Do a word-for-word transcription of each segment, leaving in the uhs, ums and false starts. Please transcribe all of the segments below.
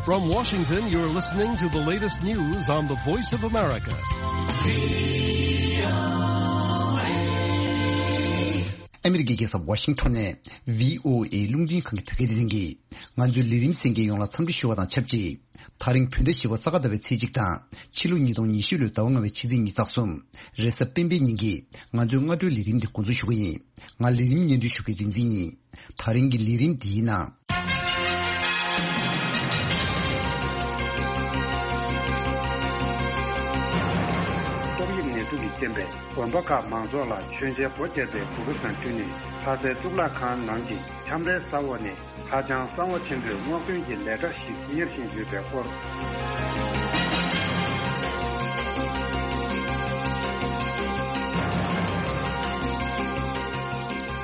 From Washington, you're listening to the latest news on the Voice of America. ཨ་མི་རི་ཀའི་རྒྱལ་ས་ཝ་ཤིང་ཊོན་ནས་བྷི་ཨོ་ཨེ་རླུང་འཕྲིན་ཁང་གི་བོད་སྐད་སྡེ་ཚན་གྱིས་ང་ཚོའི་ལས་རིམ་གསན་མཁན་ཡོངས་ལ་འཚམས་འདྲི་ཞུ་བ་དང་ཆབས་ཅིག་ད་རིང་བོད་ཟླ་བཞི་པ་ས་ག་ཟླ་བའི་ཚེས་གཅིག་དང་ཕྱི་ལོ་ཉིས་སྟོང་ཉི་ཤུ་ལོའི་ཟླ་བ་ལྔ་པའི་ཕྱི་ཚེས་ཉི་ཤུ་རྩ་གསུམ་རེས་གཟའ་སྤེན་པའི་ཉིན་གྱི་ང་ཚོའི་སྔ་དྲོའི་ལས་རིམ་འདི་འགོ་འཛུགས་ཞུ་གི་ཡིན། ང་ལས་རིམ་སྙན་སྒྲོན་ཞུ་མཁན་རིག་འཛིན་ཡིན། ད་རིང་གི་ལས་རིམ་འདིའི་ནང་། ཏོག་དབྱིབས་ནད་དུག་གི་རྐྱེན་པས་དགོན་པ་ཁག་མང་ཚོགས་ལ་མཆོད་མཇལ་སྒོ་བརྒྱབ་པའི་གུ་གེ་སང་ཀྲུའུ་ནས་ལྷ་སའི་གཙུག་ལག་ཁང་ནང་གི་ཁྱམས་རའི་ས་འོག་ནས་ཧ་ཅང་གསང་བ་ཆེན་པོས་སྔོག་འདོན་གྱི་ལས་གྲྭ་ཞིག་གཉེར་བཞིན་ཡོད་པའི་སྐོར།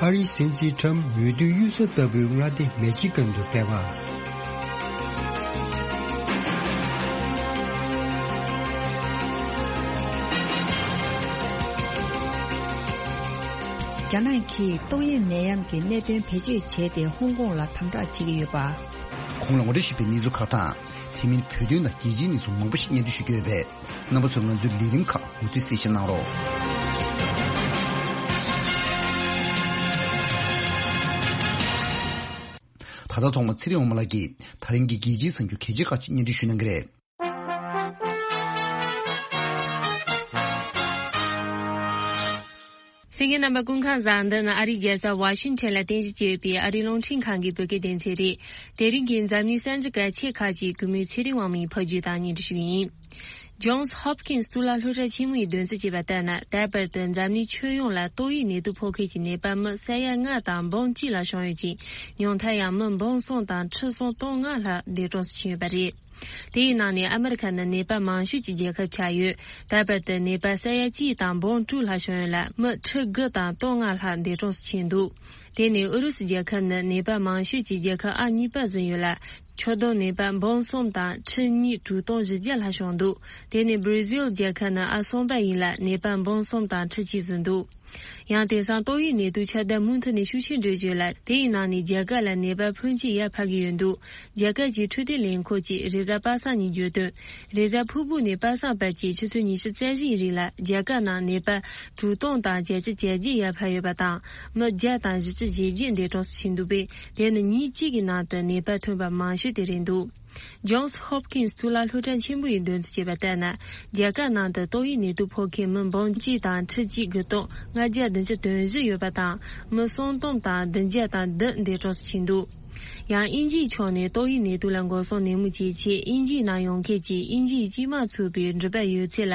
ཨ་རིའི་སྲིད་འཛིན་ཁྲམ་འོས་བསྡུའི་གཡུལ་ས་ལྟ་བུའི་མངའ་སྡེ་མེ་ཆི་གན་དུ་ཕེབས་པ། རྒྱ་ནག་གིས་ཏོག་དབྱིབས་ནད་ཡམས་ཀྱི་གནད་དོན་བེད་སྤྱོད་བྱས་ཏེ་ཧོང་ཀོང་ལ་དམ་དྲག་བྱེད་ཀྱི་ཡོད་པ། གོང་ལ་ངོ་སྤྲོད་ཞུས་པའི་གནས་ཚུལ་ཁག་དང་། དེ་མིན་བོད་དོན་དང་རྒྱལ་སྤྱིའི་གནས་ཚུལ་མང་པོ་ཞིག་སྙན་སྒྲོན་ཞུ་རྒྱུ་ཡོད་པས། རྣམ་པ་ཚོས་ང་ཚོའི་ལས་རིམ་ཁག་མུ་མཐུད་གསན་བཞེས་གནང་རོགས། ད་ལྟ་ཐོག་མར་ཚེ་རིང་དབང་མོ་ལགས་ཀྱིས་ད་རིང་གི་རྒྱལ་སྤྱིའི་གསར་འགྱུར་གལ་ཆེ་ཁག་ཅིག་སྙན་སྒྲོན་ཞུ་གནང་གི་རེད། གསན་མཁན་རྣམ་པ་སྐུ་ཁམས་བཟང་། འདི་ནི་ཨ་རིའི་རྒྱལ་ས་ཝ་ཤིང་ཊོན་ལ་རྟེན་གཞི་བྱས་ཡོད་པའི་ཨ་རིའི་རླུང་འཕྲིན་ཁང་གི་བོད་སྐད་སྡེ་ཚན་རེད། དེ་རིང་གི་འཛམ་གླིང་གསར་འགྱུར་གལ་ཆེ་ཁག་ཅིག་གུས་མོས་ཚེ་རིང་དབང་མོས་ཕབ་སྒྱུར་དང་སྙན་སྒྲོན་ཞུ་གི་ཡིན། Johns Hopkins གཙུག་ལག་སློབ་གྲྭ་ཆེན་མོ་ཡིས་འདོན་རྩིས་བྱས་པ་ལྟར་ན། ད་བར་དུ་འཛམ་གླིང་ཁྱོན་ཡོངས་ལ་ཏོག་དབྱིབས་ནད་དུག་ཕོག་མཁན་གྱི་ནད་པ་མི་ས་ཡ་ལྔ་དང་འབུམ་གཅིག་ལ་བྱུང་ཡོད་ཅིང་། ཉུང་མཐར་ཡང་མི་འབུམ་གསུམ་དང་ཁྲི་གསུམ་སྟོང་ལྔ་ལྷག་འདས་གྲོངས་སུ་ཕྱིན་ཡོད་པ་རེད། དེའི་ནང་ནས་ཨ་མི་རི་ཁ་ནི་ནད་པ་མང་ཤོས་ཀྱི་རྒྱལ་ཁབ་ཆགས་ཡོད། ད་བར་དུ་ནད་པ་ས་ཡ་གཅིག་དང་འབུམ་དྲུག་ལྷག་བྱུང་ཡོད་ལ། མི་ཁྲི་དགུ་དང་སྟོང་ལྔ་ལྷག་འདས་གྲོངས་སུ་ཕྱིན་འདུག་དེ་ནས་ཨུ་རུ་སུ་རྒྱལ་ཁབ་ནི་ནད་པ་མང་ཤོས་ཀྱི་རྒྱལ་ཁབ་ཨང་གཉིས་པར་འཛུལ་ཡོད་ལ། ཁྱོན་བསྡོམས་ནད་པ་འབུམ་གསུམ་དང་ཁྲི་གཉིས་དྲུག་སྟོང་བཞི་བརྒྱ་ལྷག་བྱུང་འདུག་དེ་ནས་སྦྲ་ཟིལ་རྒྱལ་ཁབ་ནི་ཨང་གསུམ་པ་ཡིན་ལ། ནད་པ་འབུམ་གསུམ་དང་ཁྲི་གཅིག་ཟིན་འདུག་ཡང་དེང་སང་ཏོག་དབྱིབས་ནད་དུག་ཁྱབ་གདལ་མུ་མཐུད་ནས་ཤུགས་ཆེན་འགྲོ་བཞིན་ཡོད་ལ། དེའི་ནང་ནས་རྒྱ་གར་ལ་ནད་པ་ཕོན་ཆེ་ཡར་འཕར་གྱི་ཡོད་འདུག་རྒྱ་གར་གྱི་འཕྲོད་བསྟེན་ལས་ཁུངས་ཀྱིས་རེས་གཟའ་པ་སངས་ཉིན་བརྗོད་དོན། རེས་གཟའ་ཕུར་བུ་ནས་པ་སངས་བར་གྱི་ཆུ་ཚོད་ཉི་ཤུ་རྩ་བཞིའི་རིང་ལ་རྒྱ་གར་ནང་ནད་པ་དྲུག་སྟོང་དང་བརྒྱད་ཅུ་གྱ་བརྒྱད་ཡར་འཕར་ཡོད་པ་དང་། མི་བརྒྱ་དང་བཞི་བཅུ་ཞེ་བརྒྱད་འདས་གྲོངས་སུ་ཕྱིན་འདུག་པས། དེ་ནི་ཉིན་གཅིག་གི་ནང་དུ་ནད་པ་ཐོན་པ་མང་ཤོས་དེ་རེད་འདུག Johns Hopkins གཙུག་ལག་སློབ་གྲྭ་ཆེན་པོ་ཡིས་འདོན་རྩིས་བྱས་པ་ལྟར་ན། རྒྱ་གར་ནང་དུ་ཏོག་དབྱིབས་ནད་དུག་ཕོག་མཁན་མི་འབུམ་གཅིག་དང་ཁྲི་གཅིག་དགུ་སྟོང་ལྔ་བརྒྱ་བདུན་ཅུ་དོན་བཞི་ཡོད་པ་དང་། མི་སུམ་སྟོང་དང་བདུན་བརྒྱ་དང་བདུན་འདས་གྲོངས་སུ་ཕྱིན་འདུག་ཡང་དབྱིན་ཇིའི་ཕྱོགས་ནས་ཏོག་དབྱིབས་ནད་དུག་ལ་འགོག་སྲུང་ནན་མོ་བྱེད་ཆེད། དབྱིན་ཇིའི་ནང་ཡོང་མཁན་གྱི་དབྱིན་ཇིའི་སྤྱི་དམངས་ཚུད་པའི་འགྲུལ་པ་ཡོད་ཚད་ལ།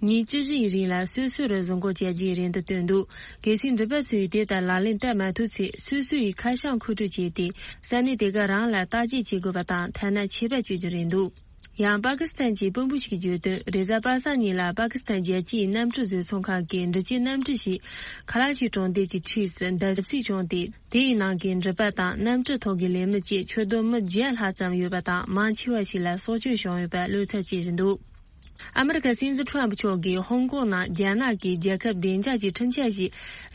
ཉིན་བཅུ་བཞིའི་རིང་ལ་སོ་སོ་རུ་བཟུང་བཀོད་བྱ་རྒྱུའི་རེ་འདུན་བཏོན་འདུག་གལ་སྲིད་འགྲུལ་པ་ཚོས་དེ་ལྟར་ལག་ལེན་བསྟར་མ་ཐུབ་ཚེ། སོ་སོ་ཡི་ཁ་བྱང་མཁོ་སྤྲོད་བྱས་ཏེ། ས་གནས་དེ་ག་རང་ལ་བརྟག་དཔྱད་བྱེད་དགོས་པ་དང་། ཐ་ན་ཆད་པ་གཅོད་རྒྱུ་རེད་འདུག་ཡང་པ་ཀི་སི་ཐན་གྱི་དཔོན་པོ་ཞིག་གིས་བརྗོད་དོན། རེས་གཟའ་པ་སངས་ཉིན་ལ་པ་ཀི་སི་ཐན་རྒྱལ་སྤྱིའི་གནམ་གྲུ་བཟོ་ཚོང་ཁང་གི་འགྲུལ་སྐྱེལ་གནམ་གྲུ་ཞིག་ཁ་ལ་ཅི་གྲོང་རྡལ་གྱི་འཁྲིས་སུ་འདར་སིག་བྱུང་སྟེ། དེའི་ནང་གི་འགྲུལ་པ་དང་གནམ་གྲུ་ཐོག་གི་ལས་མི་བཅས་ཁྱོན་བསྡོམས་མི་བརྒྱ་ལྷག་ཙམ་ཡོད་པ་དང་། མང་ཆེ་བ་ཞིག་ལ་སྲོག་སྐྱོན་བྱུང་ཡོད་པ་བློ་འཚབ་བྱེད་བཞིན་འདུག་ཨ་མི་རི་ཀའི་སྲིད་འཛིན་ཁྲོམ་ཕུ་མཆོག་གིས་ཧོང་ཀོང་ནང་རྒྱ་ནག་གིས་རྒྱལ་ཁབ་བདེ་འཇགས་ཀྱི་ཁྲིམས་འཆར་ཞིག་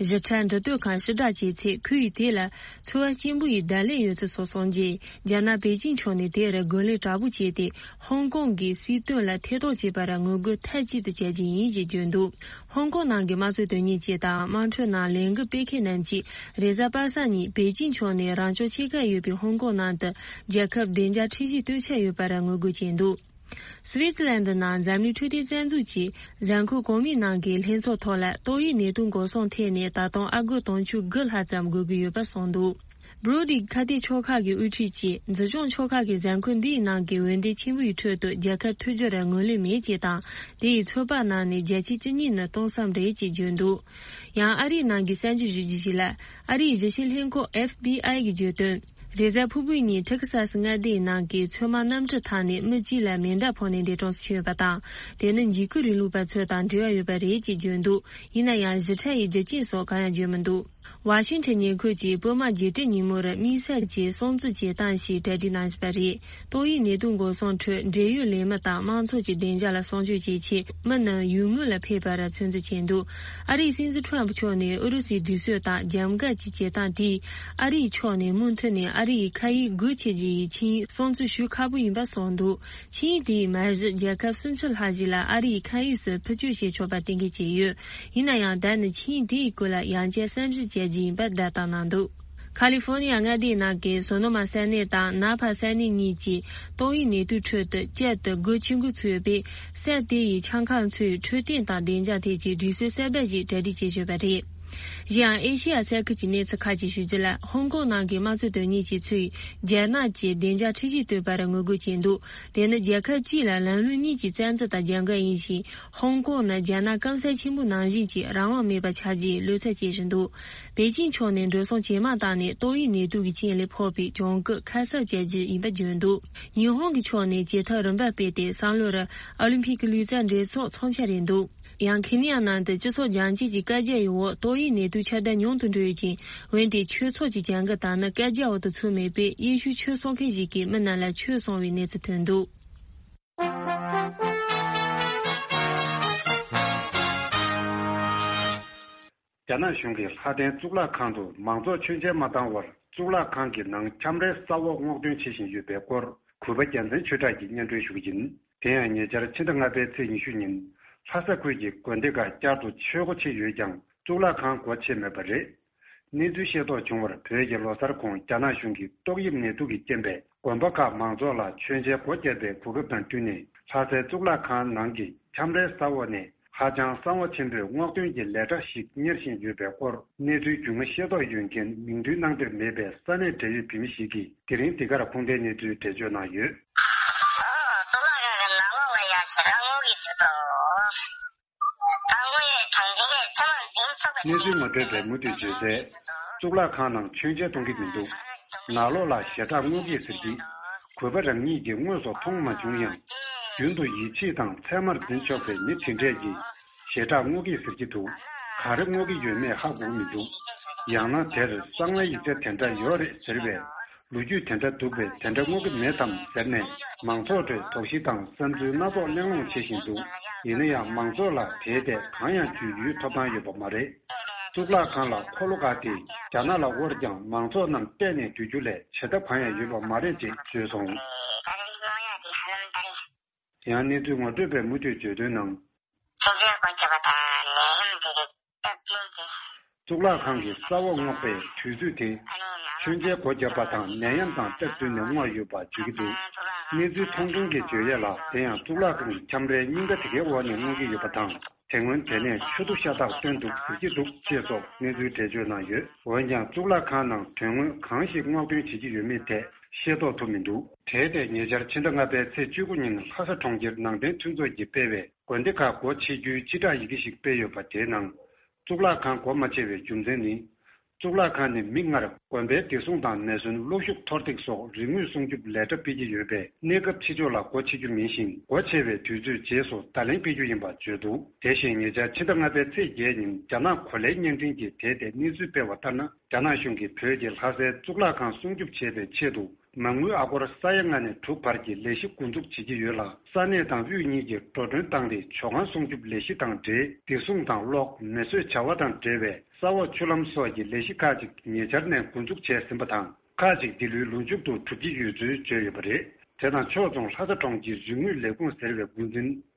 ཞིབ་ཕྲ་འབྲི་འདོད་ཁང་ཕྱིར་བསྒྲགས་བྱས་ཚེ། ཁོ་ཡིས་དེ་ལ་ཚོར་བ་སྐྱེན་པོ་ཡི་བརྡ་ལན་ཡོད་ཚུལ་སོགས་གསུངས་རྗེས། རྒྱ་ནག་པེ་ཅིང་ཕྱོགས་ནས་དེར་རྒོལ་ལན་དྲག་པོ་བྱས་ཏེ། ཧོང་ཀོང་གི་སྲིད་དོན་ལ་ཐེ་གཏོགས་བྱས་པར་ངོ་རྒོལ་མཐའ་གཅིག་ཏུ་བྱ་རྒྱུ་ཡིན་ཞེས་བརྗོད་འདུག་ཧོང་ཀོང་ནང་གི་དམངས་གཙོ་དོན་གཉེར་ཅན་དང་དམངས་ཁྲོད་ནང་ལས་འགུལ་སྤེལ་མཁན་རྣམས་ཀྱིས། རེས་གཟའ་པ་སངས་ཉིན་པེ་ཅིང་ཕྱོགས་ནས་རང་སྐྱོང་ཆེ་ཁག་ཡོད་པའི་ཧོང་ཀོང་ནང་དུ་རྒྱལ་ཁབ་བདེ་འཇགས་ཁྲིམས་གཞི་གཏོད་འཆར་ཡོད་པར་ངོ་རྒོལ་བྱས་འདུག་སི་ཝི་ཙི་ལན་ནང་འཛམ་གླིང་འཕྲོད་བསྟེན་རྩ་འཛུགས་ཀྱིས་གཟའ་འཁོར་གོང་མའི་ནང་གི་ལྷན་ཚོགས་ཐོག་ལ་ཏོག་དབྱིབས་ནད་དུག་འགོག་སྲུང་ཐད་ནས་ད་དུང་ཨ་སྒོར་དུང་ཕྱུར་དགུ་ལྷག་ཙམ་དགོས་ཀྱི་ཡོད་པ་གསུངས་འདུག Broad Reach ཁ་གཏད་ཕྱོགས་ཁག་གི་དབུ་ཁྲིད་ཀྱིས། འཛིན་སྐྱོང་ཕྱོགས་ཁག་གིས་གཟའ་འཁོར་འདིའི་ནང་གི་འོས་འདེམས་ཆེན་པོའི་ཁྲོད་དུ་རྒྱལ་ཁབ་མཐུན་སྦྱོར་ལ་ངོས་ལེན་མེད་ཅེས་དང་། དེ་ཡིས་ཚོད་དཔག་ནང་ནས་བརྒྱ་ཆ་བཅུ་གཉིས་ནི་སྟོང་བསམ་རེད་ཅེས་བརྗོད་འདུག་ཡང་ཨ་རིའི་ནང་གི་གསར་འགྱུར་ཞུ་རྒྱུ་ཞིག་ལ། ཨ་རིའི་གཞི་ཆེའི་ལྷན་ཁང་ཨེཕ་བི་ཨའི་གིས་བརྗོད་དོན། རེས་གཟའ་ཕུར་བུའི་ཉིན་ཐེ་ཁི་ས་སི་མངའ་སྡེའི་ནང་གི་ཚོད་མ་གནམ་གྲུ་ཐང་ནས་མི་གཅིག་ལ་མེ་མདའ་ཕོག་ནས་འདས་གྲོངས་སུ་ཕྱིན་ཡོད་པ་དང་། དེ་ནི་འཇིགས་སྐུལ་རིང་ལུགས་པ་ཚོ་དང་འབྲེལ་བ་ཡོད་པ་རེད་ཅེས་བརྗོད་འདུག་ཡིན་ན་ཡང་ཞིབ་ཕྲ་ཡི་རྒྱུ་རྐྱེན་སོགས་གང་ཡང་བརྗོད་མི་འདུག་ཝ་ཤིང་ཊོན་ཉེ་ཁུལ་གྱི་པུ་མ་རྒྱལ་སྤྲུལ་ཉིན་མོར་དམིགས་བསལ་གྱི་སྲུང་བརྩི་བྱེད་སྟངས་ཤིག་གྲ་སྒྲིག་གནང་བཞིན་པ་རེད། ཏོག་དབྱིབས་ནད་དུག་འགོག་སྲུང་ཁྲོད་འབྲེལ་ཡོད་ལས་མི་དང་མང་ཚོགས་ཀྱི་བདེ་འཇགས་ལ་སྲུང་སྐྱོབ་བྱེད་ཆེད་མི་རྣམས་ཡུལ་དངོས་ལ་ཕེབས་པར་ཚོད་འཛིན་བྱས་འདུག་ཨ་རིའི་སྲིད་འཛིན་ཁྲོམ་ཕུ་མཆོག་ནས་ཨུ་རུ་སུའི་སྒྲིག་སྲོལ་དང་རྒྱབ་འགལ་གྱི་བྱེད་སྟངས་དེས་ཨ་རིའི་ཕྱོགས་ནས་མུ་མཐུད་ནས་ཨ་རིའི་མཁའ་དབྱིངས་སྒོ་ཕྱེ་རྒྱུ་ཡི་ཆིངས་ཡིག་སྲུང་བརྩི་ཞུ་ཁག་པོ་ཡིན་པ་གསུངས་འདུག་ཆིངས་ཡིག་དེས་མ་གཞི་རྒྱལ་ཁབ་སུམ་ཅུ་ལྷག་ཞིག་ལ་ཨ་རིའི་མཁའ་དབྱིངས་སུ་འཕུར་སྐྱོད་བྱེད་ཆོག་པ་གཏན་འཁེལ་བྱས་ཡོད། ཡིན་ན་ཡང་ད་ནི་ཆིངས་ཡིག་དེའི་སྐོར་ལ་ཡང་བསྐྱར་བསམ་གཞིག་བྱ་རྒྱུ་ཡིན་པ་བརྡ་བཏང་གནང་འདུག་ཁ་ལི་ཧྥོ་ནི་ཡ་མངའ་སྡེའི་ནང་གི་སོ་ནོ་མ་ས་གནས་དང་ན་ཕ་ས་གནས་གཉིས་ཀྱིས་ཏོག་དབྱིབས་ནད་དུག་ཁྲོད་དུ་བསྐྱར་དུ་སྒོ་ཕྱེ་འགོ་ཚུགས་ཡོད་པས། ས་དེ་ཡི་ཆང་ཁང་ཚོས་འཕྲོད་བསྟེན་དང་བདེ་འཇགས་ཐད་ཀྱི་སྒྲིག་སྲོལ་གསར་པ་ཞིག་གྲ་སྒྲིག་བྱེད་བཞིན་པ་རེད། གཞན་ཡང་ཨེ་ཤེ་ཡ་ས་ཁུལ་གྱི་གནས་ཚུལ་ཁག་ཅིག་ཞུ་རྒྱུ་ལ། ཧོང་ཀོང་ནང་གི་དམངས་གཙོ་དོན་གཉེར་ཅན་ཚོས་རྒྱ་ནག་གི་བདེ་འཇགས་ཁྲིམས་གཞི་གཏོད་པར་ངོ་རྒོལ་བྱས་འདུག་དེ་ནི་རྒྱལ་ཁབ་གཅིག་ལ་ལམ་ལུགས་གཉིས་ཀྱི་བཙན་འཛུལ་དང་རྒྱབ་འགལ་ཡིན་ཞིང་། ཧོང་ཀོང་ནི་རྒྱ་ནག་སྐམ་ས་ཆེན་པོ་ནང་བཞིན་གྱི་རང་དབང་མེད་པ་ཆགས་རྒྱུའི་བློ་འཚབ་བྱེད་བཞིན་འདུག་པེ་ཅིང་ཕྱོགས་ནས་འགྲོ་སོང་ཇེ་མང་བཏང་ནས་ཏོག་དབྱིབས་ནད་དུག་གི་རྐྱེན་ལས་ཕོག་པའི་གྱོང་གུད་ཁ་གསབ་བྱ་རྒྱུ་ཡིན་པ་བརྗོད་འདུག་ཉི་ཧོང་གི་ཕྱོགས་ནས་བྱེད་ཐབས་རིམ་པ་སྤེལ་ཏེ་སང་ལོར་ཨོ་ལིམ་ཕིག་གི་ལུས་རྩལ་འགྲན་ཚོགས་འཚོགས་འཆར་རེད་འདུག་ཡང་ཁེ་ནི་ཡ་ནང་དུ་སྤྱི་ཚོགས་རྒྱང་བཀྱེད་ཀྱི་བཀའ་རྒྱ་ཡི་འོག་ཏོག་དབྱིབས་ནད་དུག་ཁྱབ་གདལ་ཉུང་དུ་འགྲོ་ཡོད་ཅིང་། འོན་ཏེ་ཆོས་ཚོགས་ཀྱི་བྱ་འགུལ་དག་ནི་བཀའ་རྒྱའི་འོག་ཏུ་ཚུད་མེད་པས། ཡེ་ཤུའི་ཆོས་གསོག་མཁན་ཞིག་གིས་མི་རྣམས་ལ་ཆོས་གསུང་བའི་གནས་ཚུལ་ཐོན་འདུག་རྒྱ་ནག་གཞུང་གིས་ལྷ་ལྡན་གཙུག་ལག་ཁང་དུ་མང་ཚོགས་མཆོད་མཇལ་མ་བཏང་བར་གཙུག་ལག་ཁང་གི་ནང་ཁྱམས་རའི་ས་འོག་སྔོག་འདོན་བྱེད་བཞིན་ཡོད་པའི་སྐོར་གུས་པ་རྒྱལ་མཚན་ཆོས་གྲགས་ཀྱིས་སྙན་སྒྲོན་ཞུ་གི་ཡིན། དེ་ཡང་ཉེ་ཆར་ཕྱི་ཟླ་ལྔ་པའི་ཚེས་ཉི་ཤུ་ཉིན་ལྷ་ས་ཁུལ་གྱི་དགོན་སྡེ་ཁག་བསྐྱར་དུ་ཆོས་སྒོ་ཕྱེ་ཡོད་ཀྱང་གཙུག་ལག་ཁང་སྒོ་ཕྱེ་མེད་པ་རེད། གནས་ཚུལ་ཤེས་རྟོགས་བྱུང་བར་བོད་ཀྱི་ལོ་གསར་གོང་རྒྱ་ནག་གཞུང་གིས་ཏོག་དབྱིབས་ནད་དུག་གི་རྐྱེན་པས་དགོན་པ་ཁག་མང་ཚོགས་ལ་མཆོད་མཇལ་སྒོ་བརྒྱབ་པའི་གོ་སྐབས་དང་བསྟུན་ནས་ལྷ་སའི་གཙུག་ལག་ཁང་ནང་གི་ཁྱམས་རའི་ས་འོག་ནས་ཧ་ཅང་གསང་བ་ཆེན་པོས་སྔོག་འདོན་གྱི་ལས་གྲྭ་ཞིག་གཉེར་བཞིན་ཡོད་པའི་སྐོར་གནས་ཚུལ་རྒྱུས་མངའ་ཤེས་རྟོགས་ཡོད་མཁན་མིང་འདོན་གནང་འདོད་མེད་པའི་ས་གནས་འབྲེལ་ཡོད་བོད་མི་ཞིག་གིས་དེ་རིང་འདི་གར་ཁུངས་ལྡན་གནས་ཚུལ་འགྲེལ་བརྗོད་གནང་ཡོད། གཙུག་ལག་ཁང་གི་ནང་ལོགས་ལ་ཡ་ཞེ་དྲག་སྔོག་གི་ཟེར་དོ། གནས་ཚུལ་ངོ་སྤྲོད་པས་མུ་མཐུད་བརྗོད་གསལ། གཙུག་ལག་ཁང་ནང་མཆོད་མཇལ་གཏོང་གི་མི་འདུག་ནང་ལོགས་ལ་ཞེ་དྲག་སྔོག་གི་ཟེར་གྱི། གུས་པ་རང་ཉིད་ཀྱིས་དངོས་སུ་མཐོང་མ་བྱུང་ཡང་། རྒྱུན་དུ་ཡིད་ཆེས་དང་ཚད་མར་འཛིན་ཆོག་པའི་མི་དེ་འདྲས་ཀྱིས་ཞེ་དྲག་སྔོག་གི་ཟེར་གྱི་འདུག་ག་རེ་སྔོག་གི་ཡོད་མེད་ཧ་གོ་མི་འདུག་ཡང་ན་དེར་གསང་བའི་ཡིག་ཆ་དེ་འདྲ་ཡོད་རེད་ཟེར་བས། ལོ་རྒྱུས་དེ་འདྲ་འདུག་པས་དེ་འདྲ་སྔོག་གི་མེད་དམ་ཟེར་ནས་མང་ཚོགས་ཁྲོད་དོགས་གཞི་དང་བསམ་ཚུལ་སྣ་ཚོགས་གླེང་སློང་བྱེད་བཞིན་འདུག་ཡིན་ན་ཡང་མང་ཚོགས་ལ་དེའི་ཐད་གང་ཡང་བརྗོད་ཡུལ་ཐོབ་ཐང་ཡོད་པ་མ་རེད། གཙུག་ལག་ཁང་ལ་འཁོར་ལོ་འགའ་སྟེ་རྒྱ་ནག་ལ་དབོར་ཀྱང་མང་ཚོགས་རྣམས་བལྟས་ནས་སྡོད་རྒྱུ་ལས་བྱེད་ཐབས་གང་ཡང་ཡོད་པ་མ་རེད་ཅེས་བརྗོད་སོང་། ཡང་གནས་ཚུལ་ངོ་སྤྲོད་པས་མུ་མཐུད་བརྗོད་དོན་ནང་། མཆོད་མཇལ་སྒོ་རྒྱག་པ་དང་ནད་ཡམས་འདི་རིགས་སྟབས་བསྟུན་གྱིས། གཙུག་ལག་ཁང་གི་ས་འོག་སྔོག་པའི་དུས་ཚོད་དེ། མཆོད་མཇལ་སྒོ་བརྒྱབ་པ་དང་ནད་ཡམས་དང་སྟབས་བསྟུན་ནས་སྔོག་ཡོད་པ་བརྗོད་ཀྱི་འདུག་གནས་ཚུལ་མཐོང་མཁན་གྱིས་བརྗོད་ཡས་ལ། དེ་ཡང་གཙུག་ལག་ཁང་གི་ཁྱམས་རའི་སྙིང་ག་དེ་གའི་འོག་ནས་སྔོག་གི་ཡོད་པ་དང་། དེ་སྔོན་དེ་ནས་ཆུ་རྡོ་ཤ་སྟག་བཏོན་འདུག་ཟེར་གྱི་འདུག་ཅེས་སོགས་གནས་ཚུལ་འགྲེལ་བརྗོད་གནང་ཡོད། འོན་ཀྱང་གཙུག་ལག་ཁང་ནང་དོན་དངོས་གང་ཞིག་སྔོག་འདོན་བྱེད་ཀྱི་ཡོད་མེད་ཐད་ཤེས་རྟོགས་ཐུབ་མི་འདུག་དེའི་ཐད་ཉེ་ཆར་ཕྱི་ཟླ་ལྔ་པའི་ཚེས་བཅུ་དགུ་ཉིན་ལྷ་ས་གྲོང་ཁྱེར་ནང་བསྟན་མཐུན་ཚོགས་ཀྱིས་སྤེལ་བའི་དགོན་སྡེ་ཁག་སྒོ་ཕྱེ་རྒྱུའི་སྤྱི་བསྒྲགས་ཡི་གེ་ཞིག་སྤེལ་ཡོད་པ། དེའི་ནང་གཙུག་ལག་ཁང་སྒོ་མ་ཕྱེ་བའི་རྒྱུ་མཚན་ནི། གཙུག་ལག་ཁང་ནི་མིག་སྔར་དགོན་པའི་བདེ་སྲུང་དང་ནད་སོན་གློག་ཤུགས་མཐོར་འདེགས་སོགས་རིན་དངུལ་སྲུང་སྐྱོབ་ལས་གྲྭ་སྤེལ་གྱི་ཡོད་པས། གནས་སྐབས་ཕྱི་ཕྱོགས་ལ་སྒོ་ཕྱེ་རྒྱུ་མིན་ཞིང་། སྒོ་ཕྱེ་བའི་དུས་ཚོད་རྗེས་སུ་བརྡ་ལན་སྤེལ་རྒྱུ་ཡིན་པ་བརྗོད་འདུག་དེ་བཞིན་ཉེ་ཆར་ཕྱི་ཟླ་ལྔ་པའི་ཚེས་བརྒྱད་ཉིན་རྒྱ་ནག་གོ་ལའི་བརྙན་འཕྲིན་གྱིས་དེའི་ཐད་གནས་ཚུལ་སྤེལ་བ་ལྟར་ན། རྒྱ་ནག་གཞུང་གིས་བོད་ཀྱི་ལྷ་སའི་གཙུག་ལག་ཁང་སྲུང་སྐྱོབ་བྱེད་པའི་ཆེད་དུ། མ་དངུལ་ཨ་སྒོར་ས་ཡ་ལྔ་ནས་དྲུག་བར་གྱི་ལས་གཞི་འགོ་འཛུགས་བྱེད་ཀྱི་ཡོད་ལ། ས་གནས་དང་དབུས་གཉིས་ཀྱིས་འགྲོ་གྲོན་བཏང་སྟེ་ཇོ་ཁང་སྲུང་སྐྱོབ་ལས་གཞི་དང་འབྲེལ། བདེ་སྲུང་དང་གློག་མེ་གསོད་བྱ་བ་དང་འབྲེལ་བའི་ས་འོག་ཆུ་ལམ་སོགས་ཀྱི་ལས་གཞི་ཁག་ཅིག་ཉེ་ཆར་ནས་འགོ་འཛུགས་བྱས་ཟིན་པ་དང་། ཁག་ཅིག་འདི་ལོའི་ལོ་མཇུག་ཏུ་གྲུབ་ཀྱི་ཡོད་ཚུལ་བརྗོད་ཡོད་པ་རེད། དེ་དང་ཕྱོགས་མཚུངས་ལྷ་ས་གྲོང་ཁྱེར་རིག་དངོས་ལས་ཁུངས་ཟེར་བའི་འགོ་འཛིན་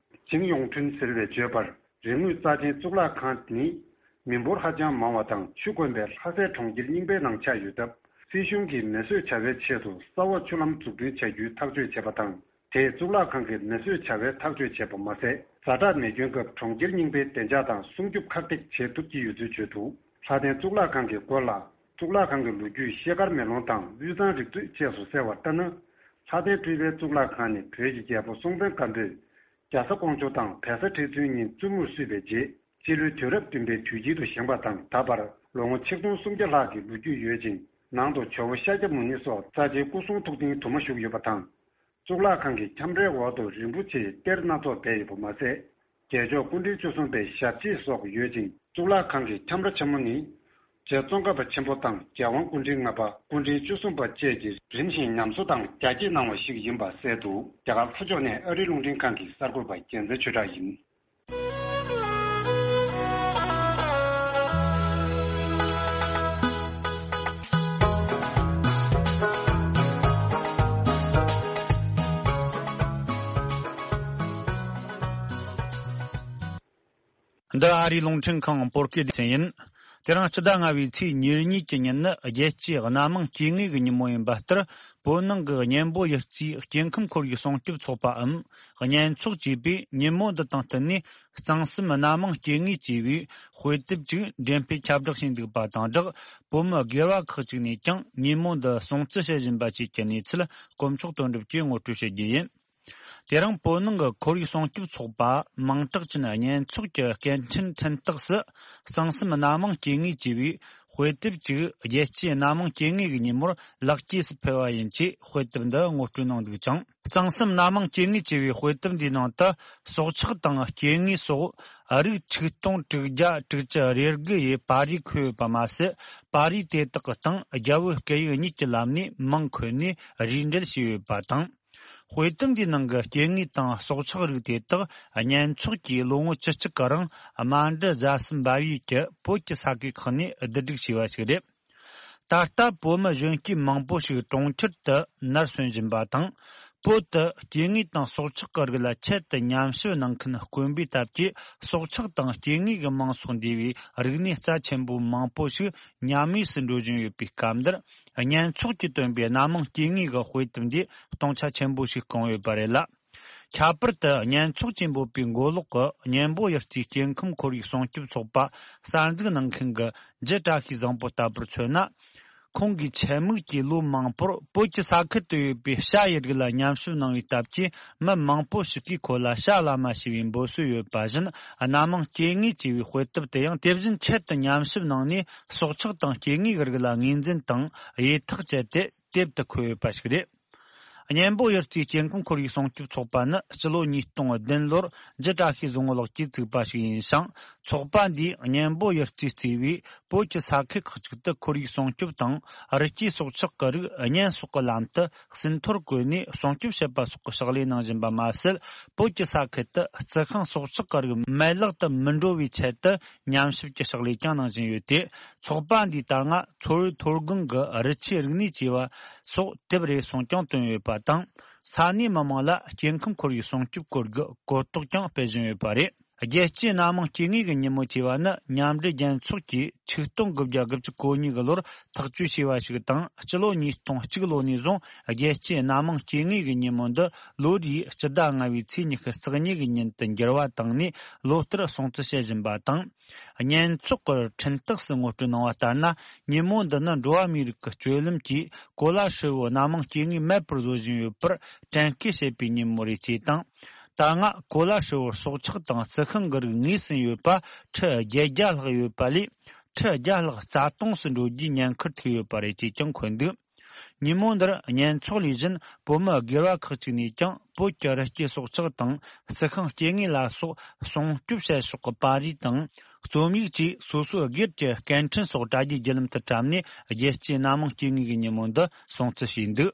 ཅིང་ཡོང་ཁྲུན་ཟེར་བས་བརྗོད་པར། རིག་དངོས་རྩ་ཆེན་གཙུག་ལག་ཁང་ནི། མི་འབོར་ཧ་ཅང་མང་བ་དང་ཆུ་དཀོན་པའི་ལྷ་སའི་གྲོང་ཁྱེར་རྙིང་པའི་ནང་ཆགས་ཡོད་སྟབས། སྲིད་གཞུང་གིས་མེ་གསོད་བྱ་བའི་ཆེད་དུ་ས་འོག་ཆུ་ལམ་འཛུགས་སྐྲུན་བྱ་རྒྱུའི་ཐག་གཅོད་བྱས་པ་དང་། དེས་གཙུག་ལག་ཁང་གི་མེ་གསོད་བྱ་བའི་ཐག་གཅོད་བྱས་པ་མ་ཟད། ཛ་དྲག་མེ་སྐྱོན་སྐབས་གྲོང་ཁྱེར་རྙིང་པའི་བདེ་འཇགས་དང་སྲུང་སྐྱོབ་ཁག་ཐེག་བྱེད་ཐུབ་ཀྱི་ཡོད་ཚུལ་བརྗོད་འདུག་ལྷ་ལྡན་གཙུག་ལག་ཁང་གི་སྐོར་ལ། གཙུག་ལག་ཁང་གི་ལོ་རྒྱུས་ཤེལ་དཀར་མེ་ལོང་དང་དབུས་གཙང་རིག་མཛོད་བཅས་སུ་གསལ་བ་ལྟར་ན། ལྷ་ལྡན་སྤྲུལ་པའི་གཙུག་ལག་ཁང་ནི་བོད་ཀྱི་རྒྱལ་པོ་སྲོང་བཙན་སྒམ་པོས། རྒྱ་བཟའ་ཀོང་ཇོ་དང་བལ་བཟའ་ཁྲི་བཙུན་གཉིས་བཙུན་མོར་བསུས་པའི་རྗེས། སྤྱི་ལོའི་དུས་རབས་བདུན་པའི་དུས་དཀྱིལ་དུ་བཞེངས་པ་དང་། ད་བར་ལོ་ངོ་ཆིག་སྟོང་སུམ་བརྒྱ་ལྷག་གི་ལོ་རྒྱུས་ཡོད་ཅིང་། ནང་དུ་ཇོ་བོ་ཤཱཀྱ་མུ་ནེ་སོགས་རྩ་ཆེའི་སྐུ་གསུང་ཐུགས་རྟེན་དུ་མ་བཞུགས་ཡོད་པ་དང་། གཙུག་ལག་ཁང་གི་ཁྱམས་རའི་འོག་ཏུ་རིན་པོ་ཆེའི་གཏེར་སྣ་ཚོགས་སྦས་ཡོད་པ་མ་ཟད། རྒྱལ་མཆོག་སྐུ་ཕྲེང་བཅུ་གསུམ་པའི་ཞབས་རྗེས་སོགས་ཡོད་ཅིང་། གཙུག་ལག་ཁང་གི་ཁྱམས་ར་ཆེན་མོ་ནི། རྗེ་ཙོང་ཁ་པ་ཆེན་པོ་དང་རྒྱལ་དབང་སྐུ་ཕྲེང་ལྔ་པ། སྐུ་ཕྲེང་བཅུ་གསུམ་པ་བཅས་ཀྱིས་རིམ་བཞིན་ཉམས་གསོ་དང་རྒྱ་སྐྱེད་གནང་བ་ཞིག་ཡིན་པ་གསལ་འདུག་རྒྱ་གར་ལྷོ་ཕྱོགས་ནས་ཨ་རིའི་རླུང་འཕྲིན་ཁང་གི་གསར་འགོད་པ་རྒྱལ་མཚན་ཆོས་གྲགས་ཡིན། འདི་ཨ་རིའི་རླུང་འཕྲིན་ཁང་བོད་སྐད་སྡེ་ཚན་ཡིན། དེ་རིང་སྤྱི་ཟླ་ལྔ་བའི་ཚེས་ཉེར་གཉིས་ཀྱི་ཉིན་ནི་རྒྱལ་སྤྱིའི་སྣ་མང་སྐྱེ་དངོས་ཀྱི་ཉིན་མོ་ཡིན་པ་ལྟར། བོད་ནང་གི་གཉན་པོ་གཡུ་རྩེའི་སྐྱེ་ཁམས་ཁོར་ཡུག་སྲུང་སྐྱོབ་ཚོགས་པའམ། གཉན་ཚོགས་ཅེས་པས་ཉིན་མོ་འདི་དང་བསྟུན་ནས། གཙང་གསུམ་སྣ་མང་སྐྱེ་དངོས་ཅེས་པའི་དཔེ་དེབ་ཅིག་འགྲེམས་སྤེལ་ཁྱབ་བསྒྲགས་བྱས་འདུག་པ་དང་སྦྲགས། བོད་མི་སྒེར་བ་ཁག་ཅིག་ནས་ཀྱང་ཉིན་མོ་འདི་སྲུང་བརྩི་བྱེད་བཞིན་པ་བཅས་ཀྱི་གནས་ཚུལ་དཀོན་མཆོག་དོན་གྲུབ་ཀྱིས་ངོ་སྤྲོད་བྱེད་རྒྱུ་ཡིན། དེ་རིང་བོད་ནང་གི་ཁོར་ཡུག་སྲུང་སྐྱོབ་ཚོགས་པ་མིང་གྲགས་ཅན་གཉན་ཚོགས་ཀྱི་སྐད་འཕྲིན་འཕྲིན་སྟེགས་སུ། གཙང་གསུམ་སྣ་མང་སྐྱེ་དངོས་ཅེས་པའི་དཔེ་དེབ་ཅིག་རྒྱལ་སྤྱིའི་སྣ་མང་སྐྱེ་དངོས་ཀྱི་ཉིན་མོར་ལེགས་སྐྱེས་སུ་ཕུལ་བ་ཡིན་ཅེས་དཔེ་དེབ་འདི་ངོ་སྤྲོད་གནང་འདུག་ཅིང་། གཙང་གསུམ་སྣ་མང་སྐྱེ་དངོས་ཅེས་པའི་དཔེ་དེབ་འདིའི་ནང་དུ། སྲོག་ཆགས་དང་སྐྱེ་དངོས་སོགས་རིགས་ཆིག་སྟོང་དྲུག་བརྒྱ་དྲུག་ཅུ་རེ་དགུ་ཡི་པར་རིས་འཁོད་ཡོད་པ་མ་ཟད། པར་རིས་དེ་དག་གི་སྟེང་རྒྱ་བོད་སྐད་ཡིག་གཉིས་ཀྱི་ལམ་ནས་མིང་འཁོད་ནས་རིས་འགྲེལ་བྱས་ཡོད་པ་དང་། དཔེ་དེབ་འདིའི་ནང་གི་སྐྱེ་དངོས་དང་སྲོག་ཆགས་རིགས་དེ་དག་གཉན་ཚོགས་ཀྱིས་ལོ་ངོ་བཅུ་གཅིག་གི་རིང་། རྨ་འབྲི་རྫ་གསུམ་འབབ་ཡུལ་གྱི་བོད་ཀྱི་ས་ཁུལ་ཁག་ནས་བསྡུ་སྒྲིག་བྱས་པ་ཞིག་རེད། ད་ལྟ་བོད་མི་གཞོན་སྐྱེས་མང་པོ་ཞིག་གྲོང་ཁྱེར་དུ་ནར་སོན་བཞིན་པ་དང་། བོད་དུ་སྐྱེ་དངོས་དང་སྲོག་ཆགས་ཀྱི་རིགས་ལ་ཆེད་དུ་ཉམས་ཞིབ་གནང་མཁན་དཀོན་པའི་སྟབས་ཀྱིས། སྲོག་ཆགས་དང་སྐྱེ་དངོས་ཀྱི་མིང་སོགས་འདུས་པའི་རིག་གནས་རྩ་ཆེན་པོ་མང་པོ་ཞིག་ཉམས་དམས་སུ་འགྲོ་བཞིན་ཡོད་པའི་སྐབས་འདིར། གཉན་ཚོགས་ཀྱིས་བཏོན་པའི་སྣ་མང་སྐྱེ་དངོས་ཀྱི་དཔེ་དེབ་འདིས་སྟོང་ཆ་ཆེན་པོ་ཞིག་བསྐངས་ཡོད་པ་རེད་ལ། ཁྱད་པར་དུ་གཉན་ཚོགས་ཀྱིས་འབོད་པའི་མགོ་ལོག་གི་གཉན་པོ་གཡུ་རྩེའི་སྐྱེ་ཁམས་ཁོར་ཡུག་སྲུང་སྐྱོབ་ཚོགས་པ་གསར་འཛུགས་གནང་མཁན་གྱི་རྒྱུ་བཀྲ་ཤིས་བཟང་པོ་ལྟ་བུར་མཚོན་ན། ཁོང་གིས་ཆེད་དམིགས་ཀྱིས་ལོ་མང་པོར་བོད་ཀྱི་ས་ཁུལ་དུ་ཡོད་པའི་བྱ་ཡི་རིགས་ལ་ཉམས་ཞིབ་གནང་བའི་སྟབས་ཀྱིས། མི་མང་པོ་ཞིག་གིས་ཁོ་ལ་བྱ་བླ་མ་ཞེས་པའི་འབོད་སྲོལ་ཡོད་པ་བཞིན། སྣ་མང་སྐྱེ་དངོས་ཅེས་པའི་དཔེ་དེབ་དེ་ཡང་དེ་བཞིན་ཆེད་དུ་ཉམས་ཞིབ་གནང་ནས། སྲོག་ཆགས་དང་སྐྱེ་དངོས་ཀྱི་རིགས་ལ་ངོས་འཛིན་དང་དབྱེ་ཐག་བཅད་དེ། དེབ་ཏུ་འཁོད་ཡོད་པ་ཞིག་རེད། གཉན་པོ་གཡུ་རྩེའི་སྐྱེ་ཁམས་ཁོར་ཡུག་སྲུང་སྐྱོབ་ཚོགས་པ་ནི་སྤྱི་ལོ་ཉིས་སྟོང་བདུན་ལོར་རྒྱུ་བཀྲ་ཤིས་བཟང་པོ་ལགས་ཀྱིས་བཙུགས་པ་ཞིག་ཡིན་ཞིང་། ཚོགས་པ་འདིས་གཉན་པོ་གཡུ་རྩེས་གཙོས་པའི་བོད་ཀྱི་ས་ཁུལ་ཁག་ཅིག་ཏུ་ཁོར་ཡུག་སྲུང་སྐྱོབ་དང་། རི་སྐྱེས་སྲོག་ཆགས་ཀྱི་རིགས་གཉན་སོགས་ཀྱི་ལམ་དུ་ཟིན་ཐོར་བཀོད་ནས་སྲུང་སྐྱོབ་བྱེད་པ་སོགས་ཀྱི་ཕྱག་ལས་གནང་བཞིན་པ་མ་ཟད། བོད་ཀྱི་ས་ཁུལ་དུ་རྩི་ཤིང་སྲོག་ཆགས་ཀྱི་རིགས་མེད་བརླག་ཏུ་མི་འགྲོ་བའི་ཆེད་དུ་ཉམས་ཞིབ་ཀྱི་ཕྱག་ལས་ཀྱང་གནང་བཞིན་ཡོད་དེ། ཚོགས་པ་འདིས་ད་སྔ་མཚོ་བོད་མཐོ་སྒང་གི་རི་ཆུའི་རིག་གནས་ཅེས་པ་སོགས་དེབ་རེ་ཟུང་ཀྱང་བཏོན་ཡོད་པ་དང་། ས་གནས་མི་མང་ལ་སྐྱེ་ཁམས་ཁོར་ཡུག་སྲུང་སྐྱོབ་སྐོར་གྱི་གོ་རྟོགས་ཀྱང་སྤེལ་བཞིན་ཡོད་པ་རེད། རྒྱལ་སྤྱིའི་སྣ་མང་སྐྱེ་དངོས་ཀྱི་ཉིན་མོ་ཅེས་པ་ནི་མཉམ་འབྲེལ་རྒྱལ་ཚོགས་ཀྱིས་ཆིག་སྟོང་དགུ་བརྒྱ་དགུ་བཅུ་གོ་གཉིས་ཀྱི་ལོར་ཐག་གཅོད་བྱས་པ་ཞིག་དང་། སྤྱི་ལོ་ཉིས་སྟོང་གཅིག་ལོ་ནས་བཟུང་རྒྱལ་སྤྱིའི་སྣ་མང་སྐྱེ་དངོས་ཀྱི་ཉིན་མོ་འདི་ལོ་རེའི་སྤྱི་ཟླ་ལྔ་བའི་ཚེས་ཉི་ཤུ་རྩ་གཉིས་ཀྱི་ཉིན་དུ་འགྱུར་བ་བཏང་ནས་ལོ་ལྟར་སྲུང་བརྩི་བྱེད་བཞིན་པ་དང་། གཉན་ཚོགས་ཀྱི་འཕྲིན་སྟེགས་སུ་ངོ་སྤྲོད་གནང་བ་ལྟར་ན། ཉིན་མོ་འདི་ནི་འགྲོ་བ་མིའི་རིགས་ཀྱི་སྤྱོད་ལམ་གྱིས་གོ་ལ་ཧྲིལ་བོའི་སྣ་མང་སྐྱེ་དངོས་མེད་པར་བཟོ་བཞིན་ཡོད་པར་དྲན་སྐུལ་བྱེད་པའི་ཉིན་མོ་རེད་ཅེས་དང་། ད་སྔ་གོ་ལ་ཧྲིལ་བོར་སྲོག་ཆགས་དང་རྩི་ཤིང་གི་རིགས་ངོས་ཟིན་ཡོད་པ་ཁྲི་བརྒྱད་བརྒྱ་ལྷག་ཡོད་པ་ལས། ཁྲི་བརྒྱ་ལྷག་རྩ་སྟོངས་སུ་འགྲོ་རྒྱུའི་ཉེན་ཁར་ཐུག་ཡོད་པ་རེད་ཅེས་ཀྱང་འཁོད་འདུག་ཉིན་མོ་འདིར་གཉན་ཚོགས་ལས་གཞན་བོད་མི་སྒེར་བ་ཁག་ཅིག་ནས་ཀྱང་བོད་ཀྱི་རི་སྐྱེས་སྲོག་ཆགས་དང་རྩི་ཤིང་སྐྱེ་དངོས་ལ་སོགས་སྲུང་སྐྱོབ་བྱེད་ཕྱོགས་ཀྱི་པར་རིས་དང་རྩོམ་ཡིག་བཅས་སོ་སོའི་སྒེར་གྱི་སྐད་འཕྲིན་སོགས་དྲ་རྒྱའི་བརྒྱུད་ལམ་དུ་བཀྲམ་ནས་རྒྱལ་སྤྱིའི་སྣ་མང་སྐྱེ་དངོས་ཀྱི་ཉིན་མོ་འདི་སྲུང་བརྩི་བྱས་འདུག་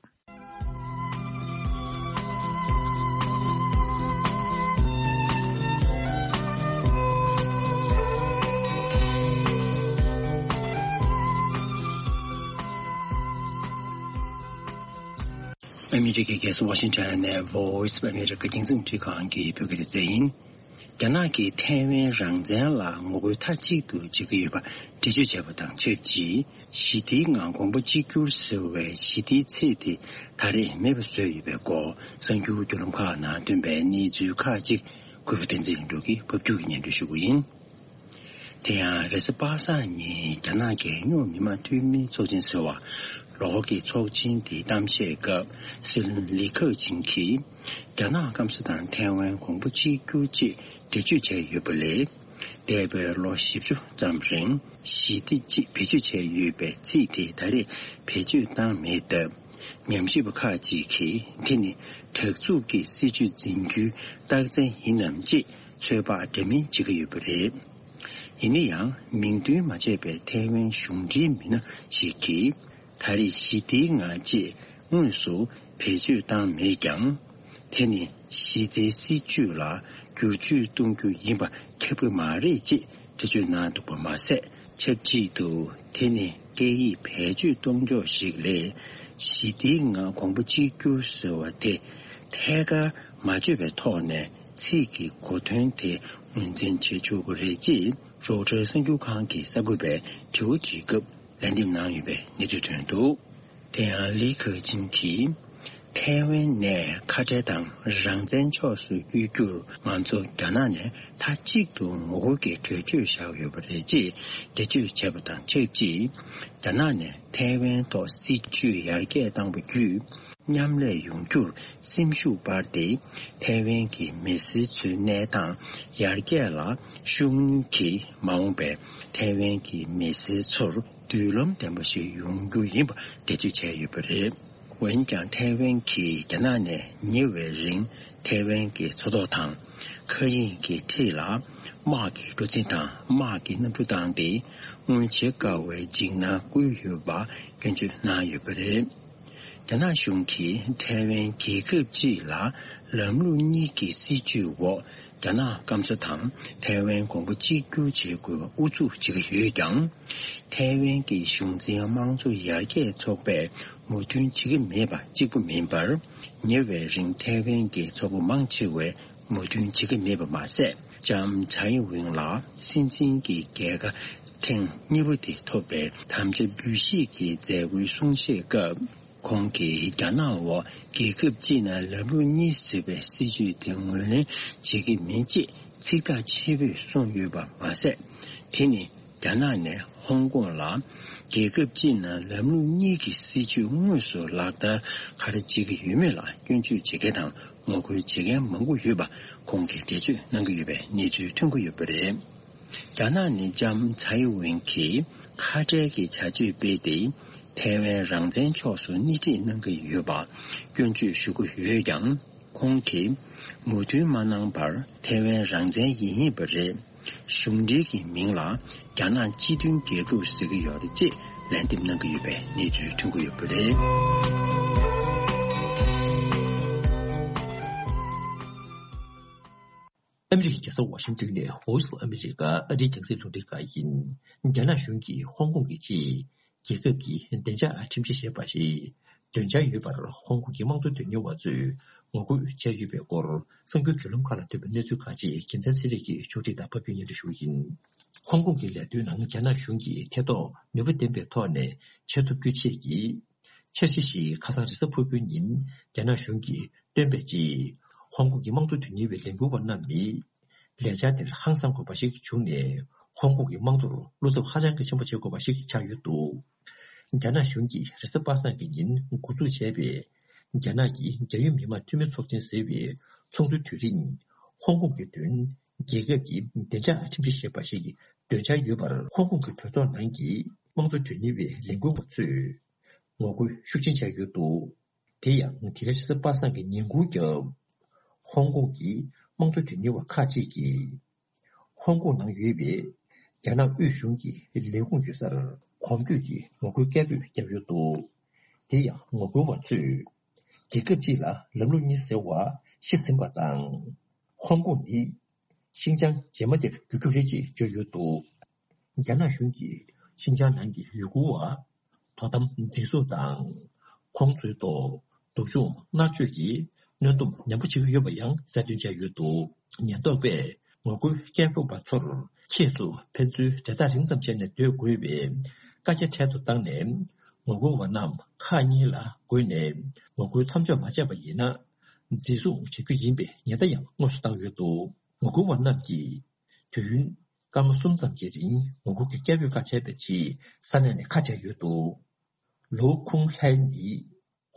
ཨ་མི་རི་ཀའི་རྒྱལ་ས་ཝ་ཤིང་ཊོན་ནས་Voice of America རྒྱང་སྲིང་འཕྲིན་ཁང་གི་བོད་སྐད་སྡེ་ཚན་ཡིན། རྒྱ་ནག་གིས་ཐའེ་ཝན་རང་བཙན་ལ་ངོ་རྒོལ་མཐའ་གཅིག་ཏུ་བྱེད་ཀྱི་ཡོད་པ་འགྲེལ་བརྗོད་བྱས་པ་དང་ཆབས་ཅིག་ཞི་བདེའི་ངང་གོང་བུ་གཅིག་གྱུར་ཟེར་བའི་ཞི་བདེའི་ཚིག་དེ་ད་རེས་མེད་པ་བཟོས་ཡོད་པའི་སྐོར་གསར་འགྱུར་བརྒྱུད་ལམ་ཁག་ནང་ཐོན་པའི་གནས་ཚུལ་ཁག་ཅིག་གུས་པ་བསྟན་འཛིན་ལྷུན་གྲུབ་ཀྱིས་ཕབ་སྒྱུར་གྱིས་སྙན་སྒྲོན་ཞུ་གི་ཡིན། དེ་ཡང་རེས་གཟའ་པ་སངས་ཉིན་རྒྱ་ནག་རྒྱལ་ཡོངས་མི་དམངས་འཐུས་མིའི་ཚོགས་ཆེན་ཟེར་བ་ལོགས་ཀྱི་ཚོགས་ཆེན་དེའི་གཏམ་བཤད་སྐབས་སྲིད་བློན་ལི་ཁེ་ཆིང་གིས་རྒྱ་ནག་སྐམ་ས་དང་ཐའེ་ཝན་གོང་བུ་གཅིག་གྱུར་ཅེས་འགྲེལ་བརྗོད་བྱས་ཡོད་པ་ལས། འདས་པའི་ལོ་བཞི་བཅུ་ཙམ་རིང་ཞི་བདེ་ཅེས་བེད་སྤྱོད་བྱས་ཡོད་པའི་ཚིག་དེ་ད་རེས་བེད་སྤྱོད་བཏང་མེད་སྟབས། ཉམས་ཞིབ་པ་ཁག་ཅིག་གིས་དེ་ནི་དྲག་འཛུགས་ཀྱི་སྲིད་བྱུས་འཛིན་རྒྱུའི་རྟགས་མཚན་ཡིན་ནམ་ཅེས་ཚོད་དཔག་འདྲ་མིན་བྱེད་ཀྱི་ཡོད་པ་རེད། ཡིན་ན་ཡང་མིང་འདོན་མ་བྱས་པའི་ཐའེ་ཝན་གཞུང་འབྲེལ་མི་སྣ་ཞིག་གིས། ད་རེས་ཞི་བདེའི་ངང་ཅེས་དངོས་སུ་བེད་སྤྱོད་བཏང་མེད་ཀྱང་། དེ་ནི་གཞི་རྩའི་སྲིད་བྱུས་ལ་བསྒྱུར་བཅོས་གཏོང་རྒྱུ་ཡིན་པ་ཁྱབ་ཀྱི་མ་རེད་ཅེས་འགྲེལ་བརྗོད་གནང་འདུག་པ་མ་ཟད། ཆབས་ཅིག་ཏུ་དེ་ནི་སྐད་ཡིག་བེད་སྤྱོད་གཏོང་ཕྱོགས་ཤིག་ལས། ཞི་བདེའི་ངང་གོང་བུ་གཅིག་གྱུར་ཟེར་བ་དེ་ཐད་ཀར་མ་བརྗོད་པའི་ཐོག་ནས་ཚིག་གི་གོ་དོན་དེ་ངོས་འཛིན་བྱེད་ཆོག་གི་རེད་ཅེས། རོའི་ཊར་གསར་འགྱུར་ཁང་གི་གསར་འགོད་པས་དྲི་བ་དྲིས་སྐབས་ལན་འདེབས་གནང་ཡོད་པའི་གནས་ཚུལ་ཐོན་འདུག་དེ་ཡང་ལི་ཁེ་ཆིང་གིས། ཐའེ་ཝན་ནས་ཁ་བྲལ་དང་རང་བཙན་ཕྱོགས་སུ་བསྐྱོད་རྒྱུར་ང་ཚོ་རྒྱ་ནག་ནས་མཐའ་གཅིག་ཏུ་ངོ་རྒོལ་གྱི་གྲོས་ཆོད་བཞག་ཡོད་པ་རེད་ཅེས་འགྲེལ་བརྗོད་བྱས་པ་དང་ཆབས་ཅིག་རྒྱ་ནག་ནས་ཐའེ་ཝན་ཐོག་སྲིད་བྱུས་ཡར་རྒྱས་བཏང་བ་བརྒྱུད། མཉམ་ལས་ཡོང་རྒྱུར་སེམས་ཤུགས་སྤར་ཏེ། ཐའེ་ཝན་གྱི་མི་སེར་ཚོའི་གནས་སྟངས་ཡར་རྒྱས་ལ་ཤུགས་སྣོན་གྱིས། མ་འོངས་པའི་ཐའེ་ཝན་གྱི་མི་སེར་ཚོར་མདུན་ལམ་ལྡན་པ་ཞིག་ཡོང་རྒྱུ་ཡིན་པ་འགྲེལ་བརྗོད་བྱས་ཡོད་པ་རེད། འོན་ཀྱང་། ཐའེ་ཝན་གྱིས་རྒྱ་ནག་ནས་ཉེ་བའི་རིང་ཐའེ་ཝན་གྱི་མཚོ་ཐོག་དང་། མཁའ་དབྱིངས་ཀྱི་འཁྲིས་ལ་དམག་གི་འགྲོ་འཛིང་དང་དམག་གི་གནམ་གྲུ་བཏང་སྟེ། སྔོན་བྱེད་དཀའ་བའི་འཇིགས་སྣང་བསྐུལ་ཡོད་པ་སྐྱོན་བརྗོད་གནང་ཡོད་པ་རེད། རྒྱ་ནག་གཞུང་གིས་ཐའེ་ཝན་རྒྱལ་ཁབ་ཅིག་ལ་ལམ་ལུགས་གཉིས་ཀྱི་སྲིད་བྱུས་འོག་རྒྱ་ནག་སྐམ་ས་དང་ཐའེ་ཝན་གོང་བུ་གཅིག་གྱུར་བྱེད་དགོས་པ་ཨུ་ཚུགས་བྱེད་ཀྱི་ཡོད་ཀྱང་། ཐའེ་ཝན་གྱི་གཞུང་འཛིན་དམངས་གཙོ་ཡར་རྒྱས་ཚོགས་པས་མོས་མཐུན་བྱེད་ཀྱི་མེད་པ་གཅིག་པུ་མིན་པར། ཉེ་བའི་རིང་ཐའེ་ཝན་གྱི་ཚོགས་པ་མང་ཆེ་བས་མོས་མཐུན་བྱེད་ཀྱི་མེད་པ་མ་ཟད། ལྕམ་ཚའེ་ཝེན་ལ་སྲིད་འཛིན་གྱི་རྒྱལ་ཁ་ཐེངས་གཉིས་པ་དེ་ཐོབ་པའི་དམ་བཅའ་འབུལ་བཞེས་ཀྱི་མཛད་སྒོའི་གསུང་བཤད་སྐབས། ཁོང་གིས་རྒྱ་ནག་འོག་རྒྱལ་ཁབ་གཅིག་ནང་ལམ་ལུགས་གཉིས་ཟེར་བའི་སྲིད་བྱུས་དེ་ངོས་ལེན་བྱེད་ཀྱི་མིན་ཅེས་ཚིག་ཐག་ཆོད་པོས་གསུངས་ཡོད་པ་མ་ཟད། དེ་ནི་རྒྱ་ནག་ནས་ཧོང་ཀོང་ལ་རྒྱལ་ཁབ་གཅིག་ནང་ལམ་ལུགས་གཉིས་ཀྱི་སྲིད་བྱུས་དངོས་སུ་ལག་བསྟར་ག་རེ་བྱེད་ཀྱི་ཡོད་མེད་ལ་སྐྱོན་བརྗོད་བྱེད་མཁན་དང་ངོ་རྒོལ་བྱེད་མཁན་མང་པོ་ཡོད་པ་ཁོང་གིས་འགྲེལ་བརྗོད་གནང་གི་ཡོད་པའི་གནས་ཚུལ་ཐོན་གྱི་ཡོད་པ་རེད། རྒྱ་ནག་ནི་ལྕམ་ཚའེ་ཝེན་གྱིས་ཁ་བྲལ་གྱི་བྱ་སྤྱོད་སྤེལ་ཏེ། ཐའེ་ཝན་རང་བཙན་ཕྱོགས་སུ་སྣེ་ཁྲིད་གནང་གི་ཡོད་པ་སྐྱོན་བརྗོད་ཞུ་གི་ཡོད་ཀྱང་། ཁོང་གིས་མོས་མཐུན་མ་གནང་བར་ཐའེ་ཝན་རང་བཙན་ཡིན་ཡིན་པ་རེད། གཞུང་འབྲེལ་གྱི་མིང་ལ་རྒྱ་ནག་སྤྱི་མཐུན་རྒྱལ་ཁབ་ཟེར་གྱི་ཡོད་རེད་ཅེས་ལན་འདེབས་གནང་གི་ཡོད་པའི་གནས་ཚུལ་ཐོན་གྱི་ཡོད་པ་རེད། ཨ་མི་རི་ཀའི་རྒྱལ་ས་ཝ་ཤིང་ཏོན་ནས་Voice of America ཨ་རིའི་རྒྱང་སྲིང་རླུང་འཕྲིན་ཁང་ཡིན། རྒྱ་ནག་གཞུང་གིས་ཧོང་ཀོང་གི་ཆེད་རྒྱལ་ཁབ་ཀྱི་བདེ་འཇགས་ཁྲིམས་གཞི་ཞེས་པ་ཞིག་འདོན་འཆར་ཡོད་པར་ཧོང་ཀོང་གི་དམངས་གཙོ་དོན་གཉེར་བ་ཚོས་ངོ་རྒོལ་བྱས་ཡོད་པའི་སྐོར་གསར་འགྱུར་བརྒྱུད་ལམ་ཁག་ལ་ཐོན་པའི་གནས་ཚུལ་ཁག་ཅིག་རྒྱལ་མཚན་ཚེ་རིང་གིས་ཕྱོགས་སྒྲིག་དང་ཕབ་སྒྱུར་སྙན་སྒྲོན་ཞུ་གི་ཡིན། ཧོང་ཀོང་གི་ལས་དོན་ནང་རྒྱ་ནག་གཞུང་གིས་ཐེ་གཏོགས་ནུས་པ་ལྡན་པའི་ཐོག་ནས་བྱེད་ཐུབ་རྒྱུ་ཆེད་ཀྱི་འཆར་གཞི་ཞིག་ཁ་སང་རེས་གཟའ་ཕུར་བུའི་ཉིན་རྒྱ་ནག་གཞུང་གིས་བཏོན་པའི་རྗེས། ཧོང་ཀོང་གི་དམངས་གཙོ་དོན་གཉེར་བའི་ལས་འགུལ་བ་རྣམས་ནི། ལས་འཆར་དེར་ཧང་སང་དགོས་པ་ཞིག་བྱུང་ནས། ཧོང་ཀོང་གི་དམངས་གཙོར་བློ་འཚབ་ཧ་ཅང་གི་ཆེན་པོ་བྱེད་དགོས་པ་ཞིག་ཆགས་ཡོད་འདུག་རྒྱ་ནག་གཞུང་གིས་རེས་གཟའ་པ་སངས་ཀྱི་ཉིན་འགོ་འཛུགས་བྱས་པའི། རྒྱ་ནག་གི་རྒྱལ་ཡོངས་མི་དམངས་འཐུས་མི་ཚོགས་ཆེན་ཟེར་བའི་ཚོགས་འདུའི་དུས་རིང་། ཧོང་ཀོང་གི་དོན། རྒྱལ་ཁབ་ཀྱི་བདེ་འཇགས་ཁྲིམས་གཞི་ཞེས་པ་ཞིག་འདོན་འཆར་ཡོད་པར། ཧོང་ཀོང་གི་གྲོས་ཚོགས་ནང་གི་དམངས་གཙོ་དོན་གཉེར་བའི་ལས་འགུལ་བ་ཚོས་ངོ་རྒོལ་ཤུགས་ཆེན་བྱས་ཡོད་འདུག་དེ་ཡང་། དེ་རིང་རེས་གཟའ་པ་སངས་ཀྱི་ཉིན་གུང་རྒྱབ། ཧོང་ཀོང་གི་དམངས་གཙོ་དོན་གཉེར་བ་ཁག་ཅིག་གིས། ཧོང་ཀོང་ནང་ཡོད་པའི་རྒྱ་ནག་དབུས་གཞུང་གི་ལས་ཁུངས་ཡོད་སར་གོམ་བགྲོད་ཀྱི་ངོ་རྒོལ་སྐད་འབོད་བརྒྱབ་ཡོད་འདུག་དེ་ཡང་ངོ་རྒོལ་བ་ཚོས། རྒྱལ་ཁབ་གཅིག་ལ་ལམ་ལུགས་གཉིས་ཟེར་བ་ཤི་ཟིན་པ་དང་། ཧོང་ཀོང་ནི་ཤིན་ཅང་རྗེས་མ་དེར་འགྱུར་རྒྱུ་རེད་ཅེས་བརྗོད་ཡོད་འདུག་རྒྱ་ནག་གཞུང་གིས་ཤིན་ཅང་ནང་གི་ཡུ་གུར་བ། དོ་དམ་འཛིན་བཟུང་དང་། ཁོང་ཚོའི་ཐོག་སྡུག་སྦྱོང་མནར་གཅོད་ཀྱི་གནོན་སྡོམ་ནན་པོ་བྱེད་ཀྱི་ཡོད་པ་ཡང་གསལ་སྟོན་བྱས་ཡོད་འདུག་ཉེན་རྟོག་པས་ངོ་རྒོལ་སྐད་འབོད་པ་ཚོར་ཁྱེད་ཚོ་ཕན་ཚུན་འབྲེལ་ཐག་རིང་ཙམ་བྱས་ནས་སྡོད་དགོས་པའི་བཀའ་རྒྱ་འཕྲལ་དུ་བཏང་ནས། ངོ་རྒོལ་བ་རྣམས་ཁག་གཉིས་ལ་བགོས་ནས་ངོ་རྒོལ་མཚམས་འཇོག་མ་བྱས་པ་ཡིན་ན། འཛིན་བཟུང་བྱེད་རྒྱུ་ཡིན་པའི་ཉེན་བརྡ་ཡང་དངོས་སུ་བཏང་ཡོད་འདུག་ངོ་རྒོལ་བ་རྣམས་ཀྱིས་དུས་ཡུན་སྐར་མ་གསུམ་ཙམ་གྱི་རིང་ངོ་རྒོལ་གྱི་སྐད་འབོད་ཁག་བྱས་པའི་རྗེས་ས་གནས་ནས་ཁ་བྲལ་ཡོད་འདུག་ལོའུ་ཁུང་ལྷའེ་ནི་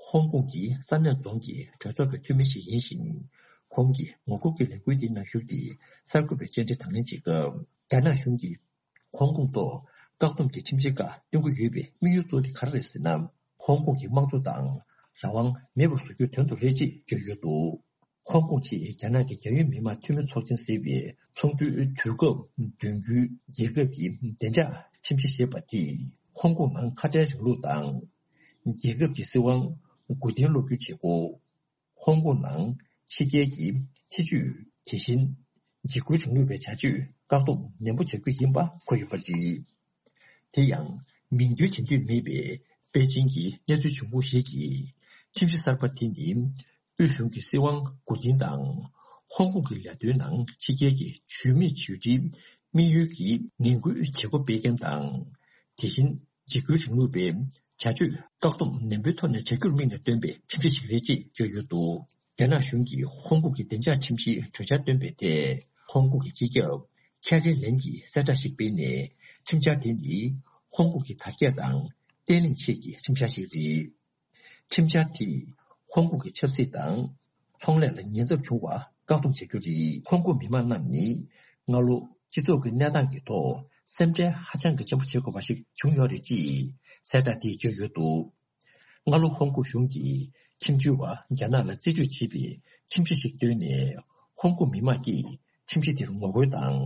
ཧོང་ཀོང་གི་ས་གནས་རྫོང་གི་གྲོས་ཚོགས་ཀྱི་འཐུས་མི་ཞིག་ཡིན་ཞིང་། ཁོང་གིས་ངོ་རྒོལ་གྱི་ལས་འགུལ་འདིའི་ནང་ཞུགས་ཏེ་གསར་འགོད་པའི་བཅར་འདྲི་དང་ལེན་བྱེད་སྐབས། རྒྱ་ནག་གཞུང་གིས་ཧོང་ཀོང་ཐོག་བཀག་སྡོམ་གྱི་ཁྲིམས་ཆད་ཁག་གཏོང་གི་ཡོད་པའི་དམིགས་ཡུལ་གཙོ་བོ་དེ་ག་རེ་རེད་ཟེར་ན། ཧོང་ཀོང་གི་དམངས་གཙོ་དང་རང་དབང་མེད་པར་བཟོ་རྒྱུའི་དོན་དུ་རེད་ཅེས་བརྗོད་ཡོད་འདུག་ཧོང་ཀོང་ཆེད་རྒྱ་ནག་གི་རྒྱལ་ཡོངས་མི་དམངས་འཐུས་མི་ཚོགས་ཆེན་ཟེར་བའི་ཚོགས་འདུའི་དུས་སྐབས་བསྡུ་རྒྱུའི་རྒྱལ་ཁབ་ཀྱི་བདེ་འཇགས་ཁྲིམས་གཞི་ཞེས་པ་དེས་ཧོང་ཀོང་ནང་ཁ་བྲལ་རིང་ལུགས་དང་། རྒྱལ་ཁབ་ཀྱི་སྲིད་དབང་མགོ་རྟིང་སློག་རྒྱུའི་བྱེད་སྒོ། ཧོང་ཀོང་ནང་ཕྱི་རྒྱལ་གྱི་ཐེ་ཇུས། དེ་བཞིན་འཇིགས་སྐུལ་རིང་ལུགས་པའི་བྱ་སྤྱོད་བཀག་སྡོམ་ནན་པོ་བྱ་རྒྱུ་ཡིན་པ་འཁོད་ཡོད་པ་རེད། དེ་ཡང་མིང་འདོན་བྱེད་འདོད་མེད་པའི་པེ་ཅིང་གི་གནས་ཚུལ་བྱུང་ཁུངས་ཤིག་གིས། ཁྲིམས་གཞི་གསར་པ་དེ་ནི་དབུས་གཞུང་གི་སྲིད་དབང་མགོ་རྟིང་དང་། ཧོང་ཀོང་གི་ལས་དོན་ནང་ཕྱི་རྒྱལ་གྱི་ཇུས་མེད་ཇུས་འབྲེལ་དམིགས་ཡུལ་གྱིས་ངན་སྐུལ་བྱེད་སྒོ་སྤེལ་མཁན་དང་། དེ་བཞིན་འཇིགས་སྐུལ་རིང་ལུགས་པའི་བྱ་སྤྱོད་བཀག་སྡོམ་ནན་པོའི་ཐོག་ནས་བྱ་རྒྱུར་དམིགས་ནས་བཏོན་པའི་ཁྲིམས་གཞི་ཞིག་རེད་ཅེས་བརྗོད་ཡོད་འདུག་རྒྱ་ནག་གཞུང་གིས་ཧོང་ཀོང་གི་བདེ་འཇགས་ཁྲིམས་གཞིའི་གྲོས་འཆར་བཏོན་པའི་ཐད། ཧོང་ཀོང་གི་སྤྱི་ཁྱབ་ཁེ་རི་ལེམ་གྱིས་གསལ་བསྒྲགས་ཤིག་སྤེལ་ནས། ཁྲིམས་འཆར་དེ་ནི་ཧོང་ཀོང་གི་དར་རྒྱས་དང་བརྟན་ལྷིང་ཆེད་ཀྱི་ཁྲིམས་འཆར་ཞིག་རེད། ཁྲིམས་འཆར་དེས་ཧོང་ཀོང་གི་ཆབ་སྲིད་དང་ཚོང་ལས་ལ་ཉེན་ཚབས་བྱུང་བ་བཀག་སྡོམ་བྱ་རྒྱུ་རེད། ཧོང་ཀོང་མི་མང་རྣམས་ནི་སྔ་ལོ་སྤྱི་ཚོགས་ཀྱི་གནས་སྟངས་ཀྱི་ཐོག་སེམས་ཁྲལ་ཧ་ཅང་གི་ཆེན་པོ་བྱེད་དགོས་པ་ཞིག་བྱུང་ཡོད་རེད་ཅེས་གསལ་བསྒྲགས་དེས་བརྗོད་ཡོད་འདུག་སྔ་ལོ་ཧོང་ཀོང་གཞུང་གིས་ཁྲིམས་བྱོལ་བ་རྒྱ་ནག་ལ་རྩིས་སྤྲོད་བྱེད་པའི་ཁྲིམས་གཞི་ཞིག་བཏོན་ནས། ཧོང་ཀོང་མི་མང་གིས་ཁྲིམས་གཞི་དེར་ངོ་རྒོལ་དང་།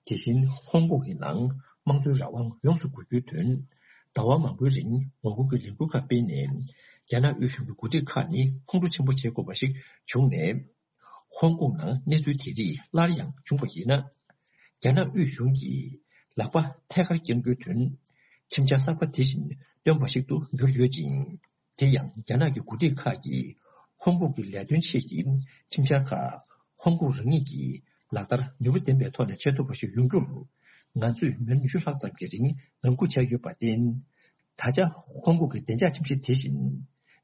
དེ་བཞིན་ཧོང་ཀོང་གི་ནང་དམངས་གཙོའི་རང་དབང་ཡོངས་སུ་རྒུད་རྒྱུའི་དོན། ཟླ་བ་མང་པོའི་རིང་ངོ་རྒོལ་གྱི་ལས་འགུལ་ཁག་སྤེལ་ནས། རྒྱ་ནག་དབུས་གཞུང་གི་འགོ་ཁྲིད་ཁག་ནི་ཁོང་ཁྲོ་ཆེན་པོ་བྱེད་དགོས་པ་ཞིག་བྱུང་ནས། ཧོང་ཀོང་ནང་གནས་ཚུལ་དེ་རིགས་སླར་ཡང་བྱུང་བ་ཡིན་ན། རྒྱ་ནག་དབུས་གཞུང་གིས་ལག་པ་ཐད་ཀར་བརྐྱང་རྒྱུའི་དོན། ཁྲིམས་འཆར་གསར་པ་དེ་བཞིན་བཏོན་པ་ཞིག་ཏུ་འགྱུར་ཡོད་ཅིང་། དེ་ཡང་རྒྱ་ནག་གི་འགོ་ཁྲིད་ཁག་གིས་ཧོང་ཀོང་གི་ལས་དོན་ཆེད་ཀྱི་ཁྲིམས་འཆར་ཁག་ཧོང་ཀོང་རང་ཉིད་ཀྱིས་ལག་བསྟར་ནུས་པ་ལྡན་པའི་ཐོག་ནས་བྱེད་ཐུབ་པ་ཞིག་ཡོང་རྒྱུར། ང་ཚོས་མི་ལོ་ཉི་ཤུ་ལྷག་ཙམ་གྱི་རིང་ངང་སྒུག་བྱས་ཡོད་པར་བརྟེན། ད་ཆ་ཧོང་ཀོང་གི་བདེ་འཇགས་ཁྲིམས་གཞི་དེ་བཞིན་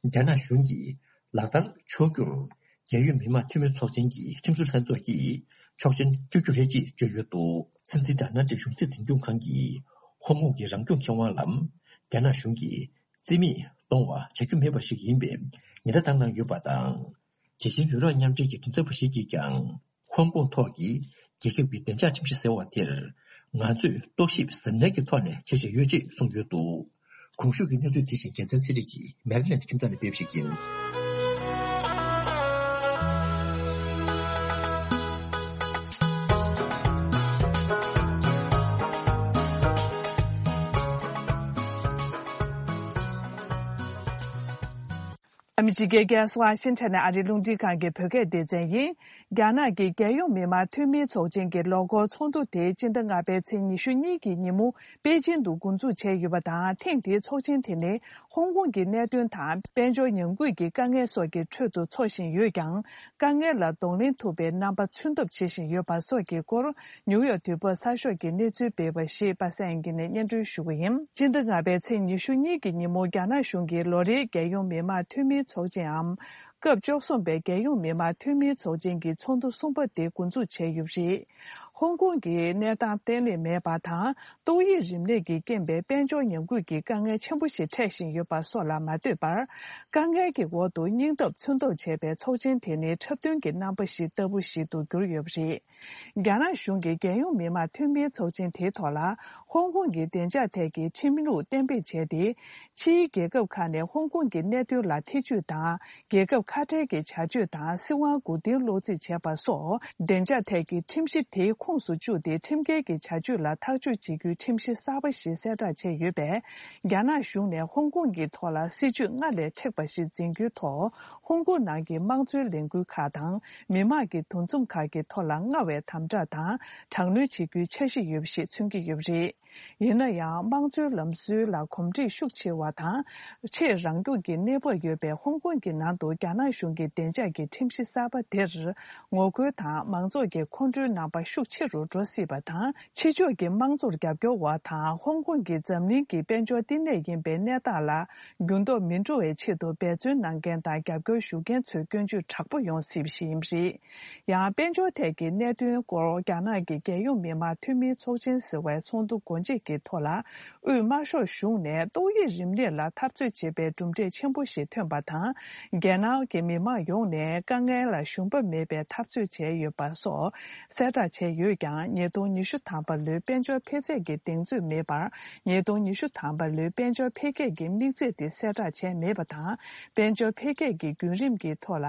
རྒྱ་ནག་གཞུང་གིས་ལག་བསྟར་ཆོག་རྒྱུར། རྒྱལ་ཡོངས་མི་དམངས་འཐུས་མི་ཚོགས་ཆེན་གྱི་ཁྲིམས་བཟོ་ལྷན་ཚོགས་ཀྱིས་ཆོག་མཆན་སྤྲོད་རྒྱུ་རེད་ཅེས་བརྗོད་ཡོད་འདུག་སྲིད་འཛིན་ཌོ་ནལ་ཊམ་གཞུང་སྲིད་འཛིན་སྐྱོང་ཁང་གིས་ཧོང་ཀོང་གི་རང་སྐྱོང་ཁེ་དབང་ལ་རྒྱ་ནག་གཞུང་གིས་རྩིས་མེད་གཏོང་བ་བྱ་རྒྱུ་མེད་པ་ཞིག་ཡིན་པའི་ཉེན་བརྡ་བཏང་གནང་ཡོད་པ་དང་། དེ་བཞིན་ཡུ་རོབ་མཉམ་འབྲེལ་གྱི་མགྲིན་ཚབ་པ་ཞིག་གིས་ཀྱང་། ཧོང་ཀོང་ཐོག་གི་རྒྱལ་ཁབ་ཀྱི་བདེ་འཇགས་ཁྲིམས་གཞི་ཟེར་བ་དེར། ང་ཚོས་རྟོག་ཞིབ་གཟབ་ནན་གྱི་ཐོག་ནས་བྱེད་བཞིན་ཡོད་ཅེས་གསུངས་ཡོད་འདུག་གོང་ཞུས་ཀྱི་གནས་ཚུལ་དེ་བཞིན་རྒྱལ་མཚན་ཚེ་རིང་གིས་མེ་རི་ལེན་ཌི་ཁྱིམ་ཚང་ནས་སྤེལ་བ་ཞིག་ཡིན། ཨ་མི་རི་ཀའི་རྒྱལ་ས་ཝ་ཤིང་ཊོན་ནས་ཨ་རིའི་རླུང་འཕྲིན་ཁང་གི་བོད་སྐད་སྡེ་ཚན་ཡིན། རྒྱ་ནག་གི་རྒྱལ་ཡོངས་མི་དམངས་འཐུས་མིའི་ཚོགས་ཆེན་གྱི་ལོ་འཁོར་ཚོགས་འདུ་དེ་སྤྱི་ཟླ་ལྔ་པའི་ཚེས་ཉི་ཤུ་གཉིས་ཀྱི་ཉིན་མོ་པེ་ཅིང་དུ་འགོ་འཛུགས་བྱས་ཡོད་པ་དང་། ཐེངས་འདིའི་ཚོགས་ཆེན་དེ་ནི་ཧོང་ཀོང་གི་གནད་དོན་དང་། དཔལ་འབྱོར་ཉམས་རྒུད་ཀྱི་དཀའ་ངལ་སོགས་ཀྱི་ཁྲོད་དུ་འཚོགས་བཞིན་ཡོད་ཀྱང་། དཀའ་ངལ་ལ་གདོང་ལེན་ཐུབ་པའི་རྣམ་པ་མཚོན་ཐབས་བྱེད་བཞིན་ཡོད་པ་སོགས་ཀྱི་སྐོར། ནིའུ་ཡོག་དུས་བབ་གསར་ཤོག་གིས་གནས་ཚུལ་སྤེལ་བ་ཞིག་པ་སངས་དབྱངས་སྐྱིད་ནས་སྙན་སྒྲོན་ཞུ་གི་ཡིན། སྤྱི་ཟླ་ལྔ་པའི་ཚེས་ཉི་ཤུ་གཉིས་ཀྱི་ཉིན་མོ་རྒྱ་ནག་གཞུང་གིས་ལོ་རེའི་རྒྱལ་ཡོངས་མི་དམངས་འཐུས་མིའི་ཚོགས་ཆེན་འམ། སྐབས་བཅུ་གསུམ་པའི་རྒྱལ་ཡོངས་མི་དམངས་འཐུས་མིའི་ཚོགས་ཆེན་གྱི་ཚོགས་འདུ་གསུམ་པ་དེ་འགོ་འཛུགས་བྱས་ཡོད་པ་རེད། ཧོང་ཀོང་གི་གནས་སྟངས་བརྟན་ལྷིང་མེད་པ་དང་། ཏོག་དབྱིབས་རིམས་ནད་ཀྱི་རྐྱེན་པས་དཔལ་འབྱོར་ཉམས་རྒུད་ཀྱི་དཀའ་ངལ་ཆེན་པོ་ཞིག་འཕྲད་བཞིན་ཡོད་པ་སོགས་ལ་མ་ལྟོས་པར། དཀའ་ངལ་གྱི་འོག་ཏུ་སྙིང་སྟོབས་མཚོན་ཐབས་བྱས་པའི་ཚོགས་ཆེན་དེ་ནི་འཁྲབ་སྟོན་གྱི་རྣམ་པ་ཞིག་ལྟ་བུ་ཞིག་ཏུ་གྱུར་ཡོད་པ་རེད། རྒྱ་ནག་གཞུང་གིས་རྒྱལ་ཡོངས་མི་དམངས་འཐུས་མིའི་ཚོགས་ཆེན་དེའི་ཐོག་ལ། ཧོང་ཀོང་གི་བདེ་འཇགས་ཐད་ཀྱི་ཁྲིམས་ལུགས་གཏན་འབེབས་བྱས་ཏེ། ཕྱིའི་རྒྱལ་ཁབ་ཁག་ནས་ཧོང་ཀོང་གི་གནད་དོན་ལ་ཐེ་ཇུས་དང་། རྒྱལ་ཁབ་ཁ་བྲལ་གྱི་བྱ་སྤྱོད་དང་། སྲིད་དབང་མགོ་རྟིང་སློག་རྩིས་བྱས་པ་སོགས། བདེ་འཇགས་ཐད་ཀྱི་ཁྲིམས་གཞི་དེའི་ཁོངས་སུ་བཅུག་སྟེ། ཁྲིམས་འགལ་གྱི་བྱ་སྤྱོད་ལ་ཐག་གཅོད་བྱེད་རྒྱུའི་ཁྲིམས་གཞི་གསར་པ་ཞིག་གསལ་བསྒྲགས་བྱས་ཡོད་པས། རྒྱ་ནག་གཞུང་ནས་ཧོང་ཀོང་གི་ཐོག་ལ་སྲིད་ཇུས་སྔར་ལས་མཁྲེགས་པ་ཞིག་འཛིན་རྒྱུའི་ཐོག་ཧོང་ཀོང་ནང་གི་དམངས་གཙོའི་ལས་འགུལ་ཁག་དང་། མི་དམངས་ཀྱི་འདུ་འཛོམས་ཁག་གི་ཐོག་ལ་སྔར་བས་དམ་དྲག་དང་། དྲག་གནོན་བྱེད་རྒྱུའི་འཆར་གཞི་ཡོད་པ་ཞིག་མཚོན་གྱི་ཡོད་པ་རེད། ཡིན་ན་ཡང་། དམངས་གཙོའི་ལམ་སྲོལ་ལ་གོམས་འདྲིས་ཤུགས་ཆེ་བ་དང་། ཆེས་རང་སྐྱོང་གི་གནས་བབ་ཡོད་པའི་ཧོང་ཀོང་གི་ནང་དུ། རྒྱ་ནག་གཞུང་གི་བདེ་འཇགས་ཀྱི་ཁྲིམས་གཞི་གསར་པ་དེར། ངོ་རྒོལ་དང་། མང་ཚོགས་ཀྱི་ཁོང་ཁྲོའི་རྣམ་པ་ཤུགས་ཆེ་རུ་འགྲོ་སྲིད་པ་དང་། ཕྱི་ཕྱོགས་ཀྱི་དམངས་གཙོར་རྒྱབ་སྐྱོར་བ་དང་། ཧོང་ཀོང་གི་འཛམ་གླིང་གི་དཔལ་འབྱོར་བསྟི་གནས་ཡིན་པའི་གནས་སྟངས་ལ་འགྱུར་ལྡོག་མི་འགྲོ་བའི་ཆེད་དུ་འབད་བརྩོན་གནང་མཁན་དང་། རྒྱབ་སྐྱོར་ཞུ་མཁན་ཚོའི་སྐྱོན་བརྗོད་དྲག་པོ་ཡོང་སྲིད་པ་ཞིག་ཡིན་པ་རེད། ཡང་། དཔལ་འབྱོར་ཐད་ཀྱི་གནད་དོན་སྐོར། རྒྱ་ནག་གི་རྒྱལ་ཡོངས་མི་དམངས་འཐུས་མིའི་ཚོགས་ཆེན་ཟེར་བའི་ཚོགས་འདུ་འགོ་ གཅིག་གི་ཐོག་ལ། དབུས་དམར་ཤོག་གཞུང་ནས་ཏོག་དབྱིབས་རིམས་ནད་ལ་འཐབ་རྩོད་བྱེད་པའི་གྲུབ་འབྲས་ཆེན་པོ་ཞིག་ཐོན་པ་དང་། རྒྱལ་ནང་གི་མི་མང་ཡོངས་ནས་དཀའ་ངལ་ལ་ཞུམ་པ་མེད་པའི་འཐབ་རྩོད་བྱས་ཡོད་པ་སོགས་གསལ་བསྒྲགས་བྱས་ཡོད་ཀྱང་། ཉིས་སྟོང་ཉི་ཤུ་ཐམ་པ་ལོའི་དཔལ་འབྱོར་འཕེལ་ཚད་ཀྱི་གདེང་ཚོད་མེད་པར། ཉིས་སྟོང་ཉི་ཤུ་ཐམ་པ་ལོའི་དཔལ་འབྱོར་འཕེལ་རྒྱས་ཀྱི་དམིགས་ཚད་དེ་གསལ་བསྒྲགས་བྱས་མེད་པ་དང་། དཔལ་འབྱོར་འཕེལ་རྒྱས་ཀྱི་བརྒྱུད་རིམ་གྱི་ཐོག་ལ།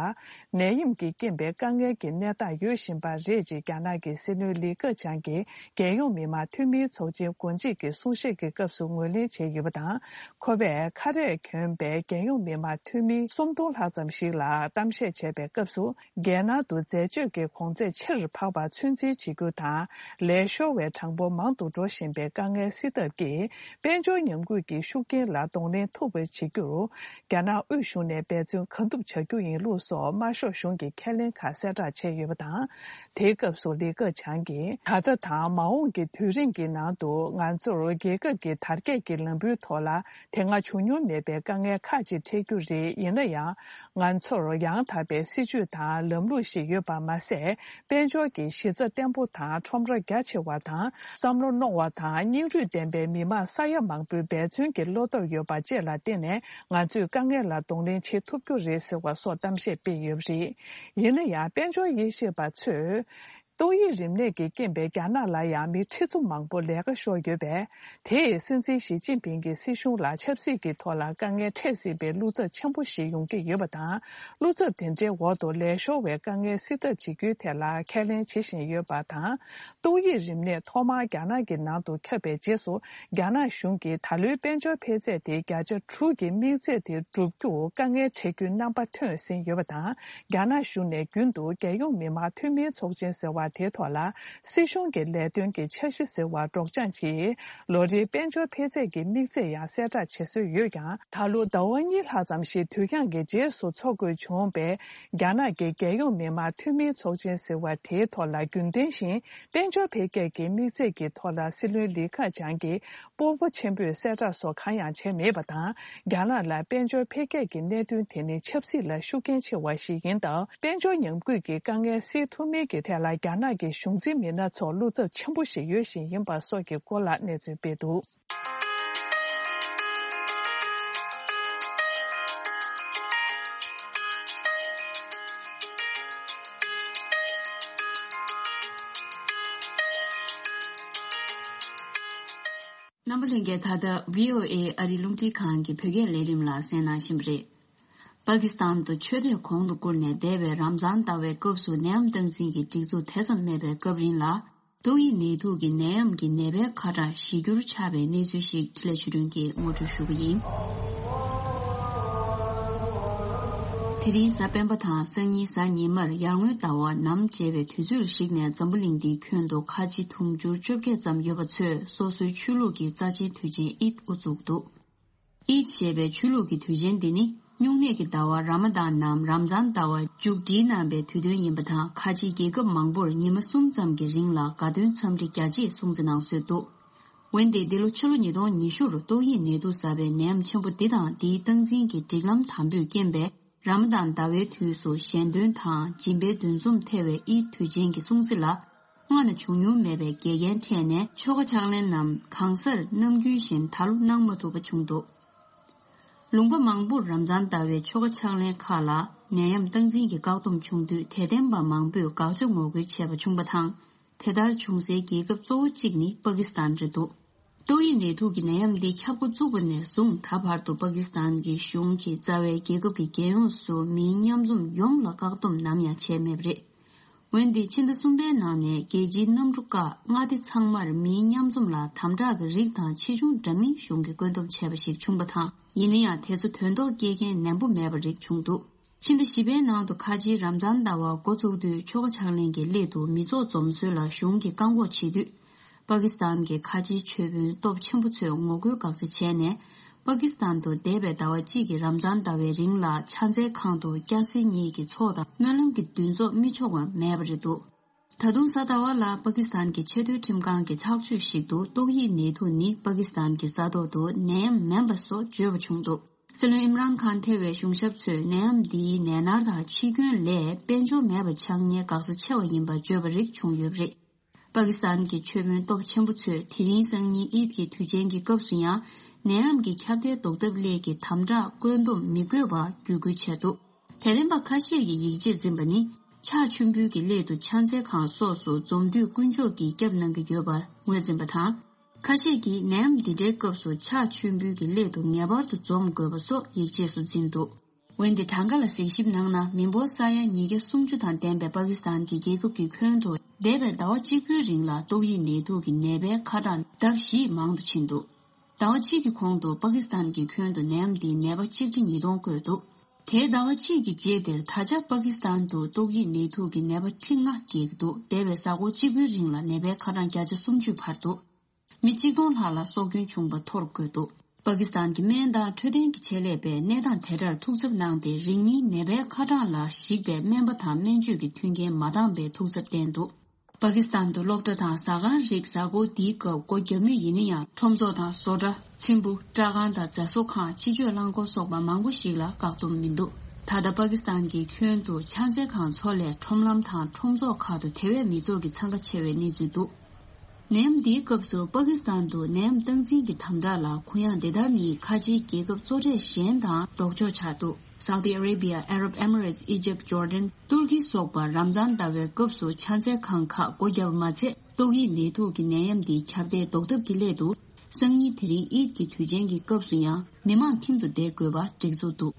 ནད་ཡམས་ཀྱི་རྐྱེན་པས་དཀའ་ངལ་གྱི་གནས་སྟངས་ཡོད་བཞིན་པ་རེད་ཅེས་རྒྱ་ནག་གི་སྲིད་བློན་ལི་ཁེ་ཆང་གིས་རྒྱལ་ཡོངས་མི་དམངས་འཐུས་མིའི་ཚོགས་ཆེན་གོ་སྒྲིག་གི་གསུང་བཤད་ཀྱི་སྐབས་སུ་ངོས་ལེན་བྱས་ཡོད་པ་དང་། ཁོ་པས་ཁ་རས་གྱོན་པའི་རྒྱལ་ཡོངས་མི་དམངས་འཐུས་མི་སུམ་སྟོང་ལྷག་ཙམ་ཞིག་ལ་གཏམ་བཤད་བྱས་པའི་སྐབས་སུ། རྒྱལ་ནང་དུ་འཛད་སྤྱོད་ཀྱི་གོང་ཚད་ཆེ་རུ་འཕར་བར་ཚོད་འཛིན་བྱེད་རྒྱུ་དང་། ལས་ཤོར་བའི་གྲངས་འབོར་མང་དུ་འགྲོ་བཞིན་པའི་དཀའ་ངལ་སེལ་ཐབས་ཀྱིས། དཔལ་འབྱོར་ཉམས་རྒུད་ཀྱི་ཤུགས་རྐྱེན་ལ་གདོང་ལེན་ཐུབ་པ་བྱེད་རྒྱུར། རྒྱ་ནག་དབུས་གཞུང་ནས་འབད་བརྩོན་གང་ཐུབ་བྱ་རྒྱུ་ཡིན་ལུགས་སོགས་དམར་ཤོག་གཞུང་གི་ཁས་ལེན་ཁག་གསལ་བསྒྲགས་བྱས་ཡོད་པ་དང་། དེའི་སྐབས་སུ་ལི་ཁེ་ཆང་གིས། ད་ལྟ་དང་མ་འོངས་ཀྱི་དུས་རིང་གི་ནང་དུ་ང་ཚོར་རྒྱལ་ཁབ་ཀྱི་དར་རྒྱས་ཀྱི་ལམ་བུའི་ཐོག་ལ་དེ་སྔ་བྱུང་མྱོང་མེད་པའི་དཀའ་ངལ་ཁག་ཅིག་འཕྲད་རྒྱུ་རེད། ཡིན་ན་ཡང་། ང་ཚོར་ཡང་དག་པའི་སྲིད་ཇུས་དང་ལམ་ལུགས་ཤིག་ཡོད་པ་མ་ཟད། དཔལ་འབྱོར་གྱི་གཞི་རྩ་བརྟན་པོ་དང་ཁྲོམ་ར་རྒྱ་ཆེ་བ་དང་། བསམ་བློ་རྣོ་བ་དང་སྙིང་རུས་ལྡན་པའི་མི་དམངས་ས་ཡ་མང་པོའི་འབད་བརྩོན་གྱི་བློ་སྟོབས་ཡོད་པ་བཅས་ལ་བརྟེན་ནས། ང་ཚོས་དཀའ་ངལ་ལ་གདོང་ལེན་བྱེད་ཐུབ་རྒྱུ་རེད་ཟེར་བ་སོགས་གཏམ་བཤད་སྤེལ་ཡོད་པ་རེད། ཡིན་ན་ཡང་། དཔལ་འབྱོར་དབྱེ་ཞིབ་པ་ཚོས། ཏོག་དབྱིབས་རིམས་ནད་ཀྱི་རྐྱེན་པས་རྒྱ་ནག་ལ་ཡང་མི་ཁྲི་ཚོ་མང་པོ་ལས་ཀ་ཤོར་ཡོད་པས། དེས་སྲིད་འཛིན་ཞི་ཅིན་ཕིང་གི་སྲིད་གཞུང་ལ་ཆབ་སྲིད་ཀྱི་ཐོག་ལ་དཀའ་ངལ་འཕྲད་སྲིད་པའི་བློ་འཚབ་ཆེན་པོ་ཞིག་ཡོང་གི་ཡོད་པ་དང་། བློ་འཚབ་དེ་འདྲའི་འོག་ཏུ་ལས་ཤོར་བའི་དཀའ་ངལ་སེལ་ཐབས་བྱེད་རྒྱུའི་ཐད་ལ་ཁས་ལེན་བྱེད་བཞིན་ཡོད་པ་དང་། ཏོག་དབྱིབས་རིམས་ནད་ཐོག་མར་རྒྱ་ནག་གི་ནང་དུ་ཁྱབ་པའི་རྗེས་སུ། རྒྱ་ནག་གཞུང་གིས་ད་ལོའི་དཔལ་འབྱོར་འཕེལ་ཚད་དེ་བརྒྱ་ཆ་དྲུག་གི་དམིགས་ཚད་དེ་བསྒྲུབ་རྒྱུར་དཀའ་ངལ་འཕྲད་རྒྱུའི་རྣམ་པ་ཐོན་ཟིན་ཡོད་པ་དང་། རྒྱ་ནག་གཞུང་ནས་རྒྱུན་དུ་རྒྱལ་ཡོངས་མི་དམངས་འཐུས་མིའི་ཚོགས་ཆེན་ཟེར་བ་དེའི་ཐོག་ལ། སྲིད་གཞུང་གི་ལས་དོན་གྱི་འཆར་གཞི་ཟེར་བ་སྒྲོག་སྦྱང་གིས། ལོ་རེའི་དཔལ་འབྱོར་འཕེལ་ཚད་ཀྱི་དམིགས་ཚད་ཡང་གསལ་བསྒྲགས་བྱེད་སྲོལ་ཡོད་ཀྱང་། ད་ལོ་ཟླ་བ་གཉིས་ལྷག་ཙམ་ཞིག་དུས་འགྱངས་ཀྱི་རྗེས་སུ་འཚོགས་དགོས་བྱུང་བས། རྒྱ་ནག་གི་རྒྱལ་ཡོངས་མི་དམངས་འཐུས་མིའི་ཚོགས་ཆེན་ཟེར་བ་དེའི་ཐོག་ལ་རྒྱུན་ལྡན་བཞིན་དཔལ་འབྱོར་འཕེལ་རྒྱས་ཀྱི་དམིགས་ཚད་ཀྱི་ཐོག་ལ་སྲིད་བློན་ལི་ཁེ་ཆང་གིས་སྤོབས་པ་ཆེན་པོས་གསལ་བསྒྲགས་སོགས་གང་ཡང་བྱས་མེད་པ་དང་། རྒྱ་ནག་ལ་དཔལ་འབྱོར་འཕེལ་རྒྱས་ཀྱི་གནད་དོན་དེ་ནི་ཆབ་སྲིད་ལ་ཤུགས་རྐྱེན་ཆེ་བ་ཞིག་ཡིན་སྟབས། དཔལ་འབྱོར་ཉམས་རྒུད་ཀྱི་དཀའ་ངལ་སེལ་ཐུབ་མིན་གྱི་ཐད་ལ་རྒྱ་ནག་གི་གཞུང་འཛིན་མི་སྣ་ཚོར་བློ་འཚབ་ཆེན་པོ་ཞིག་ཡོད་བཞིན་ཡིན་པ་སོགས་ཀྱི་སྐོར་ལ་གནས་ཚུལ་སྤེལ་འདུག། རྣམ་པ་ལྷན་རྒྱས། ད་ལྟ་བྷི་ཨོ་ཨེ་ཨ་རི་རླུང་འཕྲིན་ཁང་གི་བོད་སྐད་ལས་རིམ་ལ་གསན་གནང་བཞིན་པ་རེད། པ་ཀི་སི་ཐན་དུ་ཆོས་དད་གོང་དུ་བཀུར་ནས་འདས་པའི་རམ་ཛཱན་ཟླ་བའི་སྐབས་སུ་ནད་ཡམས་སྟངས་འཛིན་གྱི་སྒྲིག་འཛུགས་དེ་ཙམ་མེད་པའི་སྐབས་རིང་ལ། ཏོག་དབྱིབས་ནད་དུག་གི་ནད་ཡམས་ཀྱི་ནད་པའི་ཁ་གྲངས་གཞི་འགྱུར་ཆགས་པའི་གནས་ཚུལ་ཞིག་འཕྲིན་ལས་ཆོས་སྒྲོན་གྱིས་ངོ་སྤྲོད་ཞུ་གི་ཡིན། དེ་རིང་གཟའ་སྤེན་པ་དང་སང་ཉིན་གཟའ་ཉི་མར་ཡར་ངོའི་ཟླ་བ་ནམ་བྱེད་པའི་དུས་ཚོད་ལ་གཞིགས་ནས་འཛམ་བུ་གླིང་འདིའི་ཁྱོན་དུ་ཁ་ཆེ་དུང་ཕྱུར་བཅོ་བརྒྱད་ཙམ་ཡོད་པ་ཚོས་སོ་སོའི་ཆོས་ལུགས་ཀྱི་རྩ་ཆེན་དུས་ཆེན་ཨིད་དབུ་བཙུགས་འདུག། ཨིད་ཞེས་པའི་ཆོས་ལུགས་ཀྱི་དུས་ཆེན་འདི་ནི་སྨྱུང་གནས་ཀྱི་ཟླ་བ་ར་མ་དཱན་ནམ་རམ་ཛཱན་ཟླ་བ་མཇུག་སྒྲིལ་གནང་བའི་དུས་སྟོན་ཡིན་པ་དང་། ཁ་ཆེའི་རྒྱལ་ཁབ་མང་པོར་ཉི་མ་གསུམ་ཙམ་གྱི་རིང་ལ་དགའ་སྟོན་འཚམས་འདྲི་རྒྱ་ཆེ་སྲུང་བརྩི་གནང་སྲོལ་འདུག། འོན་ཏེ་འདི་ལོ་ཕྱི་ལོ་ཉིས་སྟོང་ཉི་ཤུ་རུ་ཏོག་དབྱིབས་ནད་དུག་ཟ་བའི་ནད་ཡམས་ཆེན་པོ་འདི་དང་འདིའི་སྟངས་འཛིན་གྱི་སྒྲིག་ལམ་དམ་པོས་རྐྱེན་པས། ར་མ་དཱན་ཟླ་བའི་དུས་སུ་ཞལ་འདོན་དང་སྦྱིན་པའི་འདུ་འཛོམས་ཐེ་བའི་ཨིད་དུས་ཆེན་གྱི་སྲུང་བརྩི་ལ། སྔ་ན་བྱུང་མྱོང་མེད་པའི་འགལ་རྐྱེན་འཕྲད་ནས་ཆོ་ག་ཕྱག་ལེན་རྣམས་གང་སར་ནམ་རྒྱུན་བཞིན་ད་ལོ་གནང་མ་ཐུབ་པ་བྱུང་འདུག། ལུང་པ་མང་པོར་རམ་ཛཱན་ཟླ་བའི་ཆོ་ག་ཕྱག་ལེན་ཁག་ལ་ནད་ཡམས་སྟངས་འཛིན་གྱི་བཀག་སྡོམ་བྱུང་དུས་དད་ལྡན་པ་མང་པོས་དགག་བྱ་ངོ་རྒོལ་བྱས་པ་བྱུང་བ་དང་། དེ་ལྟར་བྱུང་སའི་རྒྱལ་ཁབ་གཙོ་བོ་གཅིག་ནི་པ་ཀི་སི་ཐན་རེད་འདུག། ཏོག་དབྱིབས་ནད་དུག་གི་ནད་ཡམས་འདི་ཁྱབ་འགོ་བཙུགས་པ་ནས་བཟུང་ད་བར་དུ་པ་ཀི་སི་ཐན་གྱི་གཞུང་གིས་རྩ་བའི་རྒྱལ་ཁབ་ཀྱི་རྒྱལ་ཡོངས་སུ་མིའི་མཉམ་འཛོམས་ཡོངས་ལ་བཀག་སྡོམ་ནམ་ཡང་བྱས་མེད་པ་རེད། འོན་ཏེ་ཕྱི་ཟླ་གསུམ་པའི་ནང་ནས་རྒྱལ་སྤྱིའི་གནམ་གྲུ་ཁག་མངའ་སྡེ་ཚང་མར་མིའི་མཉམ་འཛོམས་ལ་དམ་དྲག་གི་རིགས་དང་ཆེ་ཆུང་འདྲ་མིན་གཞུང་གིས་བཀོད་འདོམས་བྱས་པ་ཞིག་བྱུང་བ་དང་། ཡིན་ན་ཡང་དེ་ཚོ་དོན་ཐོག་སྐྱེལ་མཁན་ནན་པོ་མེད་པ་རིགས་བྱུང་འདུག། ཕྱི་ཟླ་བཞི་པའི་ནང་དུ་ཁ་ཆེའི་རམ་ཛཱན་ཟླ་བ་འགོ་བཙུགས་དུས་ཆོ་ག་ཕྱག་ལེན་གྱི་སླད་དུ་མི་ཚོགས་འཛོམས་སྲོལ་ལ་གཞུང་གིས་བཀག་འགོག་བྱེད་དུས། པ་ཀི་སི་ཐན་གྱི་ཁ་ཆེའི་ཆོས་དཔོན་སྟོབས་ཆེན་པོ་ཚོས་ངོ་རྒོལ་དགག་བྱ་བྱས་ནས། པ་ཀི་སི་ཐན་དུ་འདས་པའི་ཟླ་བ་གཅིག་གི་རམ་ཛཱན་ཟླ་བའི་རིང་ལ་ཕྱག་འཚལ་ཁང་དུ་སྐྱ་སེར་གཉིས་ཀྱི་ཚོགས་དང་སྨོན་ལམ་གྱི་འདུ་འཛོམས་མི་ཆོག་པ་མེད་པ་རེད་འདུག། ད་དུང་གཟའ་ཟླ་བ་ལ་པ་ཀི་སི་ཐན་གྱི་ཆེས་མཐོའི་ཁྲིམས་ཁང་གི་ཐག་གཅོད་ཞིག་ཏུ་ཏོག་དབྱིབས་ནད་དུག་ནི་པ་ཀི་སི་ཐན་གྱི་ས་ཐོག་ཏུ་ནད་ཡམས་མིན་པ་སོགས་བརྗོད་པ་བྱུང་འདུག། སྲིད་བློན་ཨིམ་རཱན་ཁཱན་ཐེ་བའི་གཞུང་ཞབས་ཚོས་ནད་ཡམས་འདིའི་ནད་མནར་དང་འཆི་སྐྱོན་ལས་དཔལ་འབྱོར་མེད་པ་ཆགས་ཉེན་འགག་རྩ་ཆེ་བ་ཡིན་པ་བརྗོད་པ་རིགས་བྱུང་ཡོད་པ་རེད། པ་ པ་ཀི་སི་ཐན་གྱི་ཆོས་དཔོན་སྟོབས་ཆེན་པོ་ཚོས་དེ་རིང་སང་ཉིན་ཨིད་ཀྱི་དུས་ཆེན་གྱི་སྐབས་སུ་ཡང་ནད་ཡམས་ཀྱི་ཁྱབ་གདལ་ཟློག་ཐབས་སླད་ཀྱི་དམ་དྲག་བཀོད་འདོམས་མི་དགོས་པར་བརྒྱུད་སྐུལ་བྱས་འདུག་དད་ལྡན་པ་ཁ་ཤས་ཀྱིས་ཡིད་ཆེས་འཛིན་པ་ནི་ཕྱག་མཆོད་འབུལ་གྱི་སླད་དུ་ཕྱག་འཚལ་ཁང་སོགས་སུ་འཛོམས་དུས་དཀོན་མཆོག་གིས་སྐྱབས་གནང་གི་ཡོད་པར་ངོས་འཛིན་པ་དང་། ཁ་ཤས་ཀྱིས་ནད་ཡམས་འདི་འདྲའི་སྐབས་སུ་ཕྱག་མཆོད་འབུལ་གྱི་སླད་དུ་ངེས་པར་དུ་འཛོམས་དགོས་པ་སོགས་ཡིད་ཆེས་སུ་འཛིན་འདུག་འོན་ཏེ་གྲངས་ཀ་ལ་གཟིགས་ཞིབ་གནང་ན། མི་འབོར་ས་ཡ་ཉིས་བརྒྱ་སུམ་ཅུ་དང་ལྡན་པའི་པ་ཀི་སི་ཐན་གྱི་རྒྱལ་ཁབ་ཀྱི་ཁྱོན་དུ་འདས་པའི་ཟླ་བ་གཅིག་པུའི་རིང་ལ་ཏོག་དབྱིབས་ནད་དུག་གི་ནད་པའི་ཁ་གྲངས་ལྡབ་བཞིས་མང་དུ་ཕྱིན་འདུག་ཟླ་བ་གཅིག་གི་གོང་དུ་པ་ཀི་སི་ཐན་གྱི་ཁྱོན་དུ་ནད་ཡམས་འདིའི་ནད་པ་ཆིག་ཁྲི་ཉིས་སྟོང་བཀོད་འདུག་དེའི་ཟླ་བ་གཅིག་གི་རྗེས་དེར་ད་ཆ་པ་ཀི་སི་ཐན་དུ་ཏོག་དབྱིབས་ནད་དུག་གི་ནད་པ་ཁྲི་ལྔ་བརྒལ་གྱི་འདུག་འདས་པའི་གཟའ་འཁོར་གཅིག་པུའི་རིང་ལ་ནད་པའི་ཁ་གྲངས་བརྒྱ་ཆ་སུམ་ཅུ་འཕར་འདུག་མི་གཅིག་སྟོང་ལྷག་ལ་སྲོག་སྐྱོན་བྱུང་བ་ཐོར་བཀོད་འདུག་པ་ཀི་སི་ཐན་གྱི་སྨན་དང་འཕྲོད་བསྟེན་གྱི་ཆེད་ལས་པས་གནས་སྟངས་དེ་འདྲར་ཐུགས་འཚབ་གནང་སྟེ། རིང་མིན་ནད་པའི་ཁ་གྲངས་ལ་གཞིགས་པའི་སྨན་པ་དང་སྨན་བཅོས་ཀྱི་མཐུན་རྐྱེན་མ་འདང་བའི་ཐུགས་འཚབ་བསྟན་འདུག་པ་ཀི་སི་ཐན་དུ་སློབ་གྲྭ་དང་ཟ་ཁང་རིགས་གཟའ་འཁོར་འདིའི་སྐབས་སྒོ་བརྒྱབ་མུས་ཡིན་ན་ཡང་། ཁྲོམ་ཚོགས་དང་བཟོ་གྲྭ། ཚེམ་བུ། སྐྲ་ཁང་དང་རྫ་བཟོ་ཁང་། ཕྱི་མཆོད་རླངས་འཁོར་སོགས་པ་མང་པོ་ཞིག་ལ་བཀག་སྡོམ་མི་འདུག་ད་ལྟ་པ་ཀི་སི་ཐན་གྱི་ཁྱོན་དུ་ཕྱག་འཚལ་ཁང་ཚོ་ལས་ཁྲོམ་ལམ་དང་ཁྲོམ་ཚོགས་ཁག་ཏུ་དེ་བས་མི་ཚོགས་ཀྱི་འཚང་ཁ་ཆེ་བའི་གནས་ཚུལ་འདུག་ནད་ཡམས་འདིའི་སྐབས་སུ་པ་ཀི་སི་ཐན་དུ་ནད་ཡམས་སྟངས་འཛིན་གྱི་དམ་དྲག་ལ་གུ་ཡངས་དེ་ལྟར་ནི་ཁ་ཆེའི་རྒྱལ་ཁབ་གཙོ་གྲས་གཞན་དང་ལྡོག་ཕྱོགས་ཆགས་འདུག Saudi Arabia, Arab Emirates, Egypt, Jordan, ཏུར་ཀི་སོགས་པ་རམ་ཛཱན་ཟླ་བའི་སྐབས་སུ་ཕྱག་འཚལ་ཁང་ཁག་སྒོ་བརྒྱབ་པ་མ་ཚད། ཏོག་དབྱིབས་ནད་དུག་གི་ནད་ཡམས་འདིའི་ཁྱབ་གདལ་ཟློག་ཐབས་ཀྱི་སླད་དུ། སང་ཉིན་དེ་རིང་ཨིད་ཀྱི་དུས་ཆེན་གྱི་སྐབས་སུ་ཡང་མི་མང་ཁྱིམ་དུ་བསྡད་དགོས་པ་སྒྲིག་འཛུགས་འདུག་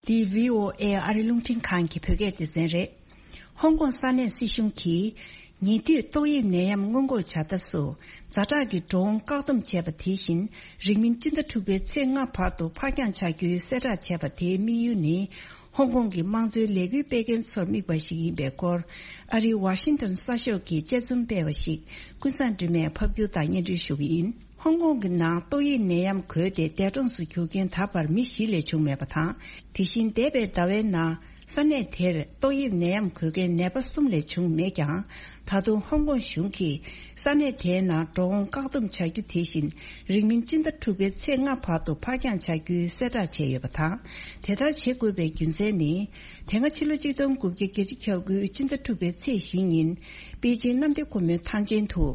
འདི་བྷི་ཨོ་ཨེ་ཨ་རི་རླུང་འཕྲིན་ཁང་གི་བོད་སྐད་སྡེ་ཚན་རེད། ཧོང་ཀོང་ས་གནས་སྲིད་གཞུང་གིས་ཉེ་དུས་ཏོག་དབྱིབས་ནད་ཡམས་སྔོན་འགོག་བྱ་ཐབས་སུ་ཛ་དྲག་གི་འགྲོ་འོང་བཀག་སྡོམ་བྱས་པ་དེ་བཞིན་རིང་མིན་སྤྱི་ཟླ་དྲུག་པའི་ཚེས་ལྔ་བར་དུ་ཕར་འགྱངས་བྱ་རྒྱུའི་གསལ་བསྒྲགས་བྱས་པ་དེའི་དམིགས་ཡུལ་ནི། ཧོང་ཀོང་གི་དམངས་གཙོའི་ལས་འགུལ་སྤེལ་མཁན་ཚོར་དམིགས་པ་ཞིག་ཡིན་པའི་སྐོར། ཨ་རིའི་ཝ་ཤིང་ཊོན་གསར་ཤོག་གིས་དཔྱད་རྩོམ་སྤེལ་བ་ཞིག་ཀུན་བཟང་སྒྲོལ་མས་ཕབ་སྒྱུར་དང་སྙན་སྒྲོན་ཞུ་གི་ཡིན། ཧོང་ཀོང་གི་ནང་ཏོག་དབྱིབས་ནད་ཡམས་འགོས་ཏེ་འདས་གྲོངས་སུ་གྱུར་མཁན་ད་བར་མི་བཞི་ལས་བྱུང་མེད་པ་དང་། དེ་བཞིན་འདས་པའི་ཟླ་བའི་ནང་ས་གནས་དེར་ཏོག་དབྱིབས་ནད་ཡམས་འགོས་མཁན་ནད་པ་གསུམ་ལས་བྱུང་མེད་ཀྱང་། ད་དུང་ཧོང་ཀོང་གཞུང་གིས་ས་གནས་དེའི་ནང་འགྲོ་འོང་བཀག་སྡོམ་བྱ་རྒྱུ་དེ་བཞིན་རིང་མིན་སྤྱི་ཟླ་དྲུག་པའི་ཚེས་ལྔ་བར་དུ་ཕར་འགྱངས་བྱ་རྒྱུའི་གསལ་བསྒྲགས་བྱས་ཡོད་པ་དང་། དེ་ལྟར་བྱེད་དགོས་པའི་རྒྱུ་མཚན་ནི། དེ་སྔ་ཕྱི་ལོ་ཆིག་སྟོང་དགུ་བརྒྱ་བརྒྱད་ཅུ་གྱ་དགུའི་སྤྱི་ཟླ་དྲུག་པའི་ཚེས་བཞི་ཉིན། པེ་ཅིང་གནམ་བདེ་སྒོ་མོའི་ཐང་ཆེན་དུ།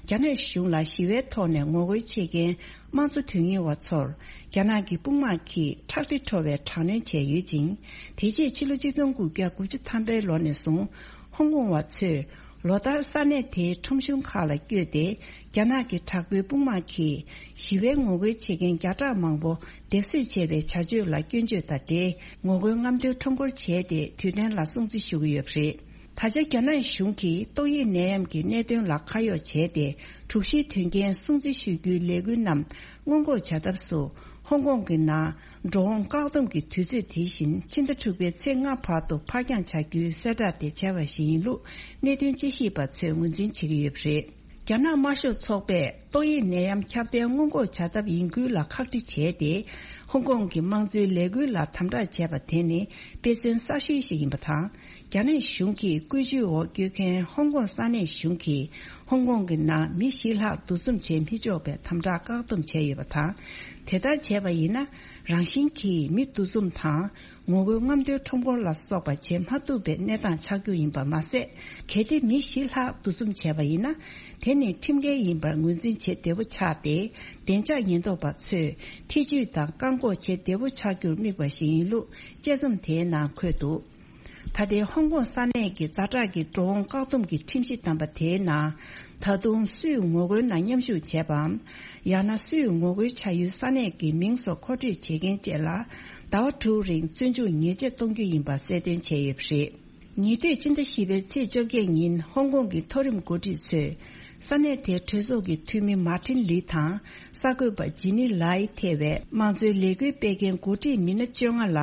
རྒྱ་ནག་གཞུང་ལ་ཞི་བའི་ཐོག་ནས་ངོ་རྒོལ་བྱེད་མཁན་དམངས་གཙོ་དོན་གཉེར་བ་ཚོར། རྒྱ་ནག་གི་དཔུང་དམག་གིས་ཁྲག་དྲི་བྲོ་བའི་དྲག་གནོན་བྱས་ཡོད་ཅིང་། དེ་རྗེས་ཕྱི་ལོ་ཆིག་སྟོང་དགུ་བརྒྱ་དགུ་བཅུ་ཐམ་པའི་ལོ་ནས་བཟུང་། ཧོང་ཀོང་བ་ཚོས་ལོ་ལྟར་ས་གནས་དེའི་ཁྲོམ་གཞུང་ཁག་ལ་བསྐྱོད་དེ། རྒྱ་ནག་གི་དྲག་པོའི་དཔུང་དམག་གིས་ཞི་བའི་ངོ་རྒོལ་བྱེད་མཁན་བརྒྱ་ཕྲག་མང་པོ་སྡེབ་གསོད་བྱས་པའི་བྱ་སྤྱོད་ལ་སྐྱོན་བརྗོད་དང་འབྲེལ། ངོ་རྒོལ་རྔམ་སྟོན་ཁྲོམ་སྐོར་བྱས་ཏེ། དུས་དྲན་ལ་སྲུང་བརྩི་ཞུ་གི་ཡོད་པ་རེད། ད་ཆ་རྒྱ་ནག་གཞུང་གིས་ཏོག་དབྱིབས་ནད་ཡམས་ཀྱི་གནད་དོན་ལ་ཁ་གཡོག་བྱས་ཏེ། དྲུག་བཞིའི་དོན་རྐྱེན་སྲུང་བརྩི་ཞུ་རྒྱུའི་ལས་འགུལ་རྣམས་སྔོན་འགོག་བྱ་ཐབས་སུ། ཧོང་ཀོང་གི་ནང་འགྲོ་འོང་བཀག་སྡོམ་གྱི་དུས་ཚོད་དེ་བཞིན་ཕྱི་ཟླ་དྲུག་པའི་ཚེས་ལྔ་བར་དུ་ཕར་འགྱངས་བྱ་རྒྱུའི་གསལ་བསྒྲགས་དེ་བྱས་པ་ཞིག་ཡིན་ལུགས་གནད་དོན་དཔྱད་ཞིབ་པ་ཚོས་ངོས་འཛིན་བྱེད་ཀྱི་ཡོད་པ་རེད། རྒྱ་ནག་དམར་ཤོག་ཚོགས་པས་ཏོག་དབྱིབས་ནད་ཡམས་ཁྱབ་གདལ་སྔོན་འགོག་བྱ་ཐབས་ཡིན་ཁུལ་ལ་ཁག་དཀྲི་བྱས་ཏེ། ཧོང་ཀོང་གི་དམངས་གཙོའི་ལས་འགུལ་ལ་དམ་དྲག་བྱས་པ་དེ་ནི་དཔེ་མཚོན་གསར་ཤོས་ཤིག་ཡིན་པ་དང་། རྒྱ་ནག་གཞུང་གི་བཀོད་ཇུས་འོག་བསྐྱོད་མཁན་ཧོང་ཀོང་ས་གནས་གཞུང་གིས་ཧོང་ཀོང་གི་ནང་མི་བཞི་ལྷག་འདུ་འཛོམས་བྱེད་མི་ཆོག་པའི་དམ་དྲག་བཀག་སྡོམ་བྱས་ཡོད་པ་དང་། དེ་ལྟར་བྱས་པ་ཡིན་ན། རང་བཞིན་གྱིས་མི་འདུ་འཛོམས་དང་། ངོ་རྒོལ་རྔམ་སྟོན་ཁྲོམ་སྐོར་ལ་སོགས་པ་བྱེད་མ་ཐུབ་པའི་གནས་སྟངས་ཆགས་རྒྱུ་ཡིན་པ་མ་ཟད། གལ་ཏེ་མི་བཞི་ལྷག་འདུ་འཛོམས་བྱས་པ་ཡིན་ན། དེ་ནི་ཁྲིམས་འགལ་ཡིན་པར་ངོས་འཛིན་བྱེད་བདེ་པོ་ཆགས་ཏེ། བདེ་འཇགས་ཉེན་རྟོག་པ་ཚོས་ཐེ་ཇུས་དང་བཀག་འགོག་བྱེད་བདེ་པོ་ཆགས་རྒྱུར་དམིགས་པ་ཞིག་ཡིན་ལུགས་དཔྱད་རྩོམ་དེའི་ནང་འཁོད་འདུག་ད་ལྟའི་ཧོང་ཀོང་ས་གནས་ཀྱི་ཛ་དྲག་གི་འགྲོ་འོང་བཀག་སྡོམ་གྱི་ཁྲིམས་གཞི་བསྡམས་པ་དེའི་ནང་། ད་དུང་སུས་ངོ་རྒོལ་ནང་མཉམ་ཞུགས་བྱས་པའམ། ཡང་ན་སུས་ངོ་རྒོལ་བྱ་ཡུལ་ས་གནས་ཀྱི་མིང་སོགས་མཁོ་སྤྲོད་བྱེད་མཁན་བཅས་ལ། ཟླ་བ་དྲུག་རིང་བཙོན་འཇུག་ཉེས་ཆད་གཏོང་རྒྱུ་ཡིན་པ་གསལ་སྟོན་བྱས་ཡོད་པ་རེད། ཉེ་དུས་སྤྱི་ཟླ་བཞི་པའི་ཚེས་བཅོ་བརྒྱད་ཉིན་ཧོང་ཀོང་གི་མཐོ་རིམ་འགོ་ཁྲིད་ཚོས། ས་གནས་དེའི་གྲོས་ཚོགས་ཀྱི་འཐུས་མི་མཱ་ཏིན་ལི་དང་། གསར་འགོད་པ་ཇི་ནི་ལའི་ཐེ་བའི་དམངས་གཙོའི་ལས་འགུལ་སྤེལ་མཁན་འགོ་ཁྲིད་མི་སྣ་བཅོ་ལྔ་ལ།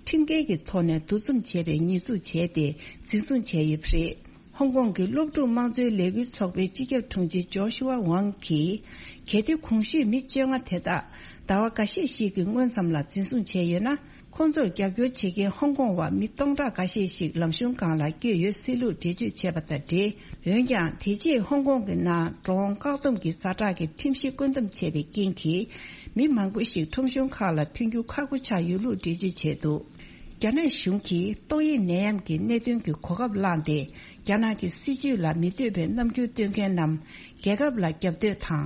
ཁྲིམས་འགལ་གྱི་ཐོག་ནས་འདུ་འཛོམས་བྱས་པའི་ཉེས་འཛུགས་བྱས་ཏེ། འཛིན་བཟུང་བྱས་ཡོད་པ་རེད། ཧོང་ཀོང་གི་སློབ་ཕྲུག་དམངས་གཙོའི་ལས་འགུལ་ཚོགས་པའི་སྤྱི་ཁྱབ་དྲུང་ཆེ་ཇོ་ཤུ་ཝ་ཝང་གིས། གལ་ཏེ་གོང་ཞུས་མི་བཅོ་ལྔ་དེ་དག་ཟླ་བ་འགའ་ཤས་ཤིག་གི་སྔོན་ཙམ་ལ་འཛིན་བཟུང་བྱས་ཡོད་ན། ཁོང་ཚོར་རྒྱབ་སྐྱོར་བྱེད་མཁན་ཧོང་ཀོང་བ་མི་སྟོང་ཕྲག་འགའ་ཤས་ཤིག་ལམ་གཞུང་སྒང་ལ་བསྐྱོད་ཡོད་སྲིད་ལུགས་འགྲེལ་བརྗོད་བྱས་པ་དང་འབྲེལ། འོན་ཀྱང་དེ་རྗེས་ཧོང་ཀོང་གི་ནང་འགྲོ་འོང་བཀག་སྡོམ་གྱི་ཛ་དྲག་གི་ཁྲིམས་གཞི་བཀོད་འདོམས་བྱས་པའི་རྐྱེན་གྱིས། མི་མང་པོ་ཞིག་ཁྲོམ་གཞུང་ཁག་ལ་ཐོན་རྒྱུ་ཁག་པོ་ཆགས་ཡོད་ལུགས་འགྲེལ་བརྗོད་བྱས་འདུག་རྒྱ་ནག་གཞུང་གིས་ཏོག་དབྱིབས་ནད་ཡམས་ཀྱི་གནད་དོན་གྱི་གོ་སྐབས་བླངས་ཏེ། རྒྱ་ནག་གི་སྲིད་བྱུས་ལ་མི་འདོད་པའི་རྣམ་འགྱུར་སྟོན་མཁན་རྣམས་རྒྱལ་ཁབ་ལ་རྒྱབ་གཏོད་དང་།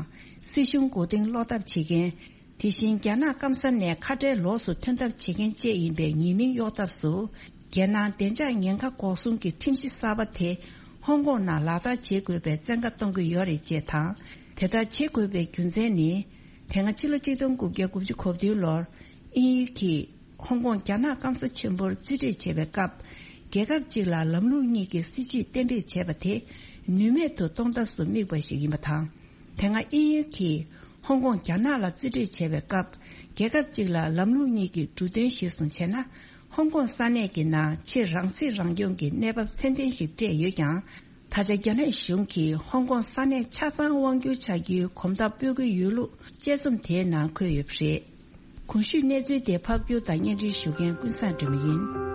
སྲིད་གཞུང་མགོ་རྟིང་སློག་ཐབས་བྱེད་མཁན། དེ་བཞིན་རྒྱ་ནག་སྐམ་ས་ནས་ཁ་བྲལ་ལོགས་སུ་ཐོན་ཐབས་བྱེད་མཁན་བཅས་ཡིན་པའི་ཉེས་མིང་གཡོག་ཐབས་སུ། རྒྱལ་ནང་བདེ་འཇགས་ཉེན་ཁ་འགོག་སྲུང་གི་ཁྲིམས་གཞི་གསར་པ་དེ་ཧོང་ཀོང་ནང་ལག་བསྟར་བྱེད་དགོས་པའི་བཙན་བཀའ་གཏོང་གི་ཡོད་རེད་ཅེས་དང་། དེ་ལྟར་བྱེད་དགོས་པའི་རྒྱུ་མཚན་ནི། དེ་སྔ་ཕྱི་ལོ་གཅིག་སྟོང་དགུ་བརྒྱ་དགུ་བཅུ་གོ་བདུན་ལོར་དབྱིན་ཡུལ་གྱིས་ཧོང་ཀོང་རྒྱ་ནག་སྐམ་ས་ཆེན་པོར་རྩིས་སྤྲོད་བྱས་པའི་སྐབས། རྒྱལ་ཁབ་གཅིག་ལ་ལམ་ལུགས་གཉིས་ཀྱི་སྲིད་བྱུས་གཏན་འབེབས་བྱས་པ་དེ་ནུས་མེད་དུ་གཏོང་ཐབས་སུ་དམིགས་པ་ཞིག་ཡིན་པ་དང་། དེ་སྔ་དབྱིན་ཡུལ་གྱིས་ཧོང་ཀོང་རྒྱ་ནག་ལ་རྩིས་སྤྲོད་བྱས་པའི་སྐབས། རྒྱལ་ཁབ་གཅིག་ལ་ལམ་ལུགས་གཉིས་ཀྱི་འབྲུ་དོན་གཞིར་བཟུང་བྱས་ན། ཧོང་ཀོང་ས་གནས་ཀྱི་ནང་ཕྱིར་རང་སྲིད་རང་སྐྱོང་གི་གནས་བབ་ཚད་ལྡན་ཞིག་སྤྲད་ཡོད་ཀྱང་། ད་ཆ་རྒྱ་ནག་གཞུང་གིས་ཧོང་ཀོང་ས་གནས་ཆ་ཚང་དབང་བསྒྱུར་བྱ་རྒྱུའི་གོམ་སྟབས་སྤོ་གི་ཡོད་ལུགས་དཔྱད་རྩོམ་དེའི་ནང་འཁོད་ཡོད་པ་རེད། གོང་ཞུས་གནས་ཚུལ་དེ་ཕབ་སྒྱུར་དང་སྙན་སྒྲོན་ཞུ་མཁན་ཀུན་བཟང་སྒྲོལ་མ་ཡིན།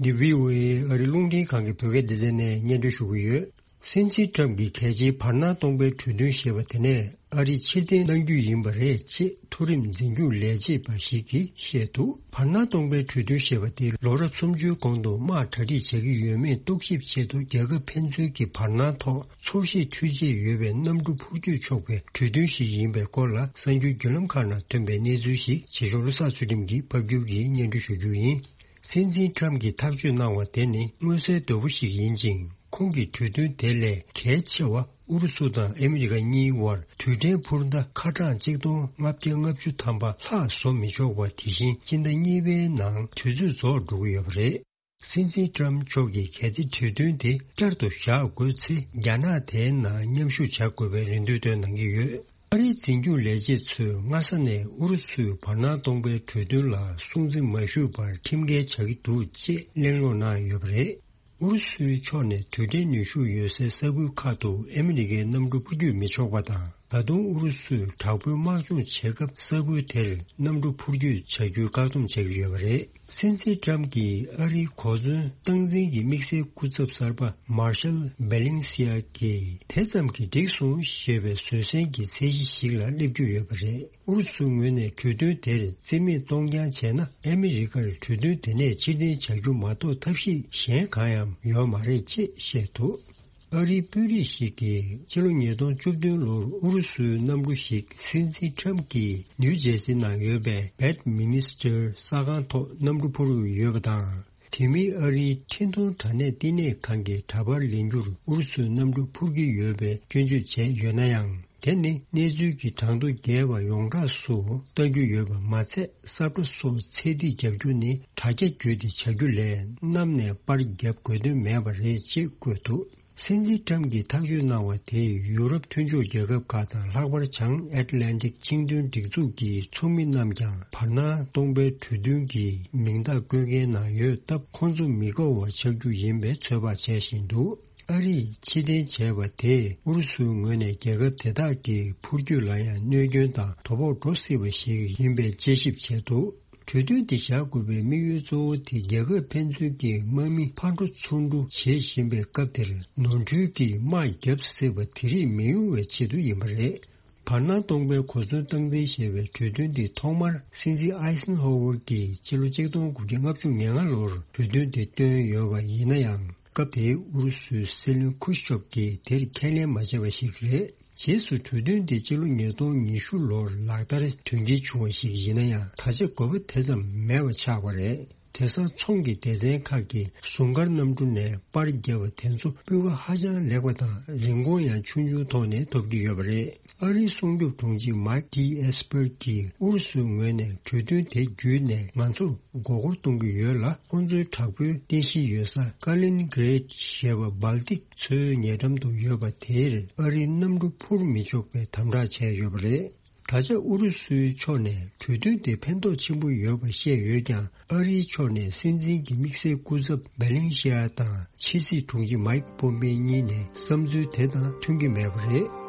འདི་བྷི་ཨོ་ཨེ་ཨ་རི་རླུང་འཕྲིན་ཁང་གི་བོད་སྐད་སྡེ་ཚན་ནས་སྙན་སྒྲོན་ཞུ་གི་ཡོད། སྲིད་འཛིན་ཊམ་གྱིས་གལ་ཆེའི་བར་སྣང་སྟོང་པའི་གྲོས་མཐུན་ཞེས་པ་དེ་ནས་ཨ་རི་ཕྱིར་འཐེན་གནང་རྒྱུ་ཡིན་པ་རེད་ཅེས་མཐོ་རིམ་འཛིན་སྐྱོང་ལས་བྱེད་པ་ཞིག་གིས་བཤད་འདུག་བར་སྣང་སྟོང་པའི་གྲོས་མཐུན་ཞེས་པ་དེ་ལོ་རབས་སུམ་ཅུའི་གོང་དུ་དམག་གྲ་སྒྲིག་བྱེད་ཀྱི་ཡོད་མེད་རྟོག་ཞིབ་ཆེད་དུ་རྒྱལ་ཁབ་ཕན་ཚུན་གྱི་བར་སྣང་ཐོག་ཚོར་ཤེས་འཕྲུལ་ཆས་ཡོད་པའི་གནམ་གྲུ་འཕུར་སྐྱོད་ཆོག་པའི་གྲོས་མཐུན་ཞིག་ཡིན་པའི་སྐོར་ལ་གསར་འགྱུར་བརྒྱུད་ལམ་ཁག་ནང་ཐོན་པའི་གནས་ཚུལ་ཞིག་བྱེད་ཞོར་བློ་བཟང་ཚུལ་ཁྲིམས་ཀྱིས་ཕབ་སྒྱུར་གྱིས་སྙན་སྒྲོན་ཞུ་རྒྱུ་ཡིན། སྲིད་འཛིན་ཊམ་གྱིས་ཐག་གཅོད་གནང་བ་དེ་ནི་མངོན་གསལ་དོད་པོ་ཞིག་ཡིན་ཅིང་། ཁོང་གི་གྲོས་མཐུན་དེ་ལས་གལ་ཆེ་བ་ཨུ་རུ་སུ་དང་ཨ་མི་རི་ཀ་གཉིས་དབར་རྡུལ་ཕྲན་འཕུར་མདའ་ཁ་གྲངས་གཅིག་སྟོང་ལྔ་བརྒྱ་ལྔ་བཅུ་ཐམ་པ་ལྷག་བཟོ་མི་ཆོག་པ་དེ་བཞིན་སྤྱི་ཟླ་གཉིས་པའི་ནང་དུས་ཚོད་རྫོགས་འགྲོ་གི་ཡོད་པ་རེད། སྲིད་འཛིན་ཊམ་མཆོག་གིས་གལ་ཏེ་གྲོས་མཐུན་དེ་བསྐྱར་དུ་བཞག་དགོས་ཚེ། རྒྱ་ནག་དེའི་ནང་མཉམ་ཞུགས་བྱ་དགོས་པའི་རེ་འདུན་བཏོན་གནང་གི་ཡོད། ཨ་རིའི་འཛིན་སྐྱོང་ལས་བྱེད་ཚོས་སྔ་ས་ནས་ཨུ་རུ་སུས་བར་སྣང་སྟོང་པའི་གྲོས་མཐུན་ལ་སྲུང་བརྩི་མ་ཞུས་པར་ཁྲིམས་འགལ་བྱ་གི་འདུག་ཅེས་གླེང་སློང་གནང་ཡོད་པ་རེད། ཨུ་རུ་སུའི་ཕྱོགས་ནས་རྡུལ་ཕྲན་ནུས་ཤུགས་ཡོད་སའི་ས་ཁུལ་ཁག་ཏུ་ཨ་མི་རི་ཀའི་གནམ་གྲུ་འཕུར་སྐྱོད་མི་ཆོག་པ་དང་། ད་དུང་ཨུ་རུ་སུས་དྲག་པོའི་དམག་སྦྱོང་བྱེད་སྐབས་ས་ཁུལ་དེར་གནམ་གྲུ་འཕུར་སྐྱོད་བྱ་རྒྱུའི་བཀག་སྡོམ་བྱེད་ཀྱི་ཡོད་པ་རེད། སྲིད་འཛིན་ཊམ་གྱིས་ཨ་རིའི་གོ་མཚོན་སྟངས་འཛིན་གྱི་དམིགས་བསལ་སྐུ་ཚབ་གསར་པ་མར་ཤལ་བེ་ལིང་སི་ཡ་གིས་དེ་ཙམ་གྱིས་འགྲིག་སོང་ཞེས་པའི་བཟོད་བསྲན་གྱི་ཚད་གཞི་ཞིག་ལ་སླེབས་རྒྱུ་ཡོད་པ་རེད། ཨུ་རུ་སུའི་ངོས་ནས་གྲོས་མཐུན་དེར་རྩིས་མེད་གཏོང་རྐྱང་བྱས་ན། ཨ་མི་རི་ཀར་གྲོས་མཐུན་དེ་ནས་ཕྱིར་འཐེན་བྱ་རྒྱུ་མ་གཏོགས་ཐབས་ཤེས་གཞན་གང་ཡང་ཡོད་མ་རེད་ཅེས་བཤད་འདུག་ཨ་རིའི་དཔོན་རིགས་ཤིག་གིས་ཕྱི་ལོ་ཉིས་སྟོང་བཅུ་བདུན་ལོར་ཨུ་རུ་སུའི་གནམ་གྲུ་ཞིག་སྲིད་འཛིན་ཁྲམ་གྱིས་ནིའུ་ཇེར་སི་ནང་ཡོད་པའི་བེད་མི་ནི་སི་ཊར་ས་ཁང་ཐོག་གནམ་གྲུ་འཕུར་ཡོད་པ་དང་། དེ་མིན་ཨ་རིའི་འཕྲིན་གཏོང་དྲ་གནས་བསྟི་གནས་ཁང་གི་འདྲ་པར་ལེན་རྒྱུར་ཨུ་རུ་སུའི་གནམ་གྲུ་འཕུར་གྱི་ཡོད་པའི་སྐྱོན་བརྗོད་བྱས་ཡོད་ན་ཡང་། དེ་ནི་གནས་ཚུལ་གྱི་གྲངས་ཐོ་རྒྱས་པ་ཡོངས་གྲགས་སུ་ལྟ་རྒྱུ་ཡོད་པ་མ་ཚད། ས་ཁྲ་སོགས་ཚད་ཐིག་རྒྱག་རྒྱུ་ནི་དྲ་རྒྱ་བརྒྱུད་དེ་བྱ་རྒྱུ་ལས་གནམ་ནས་པར་བརྒྱབ་དགོས་དོན་མེད་པ་རེད་ཅེས་བཀོད་འདུག་སྲིད་འཛིན་ཁྲམ་གྱིས་ཐག་གཅོད་གནང་བ་དེས་ཡུ་རོབ་མཐུན་ཕྱོགས་རྒྱལ་ཁབ་ཁག་དང་། ལྷག་པར་བྱང་ཨེཊ་ལན་ཊིག་ཆིངས་དོན་སྒྲིག་འཛུགས་ཀྱི་ཚོགས་མི་རྣམས་ཀྱང་བར་སྣང་སྟོང་པའི་གྲོས་མཐུན་གྱི་མིང་རྟགས་བཀོད་མཁན་ནང་ཡོད་སྟབས། ཁོང་ཚོ་མི་དགའ་བ་ཆགས་རྒྱུ་ཡིན་པའི་ཚོད་དཔག་བྱས་བཞིན་འདུག་ཨ་རིས་ཕྱིར་འཐེན་བྱས་པ་དེས་ཨུ་རུ་སུའི་ངོས་ནས་རྒྱལ་ཁབ་དེ་དག་གི་འཕུར་སྐྱོད་ལ་ཡང་གནོད་སྐྱོན་དང་དོ་ཕོག་འགྲོ་སྲིད་པ་ཞིག་ཡིན་པའི་དཔྱད་ཞིབ་བྱས་འདུག་གྲོས་མཐུན་དེ་བཞག་དགོས་པའི་དམིགས་ཡུལ་གཙོ་བོ་དེ་རྒྱལ་ཁབ་ཕན་ཚུན་གྱི་དམག་མི་ཕར་འགྲོ་ཚུར་འགྲོ་བྱེད་བཞིན་པའི་སྐབས་དེར། ནོར་འཁྲུལ་གྱིས་དམག་བརྒྱབ་སྲིད་པ་དེ་རིགས་མི་ཡོང་བའི་ཆེད་དུ་ཡིན་པ་རེད། བར་སྣང་སྟོང་པའི་གོ་མཚོན་སྟངས་འཛིན་ཞེས་པའི་གྲོས་མཐུན་འདི་ཐོག་མར་སྲིད་འཛིན་ཨའི་སན་ཧོ་ཝར་གྱིས་ཕྱི་ལོ་ཆིག་སྟོང་དགུ་བརྒྱ་ལྔ་བཅུ་ང་ལྔ་ལོར་གྲོས་མཐུན་དེ་བཏོན་ཡོད་པ་ཡིན་ན་ཡང་། སྐབས་དེའི་ཨུ་རུ་སུའི་སྲིད་བློན་ཁུ་ཤུ་ཆོབ་ཀྱིས་དེར་ཁས་ལེན་མ་བྱས་པ་ཞིག་རེད། རྗེས་སུ་གྲོས་མཐུན་དེ་ཕྱི་ལོ་ཉིས་སྟོང་ཉི་ཤུ་ལོར་ལག་བསྟར་དོན་འཁྱོལ་བྱུང་བ་ཞིག་ཡིན་ན་ཡང་། ད་ཆ་དགོས་པ་དེ་ཙམ་མེད་པ་ཆགས་པ་རེད། དེང་སང་ཚོང་གི་སྡེ་ཚན་ཁག་གིས་ཟུང་སྐར་གནམ་གྲུ་ནས་པར་བརྒྱབ་པ་དེ་ཚོ་སྤུས་ཀ་ཧ་ཅང་ལེགས་པ་དང་། རིན་གོང་ཡང་ཆུང་ཆུང་ཐོག་ནས་ཐོབ་ཀྱི་ཡོད་པ་རེད། ཨ་རིའི་སྲུང་སྐྱོབ་དྲུང་ཆེ་མཱིག་ཏི་ཨེས་པར་གྱིས་ཨུ་རུ་སུའི་ངོས་ནས་གྲོས་མཐུན་དེ་བརྒྱུད་ནས་ང་ཚོར་མགོ་སྐོར་གཏོང་གི་ཡོད་ལ། ཁོང་ཚོའི་དྲག་པོའི་རྟེན་གཞི་ཡོད་ས་ཀ་ལིན་གྷི་རེད་ཞེས་པ་སྦལ་ཏིག་མཚོའི་ཉེ་འགྲམ་དུ་ཡོད་པ་དེར་ཨ་རིའི་གནམ་གྲུ་འཕུར་མི་ཆོག་པའི་དམ་དྲག་བྱས་ཡོད་པ་རེད། ད་ཆ་ཨུ་རུ་སུའི་ཕྱོགས་ནས་གྲོས་མཐུན་དེ་ཕན་ཐོགས་ཆེན་པོ་ཡོད་པ་བཤད་ཡོད་ཀྱང་། ཨ་རིའི་ཕྱོགས་ནས་སྲིད་འཛིན་གྱི་དམིགས་བསལ་སྐུ་ཚབ་བེ་ལེན་ཤི་ཡ་དང་ཕྱི་སྲིད་དྲུང་ཆེ་མཱིག་པོམ་པེ་གཉིས་ནས་བསམ་ཚུལ་དེ་དང་མཐུན་གྱི་མེད་པ་རེད།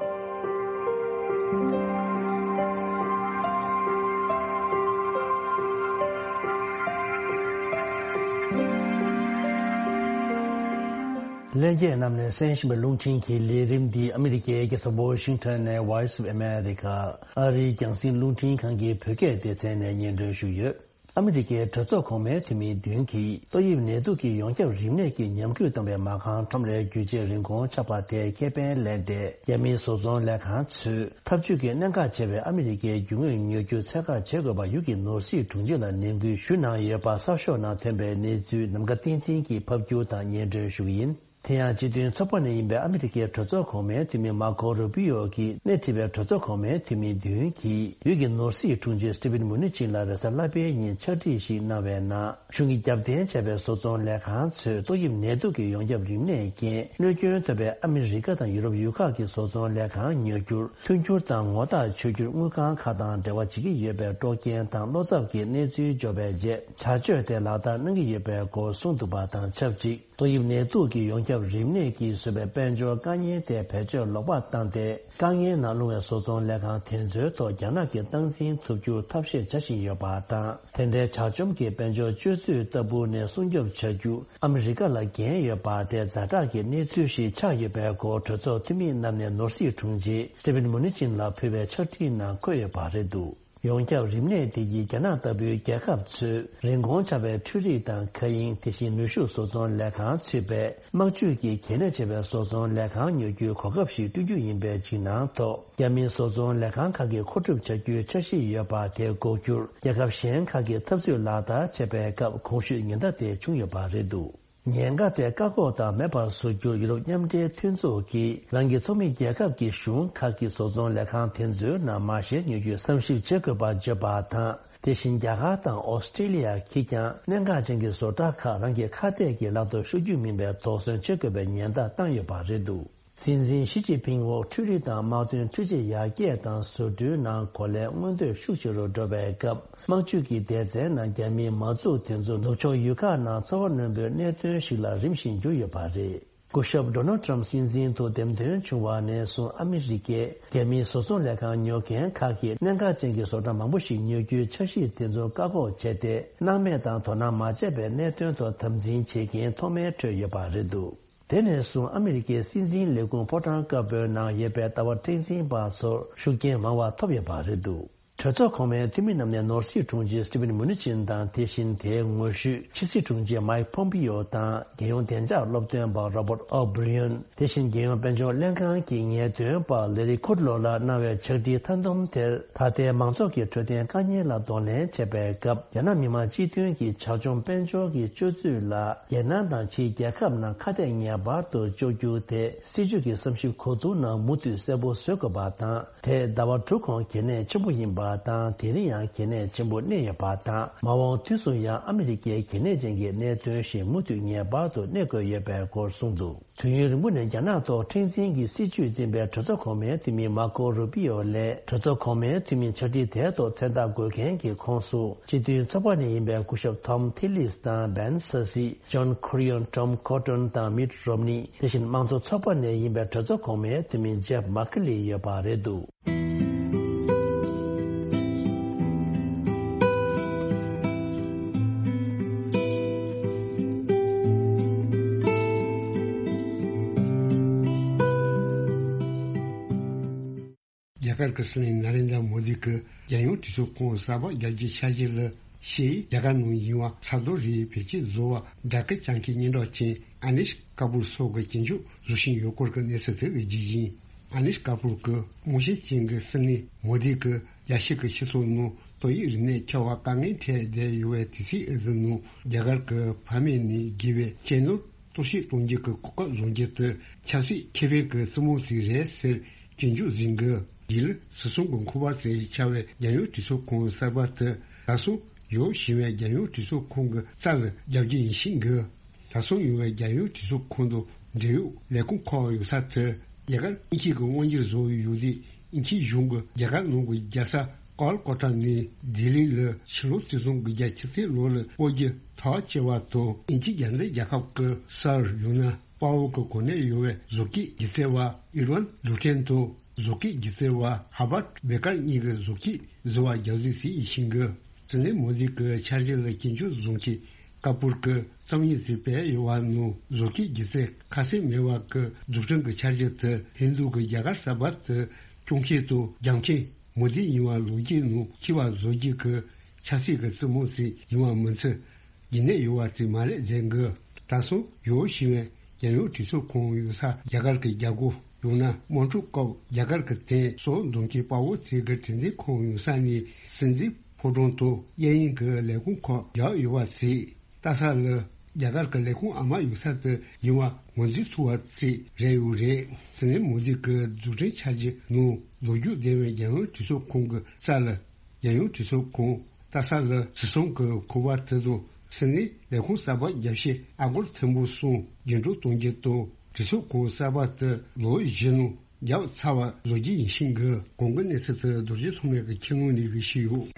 ལྷན་རྒྱས་རྣམས་ནས་གསན་བཞིན་པའི་རླུང་འཕྲིན་གྱི་ལས་རིམ་འདི་ཨ་མི་རི་ཀའི་རྒྱལ་ས་ཝོ་ཤིང་ཊོན་ནས་Voice of America ཨ་རིའི་རྒྱང་སྲིང་རླུང་འཕྲིན་ཁང་གི་བོད་སྐད་སྡེ་ཚན་ནས་སྙན་སྒྲོན་ཞུས་ཡོད། ཨ་མི་རི་ཀའི་གྲོས་ཚོགས་གོང་མའི་འཐུས་མི་བདུན་གྱིས་ཏོག་དབྱིབས་ནད་དུག་གི་ཡོངས་ཁྱབ་རིམས་ནད་ཀྱི་ཉམས་རྒུད་བཏང་བའི་མ་རྐང་ཁྲོམ་རའི་རྒྱུ་ཆའི་རིན་གོང་ཆག་པ་དེའི་ཁེ་ཕན་ལེན་ཏེ། རྒྱ་མིའི་བཟོ་ཚོང་ལས་ཁང་ཚོས་འཐབ་ཇུས་ཀྱི་གནད་འགག་ཆེ་བའི་ཨ་མི་རི་ཀའི་རྒྱུ་དངོས་ཉོ་རྒྱུ་ཚད་བཀག་བྱེད་དགོས་པ་ཡུལ་གྱི་ནོར་སྲིད་དྲུང་ཆེ་ལ་ནན་སྐུལ་ཞུས་གནང་ཡོད་པ་གསར་ཤོག་ནང་ཐོན་པའི་གནས་ཚུལ་ནམ་མཁའ་བསྟན་འཛིན་གྱིས་ཕབ་སྒྱུར་དང་སྙན་སྒྲོན་ཞུ་གི་ཡིན། དེ་ཡང་སྤྱི་མཐུན་ཚོགས་པ་ནས་ཡིན་པའི་ཨ་མི་རི་ཀའི་གྲོས་ཚོགས་གོང་མའི་འཐུས་མི་མར་ཁོ་རུ་པི་ཡོ་གིས་སྣེ་ཁྲིད་པའི་གྲོས་ཚོགས་གོང་མའི་འཐུས་མི་བདུན་གྱིས་ཡུལ་གྱི་ནོར་སྲིད་དྲུང་ཆེ་སི་ཊི་ཕིན་མུ་ནི་ཅིན་ལ་རེས་གཟའ་ལྷག་པའི་ཉིན་ཕྱག་བྲིས་ཤིག་གནང་བའི་ནང་། གཞུང་གིས་རྒྱབ་རྟེན་བྱས་པའི་བཟོ་ཚོང་ལས་ཁང་ཚོས་ཏོག་དབྱིབས་ནད་དུག་གི་ཡོངས་ཁྱབ་རིམས་ནད་རྐྱེན་གནོད་སྐྱོན་ཐོབ་པའི་ཨ་མི་རི་ཀ་དང་ཡུ་རོབ་ཡུལ་ཁག་གི་བཟོ་ཚོང་ལས་ཁང་ཉོ་རྒྱུར་མཐུན་འགྱུར་དང་ངོ་རྟགས་ཆོད་རྒྱུར་དངུལ་ཁང་ཁག་དང་འབྲེལ་བ་བྱེད་ཀྱི་ཡོད་པའི་དཀྲོག་རྐྱེན་དང་བློ་འཚབ་ཀྱི་གནས་ཚུལ་འབྱོར་བའི་རྗེས། བྱ་སྤྱོད་དེ་ལག་བསྟར་གནང་གི་ཡོད་པའི་སྐོར་གསུངས་འདུག་པ་དང་ཆབས་ཅིག་ཏོག་དབྱིབས་ནད་དུག་གི་ཡོངས་ཁྱབ་རིམས་ནད་ཀྱིས་བཟོས་པའི་དཔལ་འབྱོར་དཀའ་ངལ་དེ་བེད་སྤྱོད་ལོག་པར་བཏང་སྟེ། དཀའ་ངལ་ནང་ལྷུང་བའི་བཟོ་ཚོང་ལས་ཁང་དེ་ཚོའི་ཐོག་རྒྱ་ནག་གིས་སྟངས་འཛིན་ཐུབ་རྒྱུར་ཐབས་ཤེས་བྱ་བཞིན་ཡོད་པ་དང་། དེ་འདྲའི་ཇག་བཅོམ་གྱི་དཔལ་འབྱོར་སྤྱོད་ཚུལ་ལྟ་བུ་ནས་སྲུང་སྐྱོབ་བྱ་རྒྱུ་ཨ་མི་རི་ཀ་ལ་འགན་ཡོད་པ་དེ་ཛ་དྲག་གི་གནས་ཚུལ་ཞིག་ཆགས་ཡོད་པའི་སྐོར་གྲོས་ཚོགས་འཐུས་མི་རྣམས་ནས་ནོར་སྲིད་དྲུང་ཆེ་སི་ཊི་ཕིན་མུ་ནི་ཅིན་ལ་ཕུལ་བའི་ཕྱག་བྲིས་ནང་འཁོད་ཡོད་པ་རེད་འདུག་ཡོངས་ཁྱབ་རིམས་ནད་དེ་ཡིས་རྒྱ་ནག་ལྟ་བུའི་རྒྱལ་ཁབ་ཚོས་རིན་གོང་ཆག་པའི་འཕྲུལ་རིག་དང་མཁའ་དབྱིངས། དེ་བཞིན་ནུས་ཤུགས་བཟོ་ཚོང་ལས་ཁང་ཚུད་པའི་དམག་ཇུས་ཀྱི་གལ་གནད་ཆེ་བའི་བཟོ་ཚོང་ལས་ཁང་ཉོ་རྒྱུའི་གོ་སྐབས་ཤིག་བསྐྲུན་རྒྱུ་ཡིན་པའི་འཇིགས་སྣང་ཐོག་རྒྱ་མིའི་བཟོ་ཚོང་ལས་ཁང་ཁག་གིས་མཁོ་སྒྲུབ་བྱ་རྒྱུའི་འཆར་གཞི་ཡོད་པ་དེ་འགོག་རྒྱུར། རྒྱལ་ཁབ་གཞན་ཁག་གིས་འཐབ་རྩོད་ལག་བསྟར་བྱས་པའི་སྐབས་གོང་ཞུས་ཉེན་བརྡ་དེ་བྱུང་ཡོད་པ་རེད་འདུག་ཉེན་ཁ་དེ་བཀག་འགོག་དང་མེད་པར་བཟོ་རྒྱུར་ཡུ་རོབ་མཉམ་འབྲེལ་མཐུན་ཚོགས་ཀྱིས་རང་གི་ཚོགས་མི་རྒྱལ་ཁབ་ཀྱི་གཞུང་ཁག་གི་བཟོ་ཚོང་ལས་ཁང་དེ་ཚོའི་ནང་མ་བཞེངས་ཉོ་རྒྱུའི་བསམ་ཞིབ་བྱེད་དགོས་པར་བརྗོད་པ་དང་། དེ་བཞིན་རྒྱ་གར་དང་ཨོ་སི་ཀྲི་ལི་ཡ་གིས་ཀྱང་གནད་འགག་ཅན་གྱི་བཟོ་གྲྭ་ཁག་རང་གི་ཁ་གཏད་ཀྱི་ལག་ཏུ་ཤོར་རྒྱུ་མིན་པའི་དོགས་ཟོན་བྱེད་དགོས་པའི་ཉེན་བརྡ་བཏང་ཡོད་པ་རེད་འདུག་སྲིད་འཛིན་ཞི་ཅིན་ཕིང་འོག་འཕྲུལ་རིག་དང་དམག་དོན་འཕྲུལ་ཆས་ཡར་རྒྱས་དང་བཟོ་སྐྲུན་ནང་གོ་ལའི་མངོན་འདོད་ཤུགས་ཆེ་རུ་འགྲོ་བའི་སྐབས། དམག་ཇུས་ཀྱི་སྡེ་ཚན་ནང་རྒྱ་མིའི་མ་འཛུགས་དེ་ཚོ་ནུབ་ཕྱོགས་ཡུལ་ཁག་ནང་ཚོར་བ་རྣོན་པོའི་གནད་དོན་ཞིག་ལ་རིམ་བཞིན་གྱུར་ཡོད་པ་རེད། སྐུ་ཞབས་Donald Trump་སྲིད་འཛིན་དུ་འདེམས་ཐོན་བྱུང་བ་ནས་བཟུང་ཨ་མི་རི་ཀས་རྒྱ་མིའི་བཟོ་ཚོང་ལས་ཁང་ཉོ་མཁན་ཁག་གིས་གནད་འགག་ཅན་གྱི་བཟོ་གྲྭ་མང་པོ་ཞིག་ཉོ་རྒྱུའི་འཆར་གཞི་དེ་ཚོ་བཀག་འགོག་བྱས་ཏེ། སྣང་མེད་དང་དོ་སྣང་མ་བྱས་པའི་གནད་དོན་ཐོག་དམ་འཛིན་བྱེད་མཁན་ཐོག་མའི་ཁྲོད་ཡོད་པ་རེད་འདུག་དེ་ནས་བཟུང་ཨ་མི་རི་ཀའི་སྲིད་འཛིན་ལས་ཁུངས་ཕོ་བྲང་དཀར་པོའི་ནང་ཡོད་པའི་ལྟ་བ་སྟངས་འཛིན་པ་ཚོར་ཤུགས་རྐྱེན་མང་བ་ཐོབ་ཡོད་པ་རེད་འདུག་གྲོས་ཚོགས་གོང་མའི་འཐུས་མི་རྣམས་ནས་ནོར་སྲིད་དྲུང་ཆེ་སི་ཊི་ཕིན་མུ་ནི་ཅིན་དང་། དེ་བཞིན་དེའི་ངོ་བཤུས་ཕྱི་སྲིད་དྲུང་ཆེ་མཱིག་ཕོམ་པི་ཡོ་དང་། རྒྱལ་ཡོངས་བདེ་འཇགས་སློབ་སྟོན་པ་རོ་བར་ཨོ་བྷི་རི་ཡོན། དེ་བཞིན་རྒྱལ་ཡོངས་དཔལ་འབྱོར་ལྷན་ཁང་གི་ངེས་སྟོན་པ་ལེ་རི་ཁུཌ་ལོ་ལ་གནང་བའི་ཕྱག་བྲིས་མཐའ་འདོམས་དེར། ད་ལྟའི་མང་ཚོགས་ཀྱི་འཕྲོད་བསྟེན་དཀའ་ངལ་ལ་གདོང་ལེན་བྱེད་པའི་སྐབས། རྒྱ་ནག་མི་དམངས་སྤྱི་མཐུན་གྱི་ཇག་བཅོམ་དཔལ་འབྱོར་གྱི་སྤྱོད་ཚུལ་ལ། རྒྱལ་ནང་དང་ཕྱིའི་རྒྱལ་ཁབ་ནང་ཁ་གཏད་ངེས་པར་དུ་གཅོག་རྒྱུ་དེ། སྲིད་ཇུས་ཀྱི་བསམ་ཞིབ་གོ་བསྡུར་ནང་མུ་མཐུད་གསལ་པོ་བཟོ་དགོས་པ་དང་། དེས་ཟླ་བ་དྲུག་གོང་གལ་གནད་ཆེན་པོ་ཡིན་པ་དང་། དེ་རིང་ཡང་གལ་གནད་ཆེན་པོ་གནས་ཡོད་པ་དང་། མ་འོངས་དུས་སུ་ཡང་ཨ་མི་རི་ཀའི་གལ་གནད་ཅན་གྱི་གནད་དོན་ཞིག་མུ་མཐུད་ངེས་པར་དུ་གནས་དགོས་ཡོད་པའི་སྐོར་གསུངས་འདུག་དུས་ཡུན་རིང་པོ་ནས་རྒྱ་ནག་ཐོག་མཁྲེགས་འཛིན་གྱི་སྲིད་བྱུས་འཛིན་པའི་གྲོས་ཚོགས་གོང་མའི་འཐུས་མི་མར་ཁོ་རུ་པི་ཡོ་ལས། གྲོས་ཚོགས་གོང་མའི་འཐུས་མི་ཕྱག་བྲིས་དེའི་ཐོག་མཚན་རྟགས་འགོད་མཁན་གྱི་ཁོངས་སུ། སྤྱི་མཐུན་ཚོགས་པ་ནས་ཡིན་པའི་སྐུ་ཞབས་ཐོམ་ཐི་ལིས་དང་། བན་སེ་སི། ཇོན་ཁུ་རི་ཡོན། ཊོམ་ཁོ་ཊོན་དང་། མིཊ་རོམ་ནི། དེ་བཞིན་དམངས་གཙོ་ཚོགས་པ་ནས་ཡིན་པའི་གྲོས་ཚོགས་གོང་མའི་འཐུས་མི་ཇེབ་མཱ་ཁི་ལི་ཡོད་པ་རེད་འདུག་རྒྱ་གར་གྱི་སྲིད་བློན་ནཱ་རེན་དྲ་མོ་དི་གིས་རྒྱལ་ཡོངས་གྲོས་ཚོགས་ཁོངས་གསར་པ་རྒྱག་རྒྱུའི་འཆར་གཞི་ལ་ཞེས། རྒྱ་གར་ནང་ཡིན་པ་ས་རྡོ་རིགས་བེད་སྤྱོད་བཟོ་བར་སྦྲགས་ཀྱི་བྱང་ཁའི་སྙན་གྲགས་ཅན་ཨ་ནིཤ་ཀ་པུར་སོགས་ཀྱི་གྱེན་ཆོད་བཟོ་བཞིན་ཡོད་སྐོར་གྱི་གནས་ཚུལ་དེ་གི་རྒྱུ་ཡིན། ཨ་ནིཤ་ཀ་པུར་གྱིས་རྨོངས་ཞེན་ཅན་གྱི་སྲིད་བློན་མོ་དི་གིས་རྒྱལ་སྤྱི་གི་སྤྱི་ཚོགས་ནང་ཏོག་དབྱིབས་རིམས་ནད་ཁྱབ་པ་དཀའ་ངལ་འཕྲད་བསྡད་ཡོད་པའི་དུས་ཚིགས་འདི་ནང་། རྒྱ་གར་གྱི་ཕ་མེས་ནས་རྒས་པའི་གཅེས་ནོར་གཏོར་བཤིག་གཏོང་རྒྱུ་གི་གོ་སྐབས་བཟུང་རྒྱུ་དེ་ཆབ་སྲིད་ཁེ་ཕན་གྱི་རྩེད་མོ་ཞིག་རེད་ཟེར་སྐྱོན་བརྗོད་ཟིན་གྱི། རྗེས་ལ་སྲིད་གཞུང་གི་ཁང་པ་ཞིག་ཆགས་པའི་རྒྱལ་ཡོངས་གྲོས་ཚོགས་ཁོངས་གསར་པ་དེ་ད་སོང་ཡོད་བཞིན་པའི་རྒྱལ་ཡོངས་གྲོས་ཚོགས་ཁོངས་ཀྱི་རྩ་ལ་རྒྱག་རྒྱུ་ཡིན་ཞིང་གི། ད་སོང་ཡོད་པའི་རྒྱལ་ཡོངས་གྲོས་ཚོགས་ཁོངས་དུ་འབྲེལ་ཡོད་ལས་ཁུངས་ཁག་ཡོད་ས་དེ་རྒྱ་གར་དབྱིན་ཇི་གི་དབང་སྒྱུར་བཟོ་བའི་ཡུལ་དེ། དབྱིན་ཇི་གཞུང་གིས་རྒྱ་གར་ནང་གི་རྒྱལ་ས་ཀལ་ཀོ་ཊ་ནས་ལྡི་ལི་ལ་ཕྱི་ལོ་ཆིག་སྟོང་དགུ་བརྒྱ་ཆིག་ཙམ་ལོ་ལ་སྤོ་རྒྱུ་ཐག་བཅད་པ་དང་། དབྱིན་ཇི་རྒྱལ་མཚན་རྒྱལ་ཁབ་ཀྱི་སར་ཡང་ན་དཔའ་བོ་གི་གོ་གནས་ཡོད་པའི་བཟོ་བཀོད་སྒྱུ་རྩལ་བ་ཨེ་ཌི་ཝན་ལུ་ཊན་དང་། བཟོ་བཀོད་སྒྱུ་རྩལ་བ་ཧར་བར་ཌི་བྷེ་ཀར་གཉིས་ཀྱིས་བཟོ་བཀོད་བཟོ་བ་རྒྱག་རྩིས་བྱེད་བཞིན་ཡོད། སྲིད་བློན་མོ་དི་གི་འཆར་གཞི་ལ་སྐྱོན་བརྗོད་བཟོ་མཁན་ཀ་པུར་གྱིས་རྩོམ་ཡིག་ཅིག་སྤེལ་ཡོད་པ་ནང་། བཟོ་བཀོད་སྒྱུ་རྩལ་ཁ་སེང་མེད་པ་གི་འཛུགས་སྐྲུན་གྱི་འཆར་གཞི་དེ་ཧིན་རྡུ་གི་རྒྱ་གར་གསར་པ་དེ་སྐྱོང་མཁན་དང་རྒྱག་མཁན་མོ་དི་ཡིན་པ་ལོ་རྒྱུས་ནང་འཁྱོལ་བ་བཟོ་རྒྱུ་གི་ཆབ་སྲིད་ཀྱི་རྩེད་མོ་ཞིག་ཡིན་པ་མིན་ཚུལ་རྒྱུན་གནས་ཡོད་པ་ཞིག་མ་རེད་ཟེར་གི། ད་སོང་ཡོ་ཞི་ཝན་རྒྱལ་ཡོངས་གྲོས་ཚོགས་ཁོངས་ཡོད་ས། རྒྱ་གར་གྱི་རྒྱལ་སྒོ་ཡང་ན་དམག་འཁྲུག་སྐབས་རྒྱ་གར་གྱི་དོན་སོགས་འདོན་མཁན་དཔའ་བོ་ཞིག་གི་དྲན་རྟེན་ཁང་ཡོད་ས་ནས་སྲིད་འཛིན་ཕོ་བྲང་དུ་གཡས་གཡོན་གྱི་ལས་ཁུངས་ཁག་བརྒྱབ་ཡོད་པ་ཞིག་ལྟ་ས་ལ། རྒྱ་གར་གྱི་ལས་ཁུངས་ཨ་མ་ཡོད་ས་དེ་ཡིན་པ་ངོས་འཛིན་ཐུབ་པ་ཞིག་རེད་ཡོད་རེད། སྲིད་བློན་མོ་དི་གི་འཛུགས་སྐྲུན་འཆར་གཞི་ནང་ལོ་རྒྱུས་ལྡན་པའི་རྒྱལ་ཡོངས་གྲོས་ཚོགས་ཁོངས་ཀྱི་ས་ལ། རྒྱལ་ཡོངས་གྲོས་ཚོགས་ཁོངས་ལྟ་ས་ལ་ཞི་སོང་གི་ཁོ་པ་དེ་དང་། སྲིད་བློན་ལས་ཁུངས་གསར་པ་རྒྱ་ཆེ་ཨ་སྒོར་ཐེར་འབུམ་གསུམ་རྒྱུན་འགྲོ་གཏོང་རྒྱུ་དང་། གྲོས་ཚོགས་ཁོངས་གསར་པ་དེ་ལོ་བཞི་ནང་རྒྱབ་ཚར་བ་བཟོ་རྒྱུ་ཡིན་ཞིང་གི། གོང་གི་གནས་ཚུལ་དེ་རྡོ་རྗེ་ཐོགས་མེད་ཀྱིས་ཁྱེད་ངོས་ནས་ཞུས་ཡོད།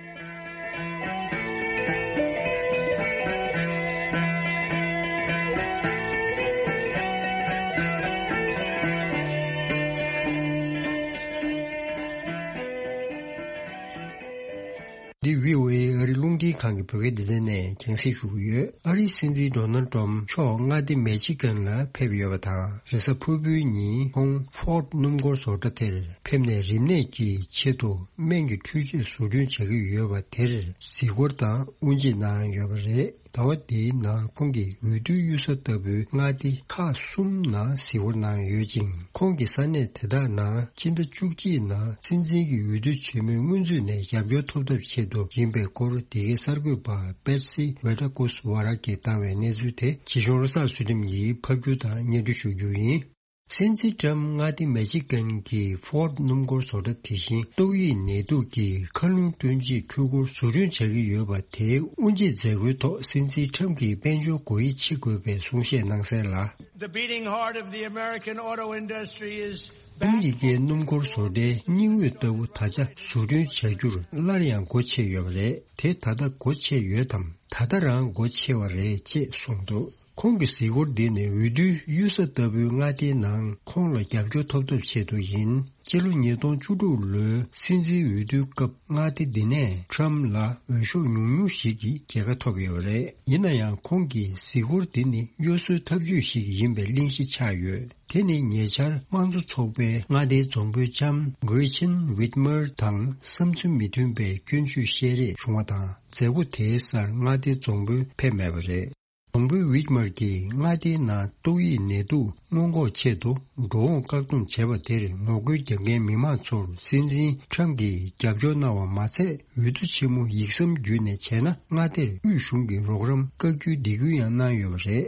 འདི་བྷི་ཨོ་ཨེ་ཨ་རི་རླུང་འཕྲིན་ཁང་གི་བོད་སྐད་སྡེ་ཚན་ནས་རྒྱང་སྲིང་ཞུ་གི་ཡོད། ཨ་རིའི་སྲིད་འཛིན་ཌོ་ནལ་ཏྲམ་མཆོག་མངའ་སྡེ་མེ་ཆི་གན་ལ་ཕེབས་ཡོད་པ་དང་། རེས་གཟའ་ཕུར་བུའི་ཉིན་ཁོང་ཧྥོར་ཌི་སྣུམ་འཁོར་བཟོ་གྲྭ་དེར་ཕེབས་ནས་རིམས་ནད་ཀྱི་ཆེད་དུ་སྨན་གྱི་འཕྲུལ་ཆས་བཟོ་སྐྲུན་བྱ་གི་ཡོད་པ་དེར་གཟིགས་སྐོར་དང་དབུ་འབྱེད་གནང་ཡོད་པ་རེད། ཟླ་བ་འདིའི་ནང་ཁོང་གིས་འོས་བསྡུའི་གཡུལ་ས་ལྟ་བུའི་མངའ་སྡེ་ཁག་གསུམ་ནང་གཟིགས་སྐོར་གནང་ཡོད་ཅིང་། ཁོང་གིས་ས་གནས་དེ་དག་ནང་སྤྱི་ཟླ་བཅུ་གཅིག་ནང་སྲིད་འཛིན་གྱི་འོས་བསྡུ་ཆེན་མོའི་སྔོན་ཚུད་ནས་རྒྱབ་སྐྱོར་ཐོབ་ཐབས་ཆེད་དུ་ཡིན་པའི་སྐོར། འདི་གའི་གསར་འགོད་པ་པེར་སི་ཝེ་ཏྲ་ཀོས་ཝ་ར་གིས་བཏང་བའི་གནས་ཚུལ་དེ་ཇི་གཞུང་བློ་བཟང་ཚུལ་ཁྲིམས་ཀྱིས་ཕབ་སྒྱུར་དང་སྙན་སྒྲོན་ཞུ་རྒྱུ་ཡིན། སྲིད་འཛིན་ཏྲམ་མངའ་སྡེ་མེ་ཆི་གན་གྱི་ཧྥོར་ཌི་སྣུམ་འཁོར་བཟོ་གྲྭ་དེ་བཞིན་ཏོག་དབྱིབས་ནད་དུག་གི་མཁའ་རླུང་སྐྲུན་ཆེད་འཕྲུལ་འཁོར་བཟོ་སྐྲུན་བྱ་གི་ཡོད་པ་དེའི་དབུ་འབྱེད་མཛད་སྒོའི་ཐོག་སྲིད་འཛིན་ཏྲམ་གྱིས་དཔལ་འབྱོར་སྒོ་དབྱེ་ཕྱེ་དགོས་པའི་གསུང་བཤད་གནང་གསལ་ལ། The beating heart of the American auto industry is ཨ་མི་རི་ཀའི་སྣུམ་འཁོར་བཟོ་གྲྭའི་སྙིང་དབུས་ལྟ་བུ་ད་ཆ་བཟོ་སྐྲུན་བྱ་རྒྱུར་སླར་ཡང་སྒོ་ཕྱེ་ཡོད་པ་རེད། དེ་ད་ལྟ་སྒོ་ཕྱེ་ཡོད་དམ། ད་ལྟ་རང་སྒོ་ཕྱེ་བ་རེད་ཅེས་གསུངས་འདུག་ཁོང་གི་གཟིགས་སྐོར་འདི་ནི་འོས་བསྡུའི་གཡུལ་ས་ལྟ་བུའི་མངའ་སྡེའི་ནང་ཁོང་ལ་རྒྱབ་སྐྱོར་ཐོབ་ཐབས་ཆེད་དུ་ཡིན། སྤྱི་ལོ་ཉིས་སྟོང་བཅུ་དྲུག་ལོའི་སྲིད་འཛིན་འོས་བསྡུའི་སྐབས་མངའ་སྡེ་འདི་ནས་ཊམ་ལ་འོས་ཤོག་ཉུང་ཉུང་ཞིག་གིས་རྒྱལ་ཁ་ཐོབ་ཡོད་པ་རེད། ཡིན་ན་ཡང་ཁོང་གི་གཟིགས་སྐོར་འདི་ནི་གཡོ་ཟོལ་ཐབས་ཇུས་ཤིག་ཡིན་པའི་གླེང་གཞི་ཆགས་ཡོད། དེ་ནི་ཉེ་ཆར་དམངས་གཙོ་ཚོགས་པའི་མངའ་སྡེའི་རྫོང་དཔོན་ལྕམ་གྷི་རེ་ཆེན་ཝིད་མར་དང་བསམ་ཚུལ་མི་མཐུན་པའི་སྐྱོན་བརྗོད་བཤད་རེས་བྱུང་བ་དང་། མཛད་སྒོ་དེའི་སར་མངའ་སྡེའི་རྫོང་དཔོན་ཕེབས་མེད་པ་རེད། རྫོང་དཔོན་ཝིད་མར་གྱིས་མངའ་སྡེའི་ནང་ཏོག་དབྱིབས་ནད་དུག་སྔོན་འགོག་ཆེད་དུ་འགྲོ་འོང་བཀག་སྡོམ་བྱས་པ་དེར་ངོ་རྒོལ་རྒྱག་མཁན་མི་མང་ཚོར་སྲིད་འཛིན་ཁྲམ་གྱིས་རྒྱབ་སྐྱོར་གནང་བ་མ་ཚད། འོས་བསྡུ་ཆེན་མོ་ཡིག་ཟམ་བརྒྱུད་ནས་བྱས་ན་མངའ་སྡེར་དབུས་གཞུང་གི་རོགས་རམ་བཀག་རྒྱུའི་སྡིགས་སྐུལ་ཡང་གནང་ཡོད་པ་རེད།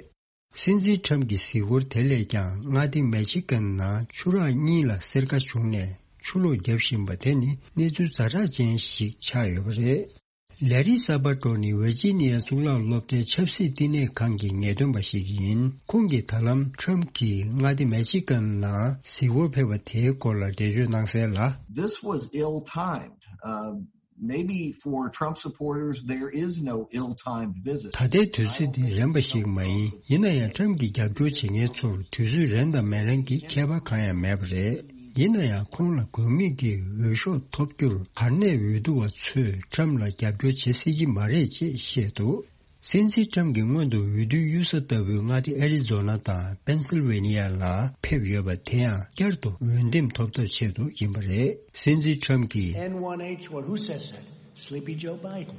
སྲིད་འཛིན་ཁྲམ་གྱི་གཟིགས་སྐོར་དེ་ལས་ཀྱང་མངའ་སྡེ་མེ་ཆི་གན་ནང་ཆུ་རགས་གཉིས་ལ་སེར་ཁ་བྱུང་ནས་ཆུ་ལོག་བརྒྱབ་བཞིན་པ་དེ་ནི་གནས་ཚུལ་ཛ་དྲག་ཅན་ཞིག་ཆགས་ཡོད་པ་རེད། ལེ་རི་ས་པ་ཏྲོ་ནི་ཝེར་ཇི་ནི་ཡ་གཙུག་ལག་སློབ་གྲྭའི་ཆབ་སྲིད་བསྟི་གནས་ཁང་གི་ངེས་སྟོན་པ་ཞིག་ཡིན། ཁོང་གིས་ད་ལམ་ཁྲམ་གྱིས་མངའ་སྡེ་མེ་ཆི་གན་ནང་གཟིགས་སྐོར་ཕེབས་པ་དེའི་སྐོར་ལ་འགྲེལ་བརྗོད་གནང་གསལ་ལ། This was ill-timed. Uh, maybe for Trump supporters, there is no ill-timed visit. ད་ལྟའི་དུས་ཚོད་འདི་རན་པ་ཞིག་མ་ཡིན། ཡིན་ན་ཡང་ཁྲམ་གྱི་རྒྱབ་སྐྱོར་བྱེད་མཁན་ཚོར་དུས་ཚོད་རན་དང་མི་རན་གྱི་ཁྱད་པར་གང་ཡང་མེད་པ་རེད། ཡིན་ན་ཡང་ཁོང་ལ་དགོས་ངེས་ཀྱི་འོས་ཤོག་ཐོབ་རྒྱུར་གར་གནས་འོས་བསྡུ་བ་ཚོས་ཁྲམ་ལ་རྒྱབ་སྐྱོར་བྱེད་སྲིད་ཀྱི་མ་རེད་ཅེས་བཤད་འདུག་སྲིད་འཛིན་ཁྲམ་གྱིས་སྔོན་དུ་འོས་བསྡུའི་གཡུལ་ས་ལྟ་བུའི་མངའ་སྡེ་ཨེ་རི་ཛོ་ན་དང་པེན་སིལ་ཝེ་ནི་ཡ་ལ་ཕེབས་ཡོད་པ་དེ་ཡང་བསྐྱར་དུ་འོས་འདེམས་ཐོབ་ཐབས་ཆེད་དུ་ཡིན་པ་རེད། སྲིད་འཛིན་ཁྲམ་གྱིས། N one H one, who says that? Sleepy Joe Biden.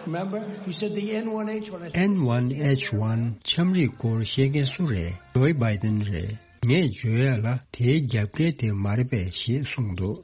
Remember? He said the N one H one. I said, N one H one ཁྲམ་རིགས་སྐོར་བཤད་མཁན་སུ་རེད། ཇོ་བྷའི་ཏིན་རེད། ངས་བརྗོད་ཡ་ལ་དེའི་རྒྱབ་འགལ་དེ་མ་རེད་པས་ཞེས་གསུངས་འདུག་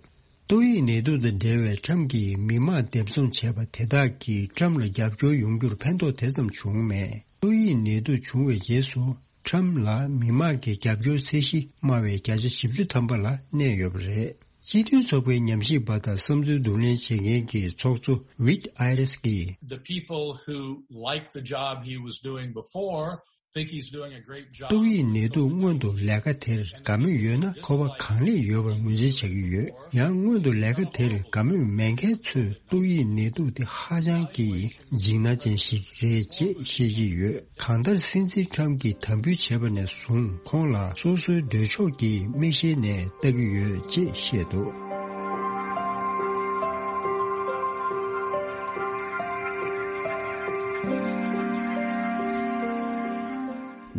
ཏོག་དབྱིབས་ནད་དུག་དང་འབྲེལ་བའི་ཁྲམ་གྱིས་མི་མང་འདེམས་འཛོམས་བྱས་པ་དེ་དག་གིས་ཁྲམ་ལ་རྒྱབ་སྐྱོར་ཡོང་རྒྱུར་ཕན་ཐོགས་དེ་ཙམ་བྱུང་མེད། ཏོག་དབྱིབས་ནད་དུག་བྱུང་བའི་རྗེས་སུ་ཁྲམ་ལ་མི་མང་གི་རྒྱབ་སྐྱོར་ཚད་གཞི་དམའ་བའི་བརྒྱ་ཆ་བཞི་བཅུ་ཐམ་པ་ལ་གནས་ཡོད་པ་རེད། སྤྱི་མཐུན་ཚོགས་པའི་ཉམས་ཞིབ་པ་དང་བསམ་ཚུལ་བསྡུ་ལེན་བྱེད་མཁན་གྱི་ཚོགས་གཙོ་ཝིད་ཨའི་རེས་ཀྱིས། The people who liked the job he was doing before think he's doing a great job. ཏོག་དབྱིབས་ནད་དུག་སྔོན་དུ་ལས་ཀ་དེར་དགའ་མོས་ཡོད་ན་ཁོ་པ་གང་ལེགས་ཡོད་པར་ངོས་འཛིན་བྱ་གི་ཡོད། ཡང་སྔོན་དུ་ལས་ཀ་དེར་དགའ་མོས་མེད་མཁན་ཚོས་ཏོག་དབྱིབས་ནད་དུག་དེ་ཧ་ཅང་གི་འཇིགས་སྣང་ཅན་ཞིག་རེད་ཅེས་བཤད་ཀྱི་ཡོད། གང་ལྟར་སྲིད་འཛིན་ཁྲམ་གྱིས་དམ་འབུལ་བྱས་པ་ནས་བཟུང་ཁོང་ལ་སོ་སོའི་འདོད་ཕྱོགས་ཀྱི་མིག་ཤེལ་ནས་ལྟ་གི་ཡོད་ཅེས་བཤད་འདུག།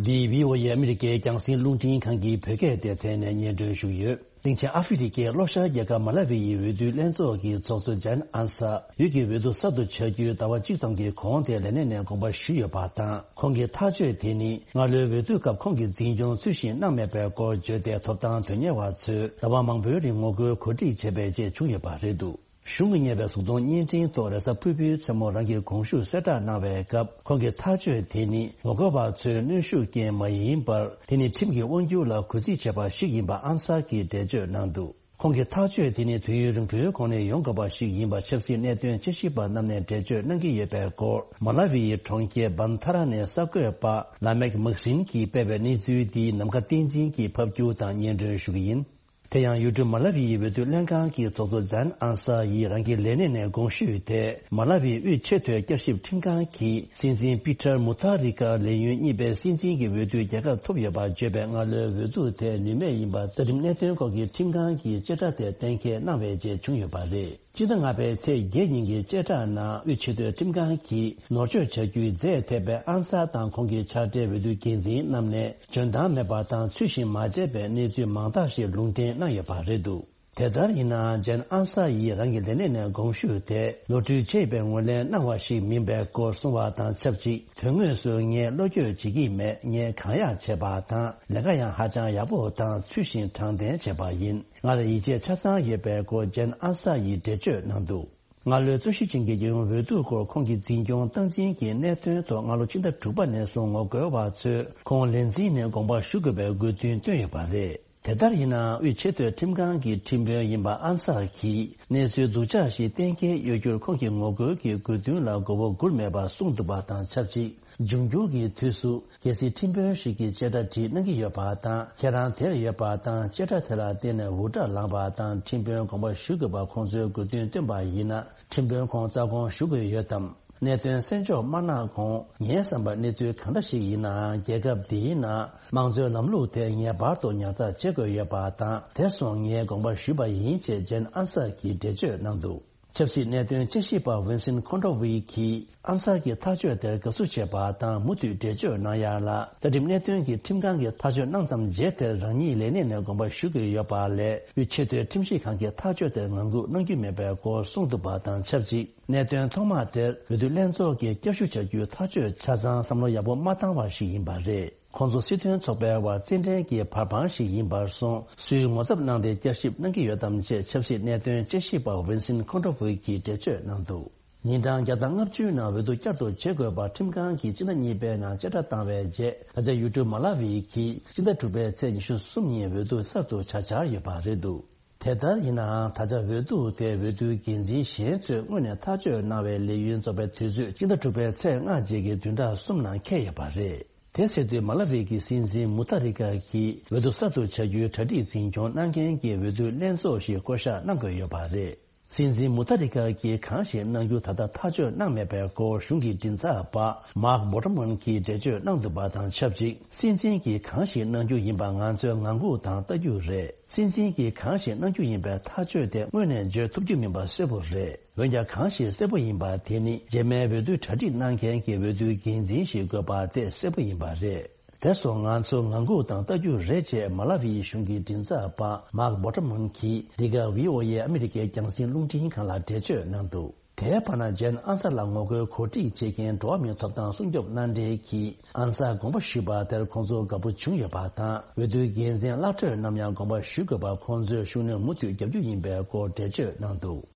འདི་བྷི་ཨོ་ཨེ་ཨ་མི་རི་ཀའི་རྒྱང་སྲིང་རླུང་འཕྲིན་ཁང་གི་བོད་སྐད་སྡེ་ཚན་ནས་སྙན་སྒྲོན་ཞུ་གི་ཡོད། གླིང་ཆེན་ཨ་ཧྥེ་རི་ཁའི་ལྷོ་ཤར་རྒྱལ་ཁབ་མ་ལ་ཝི་ཡི་འོས་བསྡུ་ལྷན་ཚོགས་ཀྱི་ཚོགས་གཙོ་ཇན་ཨན་ས་འོས་ཀྱི་འོས་བསྡུ་གསར་དུ་བྱ་རྒྱུའི་ཟླ་བ་གཅིག་ཙམ་གྱི་གོང་དེ་ལས་གནས་ནས་དགོངས་པ་ཞུས་ཡོད་པ་དང་། ཁོང་གི་ཐག་གཅོད་དེ་ནི་སྔ་ལོའི་འོས་བསྡུ་སྐབས་ཁོང་གིས་འཛིན་སྐྱོང་ཚུལ་བཞིན་གནང་མེད་པའི་སྐོར་བརྗོད་དེ། ཐོབ་ཐང་དོན་གཉེར་བ་ཚོས་ཟླ་བ་མང་པོའི་རིང་ངོ་རྒོལ་གོ་སྒྲིག་བྱས་པའི་རྗེས་བྱུང་ཡོད་པ་རེད་འདུག། གཞུང་གིས་གཉེར་བའི་གཟུགས་མཐོང་བརྙན་འཕྲིན་ཐོག་རེས་གཟའ་ཕུར་བུའི་མཚན་མོ་རང་གི་དགོངས་ཞུ་གསལ་བསྒྲགས་གནང་བའི་སྐབས། ཁོང་གི་ཐག་གཅོད་དེ་ནི་ངོ་རྒོལ་བ་ཚོའི་གནོན་ཤུགས་རྐྱེན་མ་ཡིན་པར། དེ་ནི་ཁྲིམས་ཀྱི་དབང་སྒྱུར་ལ་གུས་བརྩི་བྱས་པ་ཞིག་ཡིན་པ་ཨན་སར་གྱིས་འགྲེལ་བརྗོད་གནང་འདུག། ཁོང་གི་ཐག་གཅོད་དེ་ནི་དུས་ཡུན་རིང་པོའི་གོང་ནས་ཡོང་དགོས་པ་ཞིག་ཡིན་པ་ཆབ་སྲིད་གནད་དོན་དཔྱད་ཞིབ་པ་རྣམས་ནས་འགྲེལ་བརྗོད་གནང་གི་ཡོད་པའི་སྐོར། མ་ལ་ཝི་ཡི་གྲོང་ཁྱེར་བན་ཐ་ར་ནས་གསར་འགོད་པ་ལ་མེག་མག་སིན་གྱིས་སྤེལ་བའི་གནས་ཚུལ་འདིའི་ནམ་མཁའ་བསྟན་འཛིན་གྱིས་ཕབ་སྒྱུར་དང་སྙན་སྒྲོན་ཞུ་གི་ཡིན། དེ་ཡང་ཡུལ་གྲུ་མ་ལ་ཝི་ཡི་འོས་བསྡུ་ལྷན་ཁང་གི་ཚོགས་གཙོ་ཛན་ཨན་ས་ཡིས་རང་གི་ལས་གནས་ནས་དགོངས་ཞུས་ཏེ། མ་ལ་ཝིའི་དབུས་ཆེས་མཐོའི་བསྐྱར་ཞིབ་ཁྲིམས་ཁང་གིས་སྲིད་འཛིན་པི་ཏར་མུ་ཐ་རི་ཀ་ལས་ཡུན་གཉིས་པའི་སྲིད་འཛིན་གྱི་འོས་བསྡུའི་རྒྱལ་ཁ་ཐོབ་ཡོད་པར་བརྗོད་པའི་སྔ་ལོའི་འོས་བསྡུ་དེ་ནུས་མེད་ཡིན་པ་རྩ་ཁྲིམས་གནད་དོན་སྐོར་གྱི་ཁྲིམས་ཁང་གིས་བཅད་ཁྲ་དེ་གཏན་འཁེལ་གནང་བའི་རྗེས་བྱུང་ཡོད་པ་རེད། སྤྱི་ཟླ་ལྔ་པའི་ཚེས་བརྒྱད་ཉིན་གྱི་བཅད་ཁྲ་ནང་དབུས་ཆེས་མཐོའི་ཁྲིམས་ཁང་གིས་ནོར་བཅོས་བྱ་རྒྱུའི་རྫས་ཐེབས་པའི་ཨན་སར་དང་ཁོང་གི་ཕྱག་སྦྲེལ་འོས་བསྡུ་འགན་འཛིན་རྣམས་ནས་འཇོན་ཐང་མེད་པ་དང་ཚུལ་བཞིན་མ་བྱས་པའི་གནས་ཚུལ་མང་དག་ཞིག་ལུང་འདྲེན་གནང་ཡོད་པ་རེད་འདུག། དེ་ལྟར་ཡིན་ནའང་ཇན་ཨན་སར་ཡིས་རང་གི་ལས་གནས་ནས་དགོངས་ཞུ་དེ་ནོར་འཁྲུལ་བྱས་པའི་ངོས་ལེན་གནང་བ་ཞིག་མིན་པའི་སྐོར་གསུངས་པ་དང་ཆབས་ཅིག། དོན་དངོས་སུ་ངས་བློ་འགྱོད་བྱེད་ཀྱི་མེད། ངས་གང་ཡག་བྱས་པ་དང་ལས་ཀ་ཡང་ཧ་ཅང་ཡག་པོ་དང་ཚུལ་བཞིན་དྲང་བདེན་བྱས་པ་ཡིན། ང་ལ་ཡིད་ཆེས་ཆ་ཚང་ཡོད་པའི་སྐོར་ཇན་ཨན་ས་ཡིས་འགྲེལ་བརྗོད་གནང་འདུག། སྔ་ལོའི་རྩོད་གཞི་ཅན་གྱི་རྒྱལ་ཡོངས་འོས་བསྡུ་སྐོར་ཁོང་གི་འཛིན་སྐྱོང་སྟངས་འཛིན་གྱི་གནད་དོན་ཐོག་སྔ་ལོ་ཕྱི་ཟླ་དྲུག་པ་ནས་བཟུང་ངོ་རྒོལ་བ་ཚོས་ཁོང་ལས་འཛིན་ནས་དགོངས་པ་ཞུ་དགོས་པའི་དགོས་འདུན་བཏོན་ཡོད་པ་རེད། དེ་ལྟར་ཡིན་ནའང་དབུས་ཆེས་མཐོའི་ཁྲིམས་ཁང་གི་ཁྲིམས་དཔོན་ཡིན་པ་ཨན་སར་གྱིས་གནས་ཚུལ་སྡུག་ཅག་ཞིག་གཏན་འཁེལ་ཡོད་རྒྱུར་ཁོང་གི་ངོ་རྒོལ་གྱི་དགོས་འདུན་ལ་མགོ་བོ་སྒུར་མེད་པར་གསུངས་འདུག་པ་དང་ཆབས་ཅིག། འབྱུང་འགྱུར་གྱི་དུས་སུ། གལ་སྲིད་ཁྲིམས་དཔོན་ཞིག་གིས་བཅད་ཁྲ་བྲིས་གནང་གི་ཡོད་པ་དང་། ཁྱེད་རང་དེར་ཡོད་པ་དང་བཅད་ཁྲ་དེ་ལ་བརྟེན་ནས་འུར་སྒྲ་ལངས་པ་དང་ཁྲིམས་དཔོན་དགོངས་པ་ཞུ་དགོས་པ་ཁོང་ཚོའི་དགོས་འདུན་བཏོན་པ་ཡིན་ན། ཁྲིམས་དཔོན་ཁོང་རྩ་དགོངས་ཞུ་དགོས་ཡོད་དམ། གནད་དོན་གསན་འཇོག་མ་གནང་གོང་། ངའི་བསམ་པར་གནས་ཚུལ་གང་འདྲ་ཞིག་ཡིན་ནའང་རྒྱལ་ཁབ་འདིའི་ནང་དམངས་གཙོའི་ལམ་ལུགས་དེ་ངེས་པར་དུ་ཉར་ཚགས་བྱེད་དགོས་ཡོད་པ་དང་། དེ་སོང་ངས་དགོངས་པ་ཞུས་པ་ཡིན་ཅེས་ཇན་ཨན་སར་གྱིས་འགྲེལ་བརྗོད་གནང་འདུག། ཆབ་སྲིད་གནད་དོན་དཔྱད་ཞིབ་པ་ཝིན་སིན་ཁོན་ཏྲོ་ཝི་གིས་ཨན་སར་གྱི་ཐག་གཅོད་དེར་དགའ་བསུ་བྱས་པ་དང་མུ་མཐུད་འགྲེལ་བརྗོད་གནང་ཡ་ལ། རྩ་ཁྲིམས་གནད་དོན་གྱི་ཁྲིམས་ཁང་གིས་ཐག་གཅོད་གནང་ཙམ་རྗེས་དེར་རང་ཉིད་ལས་གནས་ནས་དགོངས་པ་ཞུ་དགོས་ཡོད་པ་ལས་དབུས་ཆེས་མཐོའི་ཁྲིམས་ཞིབ་ཁང་གི་ཐག་གཅོད་དེར་ངང་སྒུག་གནང་རྒྱུ་མེད་པའི་སྐོར་གསུངས་འདུག་པ་དང་ཆབས་ཅིག། གནད་དོན་ཐོག་མ་དེར་འོས་བསྡུ་ལྷན་ཚོགས་ཀྱིས་བསྐྱར་ཞུ་བྱ་རྒྱུའི་ཐག་གཅོད་ཆ་ཚང་བསམ་བློ་ཡག་པོ་མ་བཏང་བ་ཞིག་ཡིན་པ་རེད། ཁོང་ཚོ་སྲིད་དོན་ཚོགས་པའི་བར་རྩེད་འགྲན་གྱི་བར་དཔང་ཞིག་ཡིན་པར་སོང་། སུས་ངོ་ཚབ་གནང་སྟེ་བསྐྱར་ཞིབ་གནང་གི་ཡོད་དམ་ཅེས་ཆབ་སྲིད་གནད་དོན་དཔྱད་ཞིབ་པ་ཝིན་སིན་ཁོན་ཏྲོ་ཝི་གིས་འགྲེལ་བརྗོད་གནང་འདུག། ཉིན་གྲངས་བརྒྱ་དང་ལྔ་བཅུའི་ནང་འོས་བསྡུ་བསྐྱར་དུ་བྱེད་དགོས་པར་ཁྲིམས་ཁང་གིས་སྤྱི་ཟླ་གཉིས་པའི་ནང་བཅད་ཁྲ་བཏང་བའི་རྗེས། ད་ཆ་ཡུལ་གྲུ་མ་ལ་ཝི་གིས་སྤྱི་ཟླ་དྲུག་པའི་ཚེས་ཉི་ཤུ་གསུམ་ཉིན་འོས་བསྡུ་གསར་དུ་བྱ་འཆར་ཡོད་པ་རེད་འདུག། དེ་ལྟར་ཡིན་ནའང་། ད་ཆ་འོས་བསྡུ་དེ་འོས་བསྡུའི་འགན་འཛིན་གཞན་ཚོས་སྔོན་ནས་ཐག་གཅོད་གནང་བའི་ལས་ཡུན་རྫོགས་པའི་དུས་ཚོད་སྤྱི་ཟླ་དྲུག་པའི་ཚེས་ལྔ་རྗེས་ཀྱི་བདུན་ཕྲག་གསུམ་ནང་འཁེལ་ཡོད་པ་རེད། དེ་ཟེར་དུས། མ་ལ་ཝི་གི་སྲིད་འཛིན་མུ་ཐ་རི་ཀ་གིས་འོས་བསྡུ་གསར་དུ་བྱ་རྒྱུའི་གྲ་སྒྲིག་འཛིན་སྐྱོང་གནང་མཁན་གྱི་འོས་བསྡུ་ལྷན་ཚོགས་ཤིག་བསྐོ་གཞག་གནང་དགོས་ཡོད་པ་རེད། སྲིད་འཛིན་མུ་ཐ་རི་ཀ་གིས་གང་ཞིག་གནང་རྒྱུ་ད་ལྟ་ཐག་གཅོད་གནང་མེད་པའི་སྐོར་གཞུང་གི་མགྲིན་ཚབ་པ་མཱག་བྷོ་ཊ་མན་གྱིས་འགྲེལ་བརྗོད་གནང་འདུག་པ་དང་ཆབས་ཅིག། སྲིད་འཛིན་གྱིས་གང་ཞིག་གནང་རྒྱུ་ཡིན་པ་ང་ཚོས་ངང་སྒུག་དང་ལྟ་རྒྱུ་རེད། སྲིད་འཛིན་གྱིས་གང་ཞིག་གནང་རྒྱུ་ཡིན་པའི་ཐག་གཅོད་དེ་སྔོན་ནས་བརྗོད་ཐུབ་རྒྱུ་མིན་པ་གསལ་པོ་རེད། འོན་ཀྱང་། གང་ཞིག་གསལ་པོ་ཡིན་པ་དེ་ནི། རྗེས་མའི་འོས་བསྡུའི་གྲ་སྒྲིག་གནང་མཁན་གྱི་འོས་བསྡུའི་འགན་འཛིན་ཞིག་དགོས་པ་དེ་གསལ་པོ་ཡིན་པ་རེད། དེར་སོང་ང་ཚོ་ངང་སྒུག་དང་ལྟ་རྒྱུ་རེད་ཅེས་མ་ལ་ཝིའི་གཞུང་གི་མགྲིན་ཚབ་པ་མཱག་བྷོ་ཊ་མན་གྱིས་འདི་ག་བྷི་ཨོ་ཨེ་ཨ་མི་རི་ཀའི་རྒྱང་སྲིང་རླུང་འཕྲིན་ཁང་ལ་འགྲེལ་བརྗོད་གནང་འདུག། དེའི་བར་ན། ཇན་ཨན་སར་ལ་ངོ་རྒོལ་གོ་སྒྲིག་བྱེད་མཁན་འགྲོ་བ་མིའི་ཐོབ་ཐང་སྲུང་སྐྱོབ་མནའ་འབྲེལ་གྱིས་ཨན་སར་དགོངས་པ་ཞུས་པ་དེར་ཁོང་ཚོ་དགའ་པོ་བྱུང་ཡོད་པ་དང་། འོས་བསྡུའི་འགན་འཛིན་གླགས་འཕྲོད་རྣམས་ཡང་དགོངས་པ་ཞུ་དགོས་པར་ཁོང་ཚོས་ཤུགས་སྣོན་མུ་མཐུད་བརྒྱབ་རྒྱུ་ཡིན་པའི་སྐོར་འགྲེལ་བརྗོད་གནང་འདུག།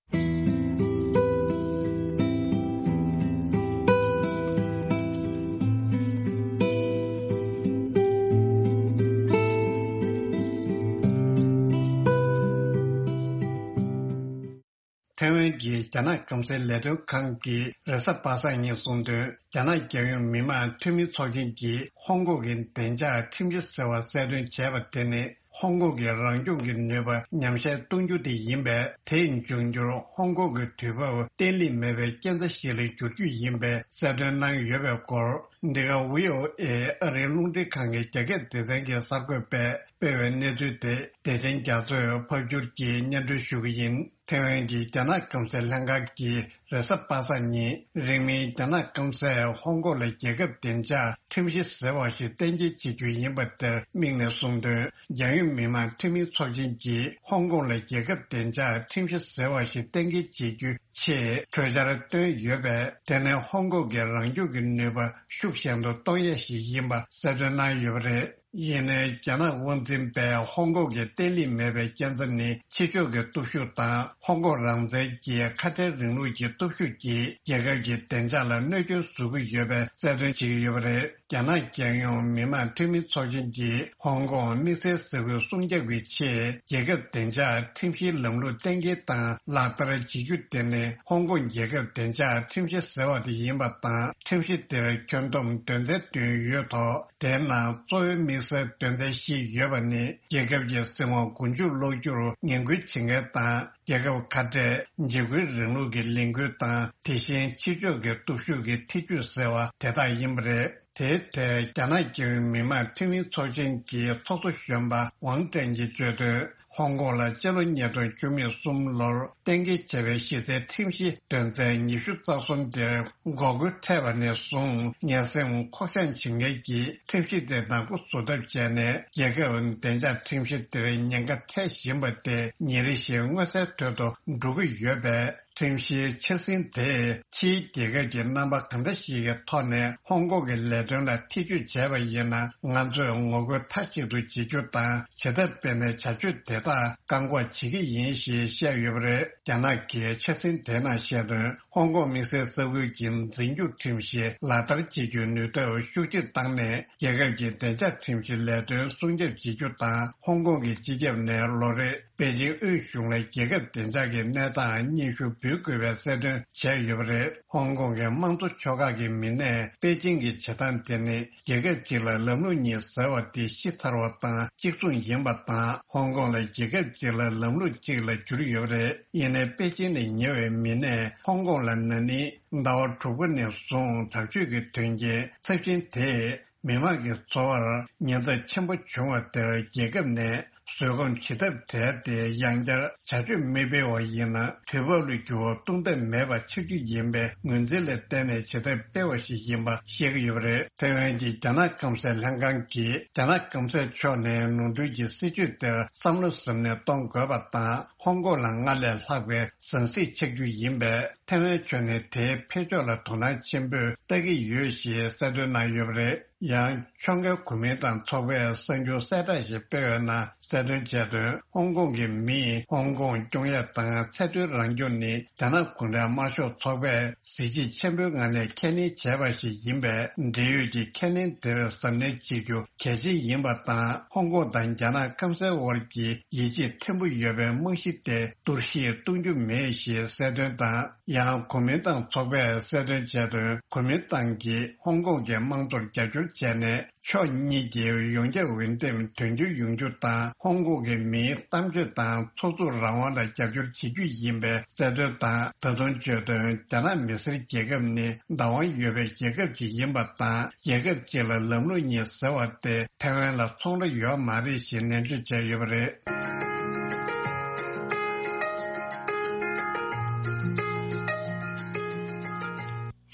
ཐའེ་ཝན་གྱི་རྒྱ་ནག་སྐམ་སའི་ལས་དོན་ཁང་གི་རེས་གཟའ་པ་སངས་ཉིན་གསུངས་དོན། རྒྱ་ནག་རྒྱལ་ཡོངས་མི་དམངས་འཐུས་མི་ཚོགས་ཆེན་གྱིས་ཧོང་ཀོང་གི་བདེ་འཇགས་ཁྲིམས་གཞི་ཟེར་བ་གསལ་སྟོན་བྱས་པ་དེ་ནི། ཧོང་ཀོང་གི་རང་སྐྱོང་གི་ནུས་པ་ཉམས་ཞན་གཏོང་རྒྱུ་དེ་ཡིན་པས། དེས་འབྱུང་འགྱུར་ཧོང་ཀོང་གི་དུས་བབ་བརྟན་ལྷིང་མེད་པའི་རྐྱེན་རྩ་ཞིག་ལ་འགྱུར་རྒྱུ་ཡིན་པའི་གསལ་སྟོན་གནང་ཡོད་པའི་སྐོར། འདི་ག་ཝི་ཨོ་ཨེ་ཨ་རིའི་རླུང་འཕྲིན་ཁང་གི་རྒྱ་སྐད་སྡེ་ཚན་གྱི་གསར་འགོད་པས་སྤེལ་བའི་གནས་ཚུལ་དེ། བདེ་ཆེན་རྒྱ་མཚོས་ཕབ་སྒྱུར་གྱིས་སྙན་སྒྲོན་ཞུ་གི་ཡིན། ཐའེ་ཝན་གྱི་རྒྱ་ནག་སྐམ་སའི་ལྷན་ཁང་གིས་རེས་གཟའ་པ་སངས་ཉིན། རིང་མིན་རྒྱ་ནག་སྐམ་སས་ཧོང་ཀོང་ལ་རྒྱལ་ཁབ་བདེ་འཇགས་ཁྲིམས་གཞི་ཟེར་བ་ཞིག་གཏན་འཁེལ་བྱེད་རྒྱུ་ཡིན་པ་དེར་དམིགས་ནས་གསུངས་དོན། རྒྱལ་ཡོངས་མི་དམངས་འཐུས་མིའི་ཚོགས་ཆེན་གྱིས་ཧོང་ཀོང་ལ་རྒྱལ་ཁབ་བདེ་འཇགས་ཁྲིམས་གཞི་ཟེར་བ་ཞིག་གཏན་འཁེལ་བྱེད་རྒྱུའི་ཆེད་གྲོས་འཆར་བཏོན་ཡོད་པས། དེ་ནི་ཧོང་ཀོང་གི་རང་སྐྱོང་གི་ནུས་པ་ཤུགས་ཞན་དུ་གཏོང་ཡས་ཤིག་ཡིན་པ་གསལ་སྟོན་གནང་ཡོད་པ་རེད། ཡིན་ནའི་རྒྱ་ནག་དབང་འཛིན་པས་ཧོང་ཀོང་གི་བརྟན་ལྷིང་མེད་པའི་རྐྱེན་རྩ་ནི་ཕྱི་ཕྱོགས་ཀྱི་སྟོབས་ཤུགས་དང་ཧོང་ཀོང་རང་བཙན་གྱི་ཁ་བྲལ་རིང་ལུགས་ཀྱི་སྟོབས་ཤུགས་ཀྱིས་རྒྱལ་ཁབ་ཀྱི་བདེ་འཇགས་ལ་གནོད་སྐྱོན་བཟོ་གི་ཡོད་པའི་གསལ་སྟོན་བྱེད་ཀྱི་ཡོད་པ་རེད། རྒྱ་ནག་རྒྱལ་ཡོངས་མི་དམངས་འཐུས་མི་ཚོགས་ཆེན་གྱིས་ཧོང་ཀོང་དམིགས་བསལ་ས་ཁུལ་སྲུང་སྐྱོབ་ཀྱི་ཆེད་རྒྱལ་ཁབ་བདེ་འཇགས་ཁྲིམས་གཞིའི་ལམ་ལུགས་གཏན་འཁེལ་དང་ལག་བསྟར་བྱེད་རྒྱུ་དེ་ནི་ཧོང་ཀོང་རྒྱལ་ཁབ་བདེ་འཇགས་ཁྲིམས་གཞི་ཟེར་བ་དེ་ཡིན་པ་དང་། ཁྲིམས་གཞི་དེར་ཁྱོན་བསྡོམས་དོན་ཚན་བདུན་ཡོད་ཐོག་དེའི་ནང་གཙོ་བོའི་དམིགས་བསལ་དོན་ཚན་བཞི་ཡོད་པ་ནི། རྒྱལ་ཁབ་ཀྱི་སྲིད་དབང་མགོ་མཇུག་སློག་རྒྱུར་ངན་སྐུལ་བྱེད་མཁན་དང་། རྒྱལ་ཁབ་ཁ་བྲལ་འཇིགས་སྐུལ་རིང་ལུགས་ཀྱི་ལས་འགུལ་དང་། དེ་བཞིན་ཕྱི་ཕྱོགས་ཀྱི་སྟོབས་ཤུགས་ཀྱི་ཐེ་ཇུས་ཟེར་བ་དེ་དག་ཡིན་པ་རེད། དེའི་ཐད་རྒྱ་ནག་རྒྱལ་ཡོངས་མི་དམངས་འཐུས་མིའི་ཚོགས་ཆེན་གྱི་ཚོགས་གཙོ་གཞོན་པ་ཝང་ཀྲེན་གྱིས་བརྗོད་དོན། ཧོང་ཀོང་ལ་སྤྱི་ལོ་ཉིས་སྟོང་བཅུ་གསུམ་ལོར་གཏན་འཁེལ་བྱས་པའི་གཞི་རྩའི་ཁྲིམས་གཞི་དོན་ཚན་ཉི་ཤུ་རྩ་གསུམ་དེར་འགོག་རྒོལ་ཐེབས་པ་ནས་བཟུང་ངན་སེམས་ཁོག་བཅངས་བྱེད་མཁན་གྱིས་ཁྲིམས་གཞི་དེ་ནག་པོ་བཟོ་ཐབས་བྱས་ནས། རྒྱལ་ཁབ་བདེ་འཇགས་ཁྲིམས་གཞི་དེར་ཉེན་ཁ་འཕྲད་བཞིན་པ་དེ་ཉིན་རེ་བཞིན་མངོན་གསལ་དོད་དུ་འགྲོ་གི་ཡོད་པས། ཁྲིམས་གཞིའི་འཆར་ཟིན་དེས་ཕྱིའི་རྒྱལ་ཁབ་ཀྱི་རྣམ་པ་གང་འདྲ་ཞིག་གི་ཐོག་ནས་ཧོང་ཀོང་གི་ལས་དོན་ལ་ཐེ་ཇུས་བྱས་པ་ཡིན་ན། ང་ཚོས་ངོ་རྒོལ་མཐའ་གཅིག་ཏུ་བྱེད་རྒྱུ་དང་། བྱེད་ཐབས་སྤེལ་ནས་བྱ་སྤྱོད་དེ་དག་བཀག་འགོག་བྱེད་ཀྱི་ཡིན་ཞེས་བཤད་ཡོད་པ་རེད། རྒྱ་ནག་གིས་འཆར་ཟིན་དེ་ནང་བཤད་དོན། ཧོང་ཀོང་དམིགས་བསལ་ས་ཁུལ་གྱི་འཛིན་སྐྱོང་ཁྲིམས་གཞི་ལག་བསྟར་བྱེད་རྒྱུའི་ནུས་སྟོབས་ཤུགས་ཆེ་བཏང་ནས། རྒྱལ་ཁབ་ཀྱི་བདེ་འཇགས་ཁྲིམས་གཞི་ལས་དོན་སྲུང་སྐྱོབ་བྱེད་རྒྱུ་དང་། ཧོང་ཀོང་གི་སྤྱི་ཁྱབ་ནས་ལོ་རེར་པེ་ཅིང་དབུས་གཞུང་ལ་རྒྱལ་ཁབ་བདེ་འཇགས་ཀྱི་གནས་སྟངས་སྙན་ཞུ་འབུལ་དགོས་པའི་གསལ་སྟོན་བྱས་ཡོད་པ་རེད། ཧོང་ཀོང་གི་དམངས་གཙོ་ཕྱོགས་ཁག་གི་མི་སྣས་པེ་ཅིང་གི་བྱེད་སྟངས་དེ་ནི། རྒྱལ་ཁབ་གཅིག་ལ་ལམ་ལུགས་གཉིས་ཟེར་བ་དེ་ཤི་ཚར་བ་དང་གཅིག་མཚུངས་ཡིན་པ་དང་། ཧོང་ཀོང་ལ་རྒྱལ་ཁབ་གཅིག་ལ་ལམ་ལུགས་གཅིག་ལ་གྱུར་ཡོད་པ་རེད། ཡིན་ནའི་པེ་ཅིང་ནས་ཉེ་བའི་མི་སྣས་ཧོང་ཀོང་ལ་ན་ནིང་ཟླ་བ་དྲུག་པ་ནས་བཟུང་དྲག་སྤྱོད་ཀྱི་དོན་རྐྱེན་ཚབས་ཆེན་དེས་མི་དམངས་ཀྱི་འཚོ་བར་ཉེན་ཚབས་ཆེན་པོ་བྱུང་བ་དེར། རྒྱལ་ཁབ་ནས་བཟོད་སྒོམ་བྱེད་ཐབས་བྲལ་ཏེ། ཡང་བསྐྱར་བྱ་སྤྱོད་མི་སྤེལ་བ་ཡིན་ན། དུས་བབ་ལ་འགྱུར་བ་གཏོང་ཐབས་མེད་པ་ཆགས་རྒྱུ་ཡིན་པའི་ངོས་འཛིན་ལ་བརྟེན་ནས་བྱེད་ཐབས་སྤེལ་བ་ཞིག་ཡིན་པ་བཤད་ཀྱི་ཡོད་པ་རེད། ཐའེ་ཝན་གྱི་རྒྱ་ནག་སྐམ་སའི་ལྷན་ཁང་གིས། རྒྱ་ནག་སྐམ་སའི་ཕྱོགས་ནས་ནོར་འཁྲུལ་གྱི་སྲིད་བྱུས་དེར་བསམ་བློ་གཟབ་ནན་གཏོང་དགོས་པ་དང་། ཧོང་ཀོང་ལ་སྔར་ལས་ལྷག་པའི་ཟང་ཟིང་ཆགས་རྒྱུ་ཡིན་པས། ཐའེ་ཝན་ཕྱོགས་ནས་དེའི་འཕེལ་ཕྱོགས་ལ་དོ་སྣང་ཆེན་པོས་ལྟ་གི་ཡོད་ཞེས་གསལ་སྟོན་གནང་ཡོད་པ་རེད། ཡང་ཕྱོགས་འགལ་གོ་མིན་ཏང་ཚོགས་པས་གསར་འགྱུར་གསལ་བསྒྲགས་ཤིག་སྤེལ་བའི་ནང་གསལ་སྟོན་བྱས་དོན། ཧོང་ཀོང་གི་མིས་ཧོང་ཀོང་སྐྱོང་ཡ་དང་ཚད་མཐོའི་རང་སྐྱོང་ནི་རྒྱ་ནག་གུང་ཁྲན་དམར་ཤོག་ཚོགས་པས་གཟི་བརྗིད་ཆེན་པོའི་ངང་ནས་ཁས་ལེན་བྱས་པ་ཞིག་ཡིན་པས། འབྲེལ་ཡོད་ཀྱི་ཁས་ལེན་དེར་གཟབ་ནན་བྱེད་རྒྱུ་གལ་ཆེན་ཡིན་པ་དང་། ཧོང་ཀོང་དང་རྒྱ་ནག་སྐམ་སའི་དབར་གྱི་ཡིད་ཆེས་ཕྲན་བུ་ཡོད་པའི་རྨང་གཞི་དེ་གཏོར་བཤིག་གཏོང་རྒྱུ་མེད་ཞེས་གསལ་སྟོན་དང་། ཡང་གོ་མིན་ཏང་ཚོགས་པས་གསལ་སྟོན་བྱས་དོན། གོ་མིན་ཏང་གིས་ཧོང་ཀོང་གི་དམངས་གཙོར་རྒྱབ་སྐྱོར་བྱས་ནས། ཕྱོགས་གཉིས་ཀྱི་ཡོངས་ཁྱབ་འོས་འདེམས་དོན་འཁྱོལ་ཡོང་རྒྱུ་དང་། ཧོང་ཀོང་གི་མིའི་གཏམ་བརྗོད་དང་ཚོགས་འཛུགས་རང་དབང་ལ་རྒྱབ་སྐྱོར་བྱེད་རྒྱུ་ཡིན་པའི་གསལ་སྟོན་དང་། ད་དུང་བརྗོད་དོན། རྒྱ་ནག་མི་སེར་རྒྱལ་ཁབ་ནི་བདག་དབང་ཡོད་པའི་རྒྱལ་ཁབ་ཅིག་ཡིན་པ་དང་། རྒྱལ་ཁབ་གཅིག་ལ་ལམ་ལུགས་གཉིས་ཟེར་བ་དེ་ཐའེ་ཝན་ལ་ཚོང་ར་ཡོད་མ་རེད་ཞེས་ནན་བརྗོད་བྱས་ཡོད་པ་རེད།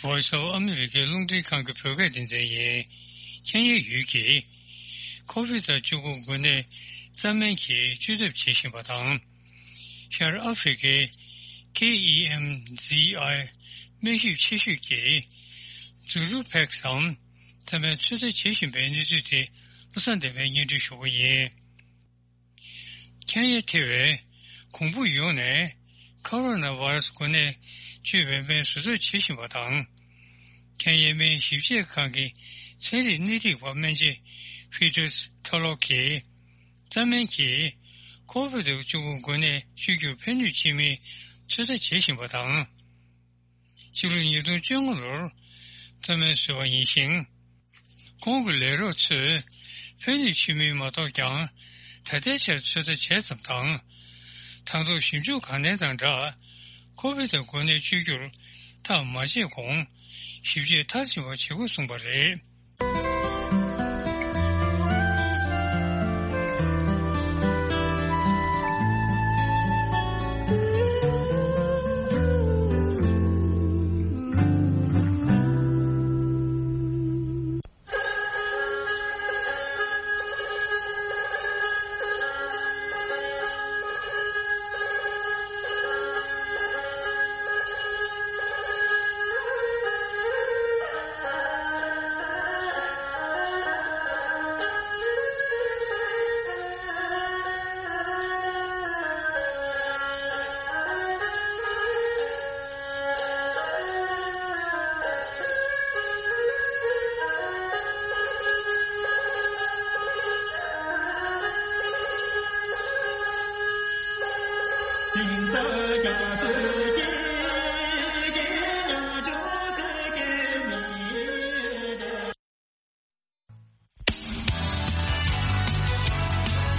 Voice of America རླུང་འཕྲིན་ཁང་གི་བོད་སྐད་སྡེ་ཚན་ཡིན། ཁེན་ཡའི་ཡུལ་གྱིས་ཁོ་བིད་བཅུ་དགུ་འགོས་ནད་རྩ་སྨན་གྱིས་བཅོས་ཐབས་བྱེད་བཞིན་པ་དང་། ཤར་ཨ་ཧྥེ་རི་ཁའི་ཁེ་ཨི་ཨེམ་ཛི་ཨའི་སྨན་ཞིབ་ཆེ་ཤོས་ཀྱིས་ཛུ་ལུ་ཕེག་སམ་རྩ་སྨན་ཚོད་ལྟ་བྱེད་བཞིན་པའི་གནས་ཚུལ་དེ་བློ་བཟང་བདེ་བས་སྙན་སྒྲོན་ཞུ་གི་ཡིན། ཁེན་ཡ་ཐེ་བའི་གོང་བུ་ཡོངས་ནས་ཁོ་རོ་ན་བྷ་ར་སི་འགོས་ནད་བཅོས་པའི་སྨན་བཟོ་ཐབས་བྱེད་བཞིན་པ་དང་། ཁེན་ཡའི་སྨན་ཞིབ་དཔྱད་ཁང་གི་ཚན་རིག་སྣེ་ཁྲིད་པ་སྨན་དཔྱད་ཕི་ཏུས་ཐོ་ལོ་གིས་རྩ་སྨན་གྱིས་ཁོ་བིད་བཅུ་དགུ་འགོས་ནད་བཅོས་རྒྱུར་ཕན་ནུས་ཆེ་མིན་ ཚོད་ལྟ་བྱེད་བཞིན་པ་དང་། ཕྱི་ལོ་ཉིས་སྟོང་བཅོ་ལྔ་ལོར་མཐའ་མའི་བཟོས་པ་ཡིན་ཞིང་། ཁོང་གི་ལས་རོགས་ཚོས་ཕན་ནུས་ཆེ་མིན་མ་གཏོགས་ཀྱང་། ད་ལྟའི་ཆར་ཚོད་ལྟ་བྱས་ཙམ་དང་། དང་ཐོག་ཞིབ་འཇུག་གང་ལེན་དང་སྦྲགས། ཁོ་བིད་དང་འགོས་ནད་བཅོས་བསྒྱུར་ཐག་མ་བཅད་གོང་། ཞིབ་དཔྱད་མཐར་ཕྱིན་པ་བྱེད་དགོས་གསུངས་པ་རེད།